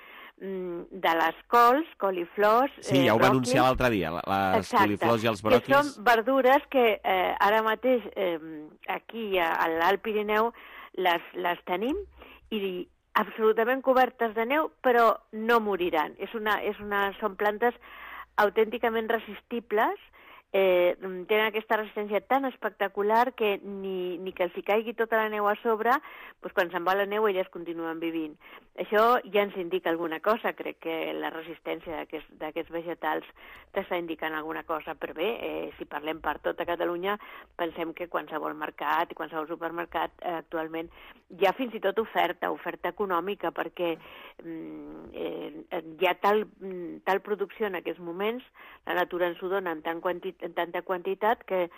de les cols, coliflors... Sí, ja ho va anunciar l'altre dia, les coliflors i els bròquils. Que són verdures que ara mateix aquí a l'Alt Pirineu les tenim i absolutament cobertes de neu, però no moriran. Són plantes autènticament resistibles, tenen aquesta resistència tan espectacular que ni que els hi caigui tota la neu a sobre, doncs quan se'n va la neu elles continuen vivint. Això ja ens indica alguna cosa, crec que la resistència d'aquests vegetals t'està indicant alguna cosa, però bé, si parlem per tota Catalunya, pensem que qualsevol mercat i qualsevol supermercat actualment hi ha fins i tot oferta econòmica, perquè hi ha tal producció en aquests moments, la natura ens ho dona en tanta quantitat que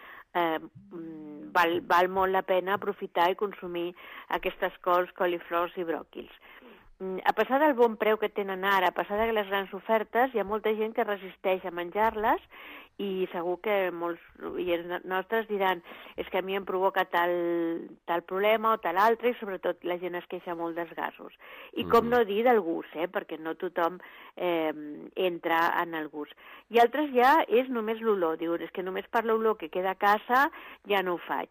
val molt la pena aprofitar i consumir aquestes cols, coliflors i bròquils. A pesar del bon preu que tenen ara, a pesar de les grans ofertes, hi ha molta gent que resisteix a menjar-les i segur que molts oients nostres diran és que a mi em provoca tal problema o tal altre, i sobretot la gent es queixa molt dels gasos. I com no dir del gust, perquè no tothom entra en el gust. I altres ja és només l'olor, diuen, és que només per l'olor que queda a casa ja no ho faig.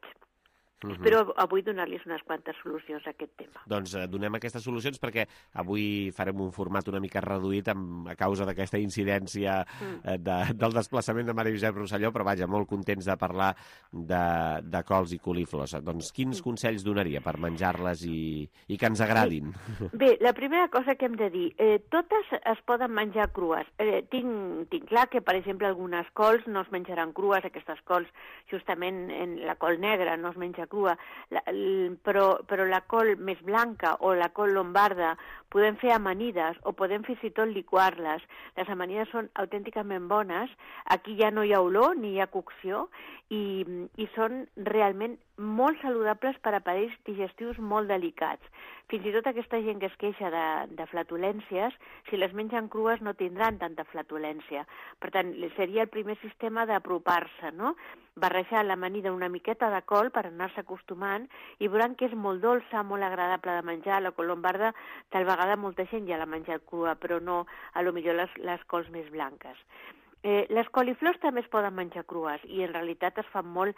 Espero avui donar-los unes quantes solucions a aquest tema. Doncs donem aquestes solucions perquè avui farem un format una mica reduït a causa d'aquesta incidència del desplaçament de Maria Josep Rosselló, però vaja, molt contents de parlar de cols i coliflors. Doncs quins consells donaria per menjar-les i que ens agradin? Bé, la primera cosa que hem de dir, totes es poden menjar crues. Tinc clar que, per exemple, algunes cols no es menjaran crues, aquestes cols, justament la col negra no es menja crua, però la col més blanca o la col lombarda podem fer amanides o podem fins i tot liquar-les. Les amanides són autènticament bones, aquí ja no hi ha olor ni hi ha cocció i són realment molt saludables per a aparells digestius molt delicats. Fins i tot aquesta gent que es queixa de flatulències, si les mengen crues no tindran tanta flatulència. Per tant, seria el primer sistema d'apropar-se, no? Barrejar l'amanida una miqueta de col per anar-se acostumant i veuran que és molt dolça, molt agradable de menjar. La col lombarda, tal vegada molta gent ja l'ha menjat crua, però no, a lo millor les cols més blanques. Les coliflors també es poden menjar crues i en realitat es fan molt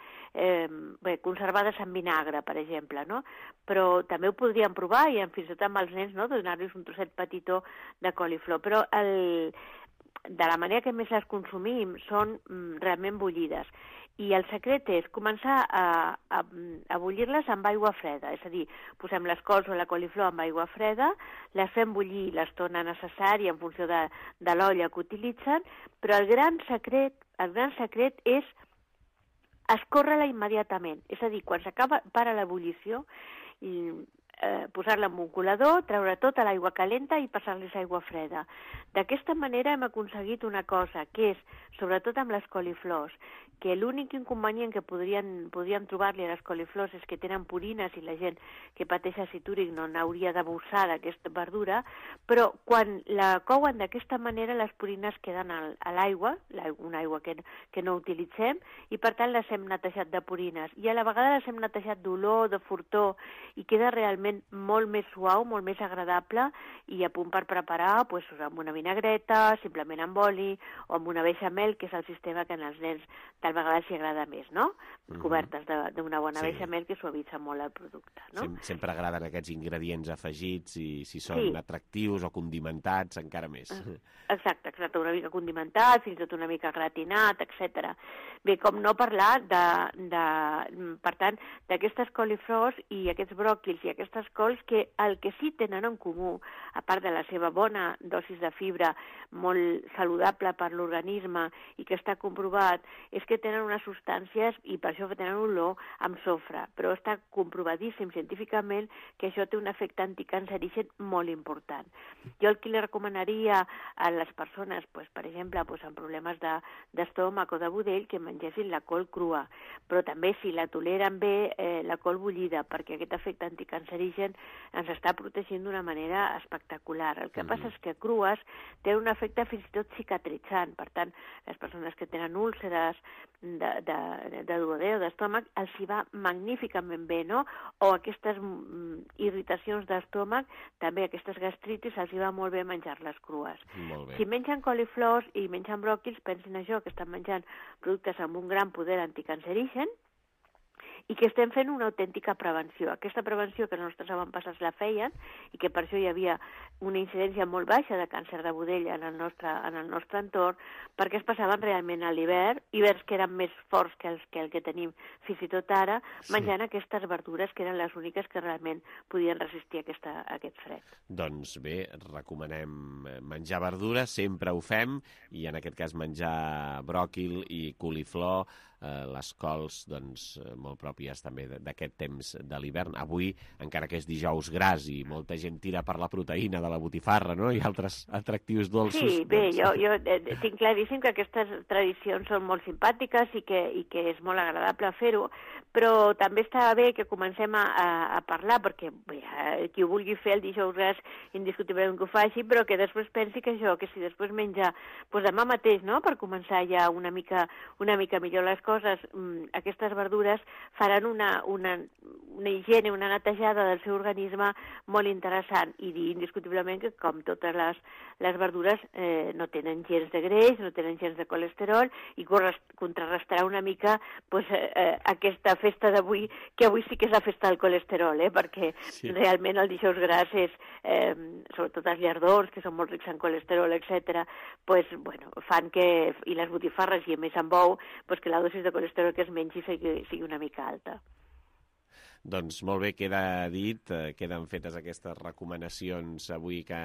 conservades en vinagre, per exemple, no? Però també ho podrien provar i fins i tot amb els nens, no? Donar-los un trosset petitó de coliflor. Però de la manera que més les consumim són realment bullides. I el secret és començar a bullir-les amb aigua freda, és a dir, posem les cols o la coliflor amb aigua freda, les fem bullir l'estona necessària en funció de l'olla que utilitzen, però el gran secret és escórrer-la immediatament, és a dir, quan para l'ebullició, posar-la en un colador, treure tota l'aigua calenta i passar-les aigua freda. D'aquesta manera hem aconseguit una cosa, que és, sobretot amb les coliflors, que l'únic inconvenient que podríem trobar-li a les coliflors és que tenen purines i la gent que pateix àcid úric no n'hauria d'abusar d'aquesta verdura, però quan la couen d'aquesta manera les purines queden a l'aigua, una aigua que no utilitzem, i per tant les hem netejat de purines. I a la vegada les hem netejat d'olor, de fortor, i queda realment molt més suau, molt més agradable i a punt per preparar amb una vinagreta, simplement amb oli o amb una beixamel, que és el sistema que als nens tal vegada s'hi agrada més, no? Cobertes d'una bona beixamel que suavitza molt el producte, no? Sempre agraden aquests ingredients afegits i si són atractius o condimentats, encara més. Exacte, una mica condimentat, fins i tot una mica gratinat, etc. Bé, com no parlar per tant, d'aquestes coliflors i aquests bròquils i aquestes cols que el que sí tenen en comú, a part de la seva bona dosis de fibra, molt saludable per l'organisme i que està comprovat, és que tenen unes substàncies, i per això tenen olor, amb sofre, però està comprovadíssim científicament que això té un efecte anticancerigen molt important. Jo el que li recomanaria a les persones, per exemple, amb problemes d'estómac o de budell, que mengessin la col crua, però també si la toleren bé, la col bullida, perquè aquest efecte anticancerigen ens està protegint d'una manera espectacular. El que passa és que crues té un efecte fins i tot cicatritzant, per tant, les persones que tenen úlceres de duodè o d'estómac els hi va magníficament bé, no? O aquestes irritacions d'estómac, també aquestes gastritis els hi va molt bé menjar-les crues. Si mengen coliflors i mengen bròquils, pensin això, que estan menjant productes amb un gran poder anticancerigen i que estem fent una autèntica prevenció. Aquesta prevenció que els nostres avantpassats la feien i que per això hi havia una incidència molt baixa de càncer de budell en el nostre entorn, perquè es passaven realment a l'hivern, hiverns que eren més forts que el que tenim fins i tot ara, menjant aquestes verdures que eren les úniques que realment podien resistir aquest fred. Doncs bé, recomanem menjar verdura, sempre ho fem, i en aquest cas menjar bròquil i coliflor, les cols molt pròpies també d'aquest temps de l'hivern. Avui, encara que és dijous gras i molta gent tira per la proteïna de la botifarra, no?, i altres atractius dolços. Sí, bé, jo tinc claríssim que aquestes tradicions són molt simpàtiques i que és molt agradable fer-ho, però també està bé que comencem a parlar, perquè bé, qui ho vulgui fer el dijous gras indiscutiblement que ho faci, però que després pensi que si després menja demà mateix, no?, per començar ja una mica millor les coses, aquestes verdures faran una higiene, una netejada del seu organisme molt interessant, i dir indiscutiblement que com totes les verdures no tenen gens de greix, no tenen gens de colesterol, i contrarrestarà una mica aquesta festa d'avui, que avui sí que és la festa del colesterol, perquè realment el dijous gras és, sobretot els llardons, que són molt rics en colesterol, etc., fan que, i les botifarres, i a més amb ou, que la dosis de colesterol que es mengi sigui una mica alta. Doncs molt bé, queda dit, queden fetes aquestes recomanacions avui que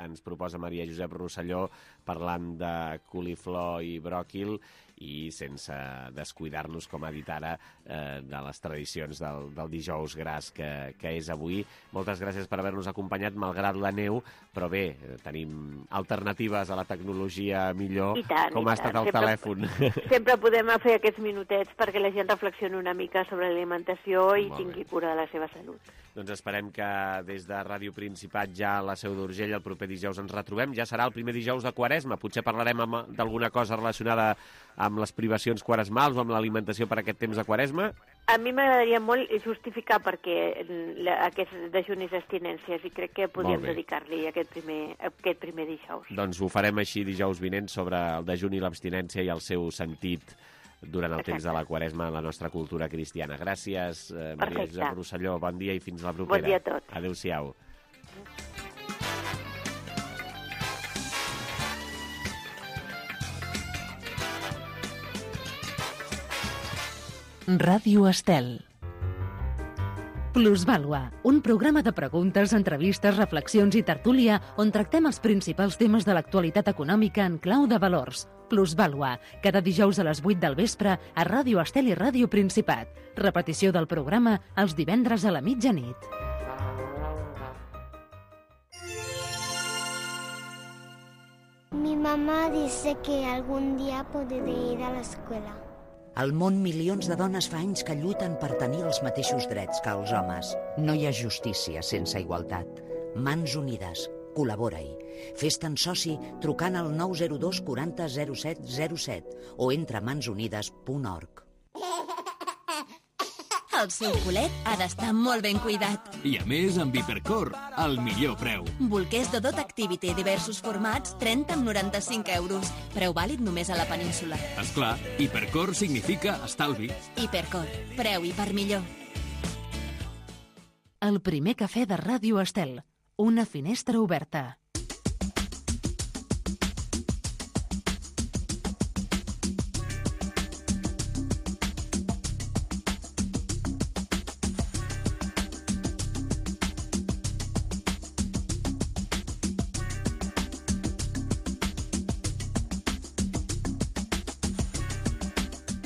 ens proposa Maria Josep Rosselló parlant de coliflor i bròquil, i sense descuidar-nos, com ha dit ara, de les tradicions del dijous gras que és avui. Moltes gràcies per haver-nos acompanyat, malgrat la neu, però bé, tenim alternatives a la tecnologia millor, com ha estat el telèfon. Sempre podem fer aquests minutets perquè la gent reflexioni una mica sobre l'alimentació i tingui cura de la seva salut. Doncs esperem que des de Ràdio Principat, ja a la Seu d'Urgell, el proper dijous ens retrobem. Ja serà el primer dijous de Quaresma. Potser parlarem d'alguna cosa relacionada amb les privacions quaresmals o amb l'alimentació per aquest temps de Quaresma. A mi m'agradaria molt justificar perquè aquests dejunis i abstinències, i crec que podríem dedicar-li aquest primer dijous. Doncs ho farem així dijous vinent sobre el dejuni i l'abstinència i el seu sentit durant el temps de la Quaresma en la nostra cultura cristiana. Gràcies, Maria Josep Rosselló. Bon dia i fins la propera. Bon dia a tots. Adéu-siau. Ràdio Estel. Plusvàlua, un programa de preguntes, entrevistes, reflexions i tertúlia on tractem els principals temes de l'actualitat econòmica en clau de valors. Plusvàlua, cada dijous a les 8 del vespre a Ràdio Estel i Ràdio Principat. Repetició del programa els divendres a la mitjanit. Mi mamá dice que algún día podré ir a la escuela. Al món, milions de dones fa anys que lluiten per tenir els mateixos drets que els homes. No hi ha justícia sense igualtat. Mans unides. Col·labora-hi. Fes-te'n soci trucant al 902 40 07 07 o entra a mansunides.org. El seu culet ha d'estar molt ben cuidat. I a més, amb Hipercor, el millor preu. Bolquers de Dot Activity, diversos formats, 30 amb 95 euros. Preu vàlid només a la península. Esclar, Hipercor significa estalvi. Hipercor, preu i per millor. El primer cafè de Ràdio Estel. Una finestra oberta.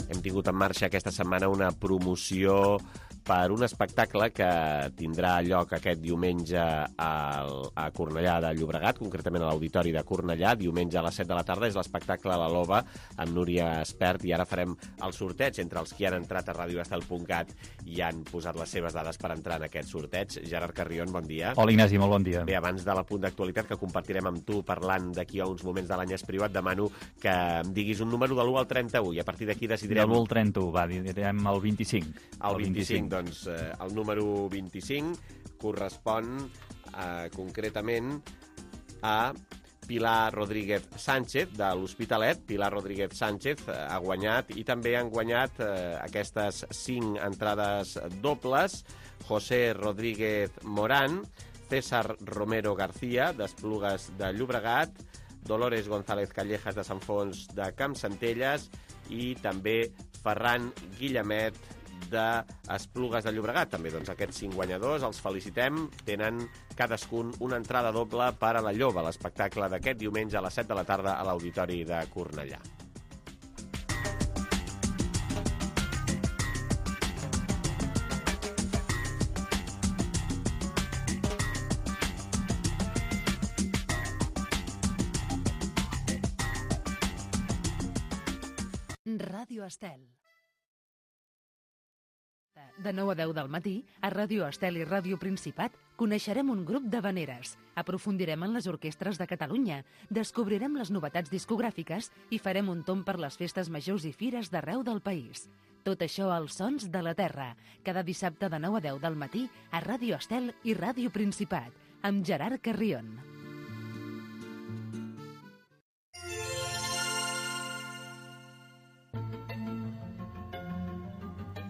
Hem tingut en marxa aquesta setmana una promoció per un espectacle que tindrà lloc aquest diumenge a Cornellà de Llobregat, concretament a l'Auditori de Cornellà, diumenge a les 7 de la tarda. És l'espectacle La Loba, amb Núria Espert, i ara farem el sorteig entre els que han entrat a radioestel.cat i han posat les seves dades per entrar en aquest sorteig. Gerard Carrion, bon dia. Hola, Ignasi, molt bon dia. Bé, abans de l'apunt d'actualitat que compartirem amb tu parlant d'aquí a uns moments de l'any privat, demano que em diguis un número de l'1 al 31 i a partir d'aquí decidirem... De l'1 al 31, va, direm el 25. El 25, doncs el número 25 correspon concretament a Pilar Rodríguez Sánchez, de l'Hospitalet. Pilar Rodríguez Sánchez ha guanyat, i també han guanyat aquestes 5 entrades dobles: José Rodríguez Morán, César Romero García, d'Esplugues de Llobregat, Dolores González Callejas, de Sant Fons de Campsentelles, i també Ferran Guillemet, d'Esplugues de Llobregat. També doncs, aquests 5 guanyadors els felicitem. Tenen cadascun una entrada doble per a La Lloba, l'espectacle d'aquest diumenge a les 7 de la tarda a l'Auditori de Cornellà. Ràdio Estel. De 9 a 10 del matí, a Ràdio Estel i Ràdio Principat, coneixerem un grup d'havaneres, aprofundirem en les orquestres de Catalunya, descobrirem les novetats discogràfiques i farem un tomb per les festes majors i fires d'arreu del país. Tot això als Sons de la Terra, cada dissabte de 9 a 10 del matí a Ràdio Estel i Ràdio Principat, amb Gerard Carrion.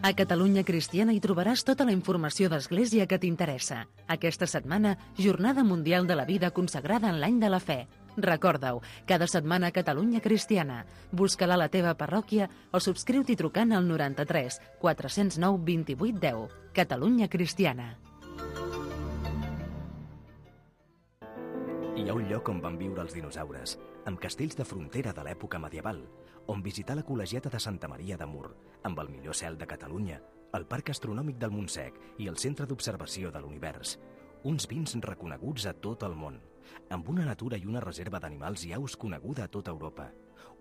A Catalunya Cristiana hi trobaràs tota la informació d'Església que t'interessa. Aquesta setmana, Jornada Mundial de la Vida consagrada en l'any de la fe. Recorda-ho, cada setmana a Catalunya Cristiana. Busca-la a la teva parròquia o subscriu-t'hi trucant al 93 409 28 10. Catalunya Cristiana. Hi ha un lloc on van viure els dinosaures, amb castells de frontera de l'època medieval, on visitar la col·legiata de Santa Maria de Mur, amb el millor cel de Catalunya, el Parc Astronòmic del Montsec i el Centre d'Observació de l'Univers. Uns vins reconeguts a tot el món, amb una natura i una reserva d'animals i aus coneguda a tota Europa.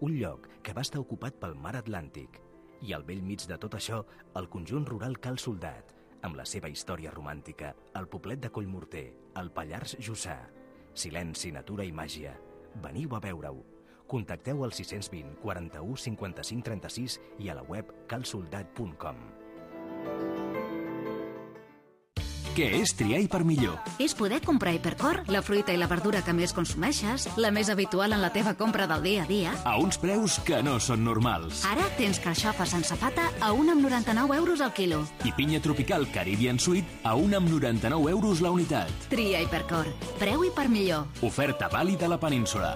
Un lloc que va estar ocupat pel mar Atlàntic. I al bell mig de tot això, el conjunt rural Cal Soldat, amb la seva història romàntica, el poblet de Collmorter, el Pallars Jussà. Silenci, natura i màgia. Veniu a veure-ho. Contacteu al 620 41 55 36 i a la web calsoldat.com. Què és triar per millor? És poder comprar Hipercor, la fruita i la verdura que més consumeixes, la més habitual en la teva compra del dia a dia. A uns preus que no són normals. Ara tens carxofa sense pata a 1,99 € al quilo. I pinya tropical Caribbean Sweet a 1,99 € la unitat. Tria Hipercor. Preu i per millor. Oferta vàlida a la península.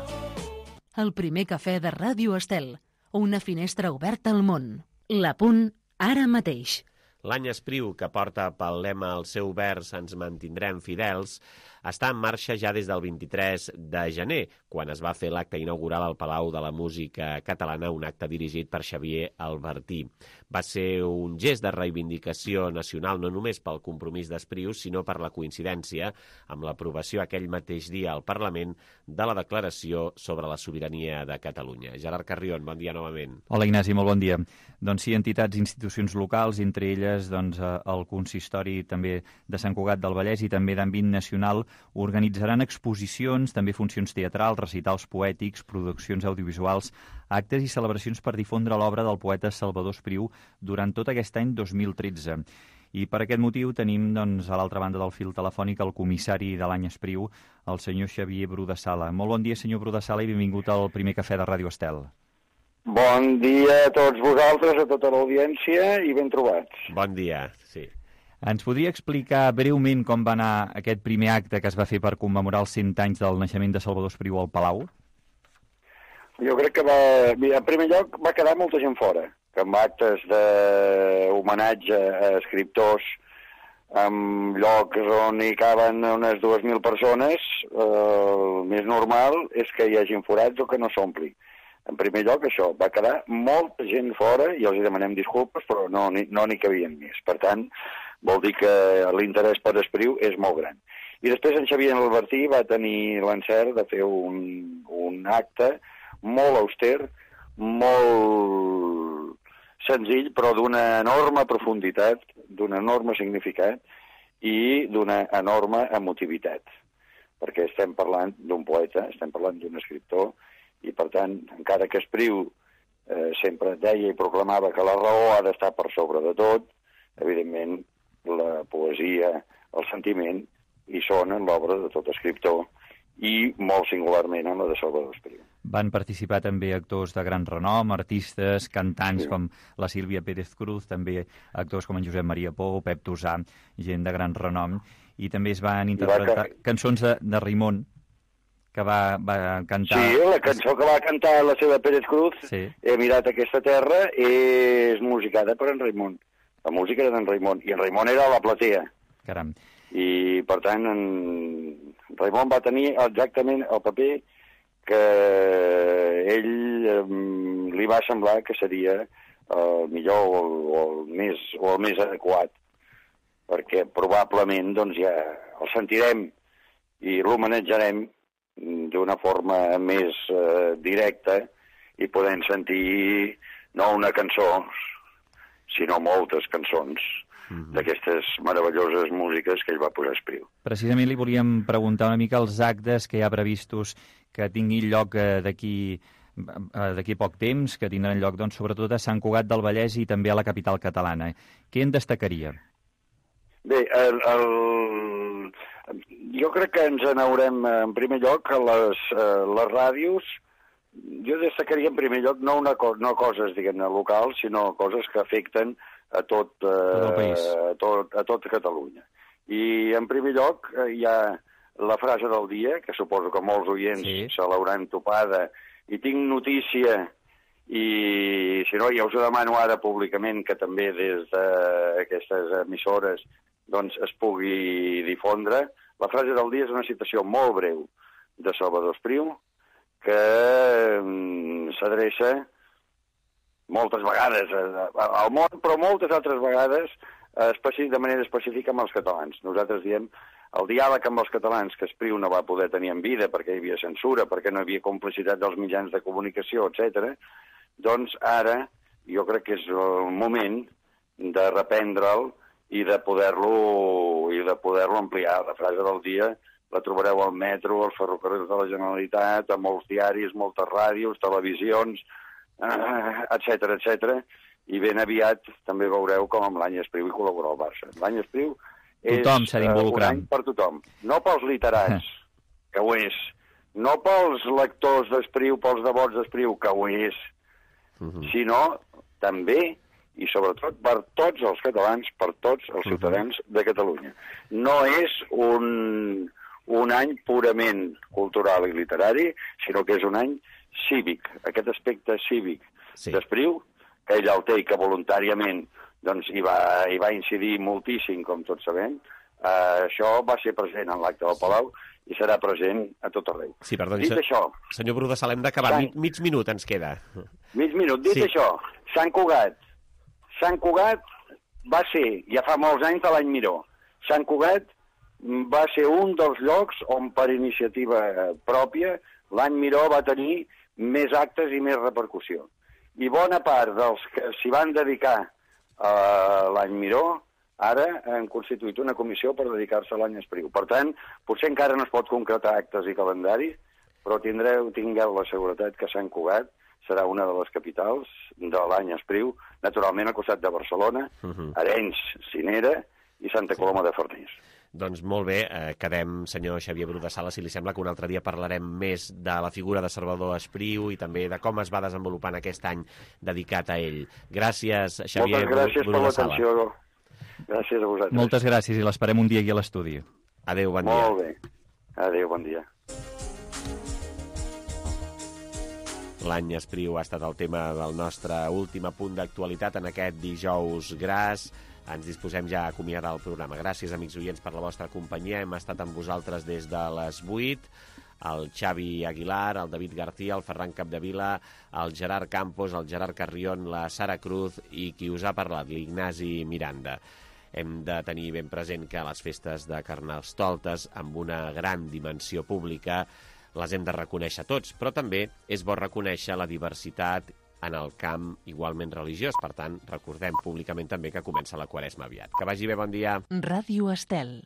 El primer cafè de Ràdio Estel. Una finestra oberta al món. La Punt, ara mateix. L'any Espriu, que porta pel lema el seu vers Ens mantindrem fidels, està en marxa ja des del 23 de gener, quan es va fer l'acte inaugural al Palau de la Música Catalana, un acte dirigit per Xavier Albertí. Va ser un gest de reivindicació nacional no només pel compromís d'Espriu, sinó per la coincidència amb l'aprovació aquell mateix dia al Parlament de la Declaració sobre la Sobirania de Catalunya. Gerard Carrion, bon dia novament. Hola Ignasi, molt bon dia. Doncs sí, entitats i institucions locals, entre elles el Consistori també de Sant Cugat del Vallès i també d'àmbit nacional, organitzaran exposicions, també funcions teatrals, recitals poètics, produccions audiovisuals, actes i celebracions per difondre l'obra del poeta Salvador Espriu durant tot aquest any 2013. I per aquest motiu tenim a l'altra banda del fil telefònic el comissari de l'any Espriu, el senyor Xavier Bru de Sala. Molt bon dia, senyor Bru de Sala, i benvingut al primer cafè de Ràdio Estel. Bon dia a tots vosaltres, a tota l'audiència, i ben trobats. Bon dia, sí. Ens podria explicar breument com va anar aquest primer acte que es va fer per commemorar els 100 anys del naixement de Salvador Espriu al Palau? Jo crec que en primer lloc va quedar molta gent fora, que amb actes d'homenatge a escriptors, en llocs on hi caben unes 2.000 persones, el més normal és que hi hagin forats o que no s'ompli. En primer lloc, això, va quedar molta gent fora i els demanem disculpes, però no n'hi cabien més. Per tant, vol dir que l'interès per Espriu és molt gran. I després en Xavier Albertí va tenir l'encert de fer un acte molt auster, molt senzill, però d'una enorme profunditat, d'un enorme significat i d'una enorme emotivitat. Perquè estem parlant d'un poeta, estem parlant d'un escriptor, i per tant, encara que Espriu sempre deia i proclamava que la raó ha d'estar per sobre de tot, evidentment la poesia, el sentiment, hi són en l'obra de tot escriptor i molt singularment en la de Salvador Espriu. Van participar també actors de gran renom, artistes, cantants com la Sílvia Pérez Cruz, també actors com en Josep Maria Pou, Pep Tosà, gent de gran renom, i també es van interpretar cançons de Raimon, que va cantar... Sí, la cançó que va cantar la seva Pérez Cruz, sí. He mirat aquesta terra, és musicada per en Raimon. La música era d'en Raimon, i en Raimon era a la platea. Caram. I, per tant, en Raimon va tenir exactament el paper que ell li va semblar que seria el millor o el més adequat, perquè probablement doncs, ja el sentirem i l'homenatjarem d'una forma més directa i podem sentir no una cançó, sinó moltes cançons d'aquestes meravelloses músiques que ell va posar a Espriu. Precisament li volíem preguntar una mica els actes que hi ha previstos que tinguin lloc d'aquí poc temps, que tindran lloc doncs, sobretot a Sant Cugat del Vallès i també a la capital catalana. Què en destacaria? Bé, jo crec que ens n'haurem, en primer lloc, a les ràdios. Jo destacaria, en primer lloc, no coses, diguem-ne, locals, sinó coses que afecten a tot Catalunya. I, en primer lloc, hi ha la frase del dia, que suposo que molts oients se l'hauran topada, i tinc notícia, i si no, ja us ho demano ara públicament, que també des d'aquestes emissores doncs es pugui difondre. La frase del dia és una citació molt breu de Salvador Espriu, que s'adreça moltes vegades al món, però moltes altres vegades de manera específica amb els catalans. Nosaltres diem el diàleg amb els catalans que Espriu no va poder tenir en vida perquè hi havia censura, perquè no hi havia complicitat dels mitjans de comunicació, etc. Doncs ara jo crec que és el moment de reprendre'l i de poder-lo ampliar. La frase del dia la trobareu al metro, als ferrocarrils de la Generalitat, a molts diaris, moltes ràdios, televisions, etc. I ben aviat també veureu com amb l'any Espriu hi col·labora el Barça. L'any Espriu és un any per tothom. No pels literats, que ho és. No pels lectors d'Espriu, pels devots d'Espriu, que ho és. Sinó també i sobretot per tots els catalans, per tots els ciutadans de Catalunya. No és un any purament cultural i literari, sinó que és un any cívic. Aquest aspecte cívic d'Espriu, que ell el té i que voluntàriament doncs, hi va incidir moltíssim, com tots sabem, això va ser present en l'acte del Palau i serà present a tot arreu. Sí, perdoni, senyor Bru de Sala, hem d'acabar. Mig minut ens queda. Mig minut. Dit això, Sant Cugat va ser, ja fa molts anys de l'any Miró, Sant Cugat va ser un dels llocs on per iniciativa pròpia l'any Miró va tenir més actes i més repercussió. I bona part dels que s'hi van dedicar a l'any Miró ara han constituït una comissió per dedicar-se a l'any Espriu. Per tant, potser encara no es pot concretar actes i calendari, però tingueu la seguretat que Sant Cugat serà una de les capitals de l'any Espriu, naturalment al costat de Barcelona, Arenys, Cinera i Santa Coloma de Farners. Doncs molt bé, quedem, senyor Xavier Bru de Sala, si li sembla que un altre dia parlarem més de la figura de Salvador Espriu i també de com es va desenvolupant aquest any dedicat a ell. Gràcies, Xavier Bru de Sala. Moltes gràcies per l'atenció. Gràcies a vosaltres. Moltes gràcies i l'esperem un dia aquí a l'estudi. Adéu, bon dia. Molt bé. Adéu, bon dia. L'any Espriu ha estat el tema del nostre últim punt d'actualitat en aquest dijous gras. Ens disposem ja a acomiadar el programa. Gràcies, amics oients, per la vostra companyia. Hem estat amb vosaltres des de les 8. El Xavi Aguilar, el David García, el Ferran Capdevila, el Gerard Campos, el Gerard Carrión, la Sara Cruz i qui us ha parlat, l'Ignasi Miranda. Hem de tenir ben present que les festes de Carnestoltes, amb una gran dimensió pública, les hem de reconèixer tots, però també és bo reconèixer la diversitat en el camp igualment religiós. Per tant, recordem públicament també que comença la Quaresma aviat. Que vagi bé, bon dia. Ràdio Estel.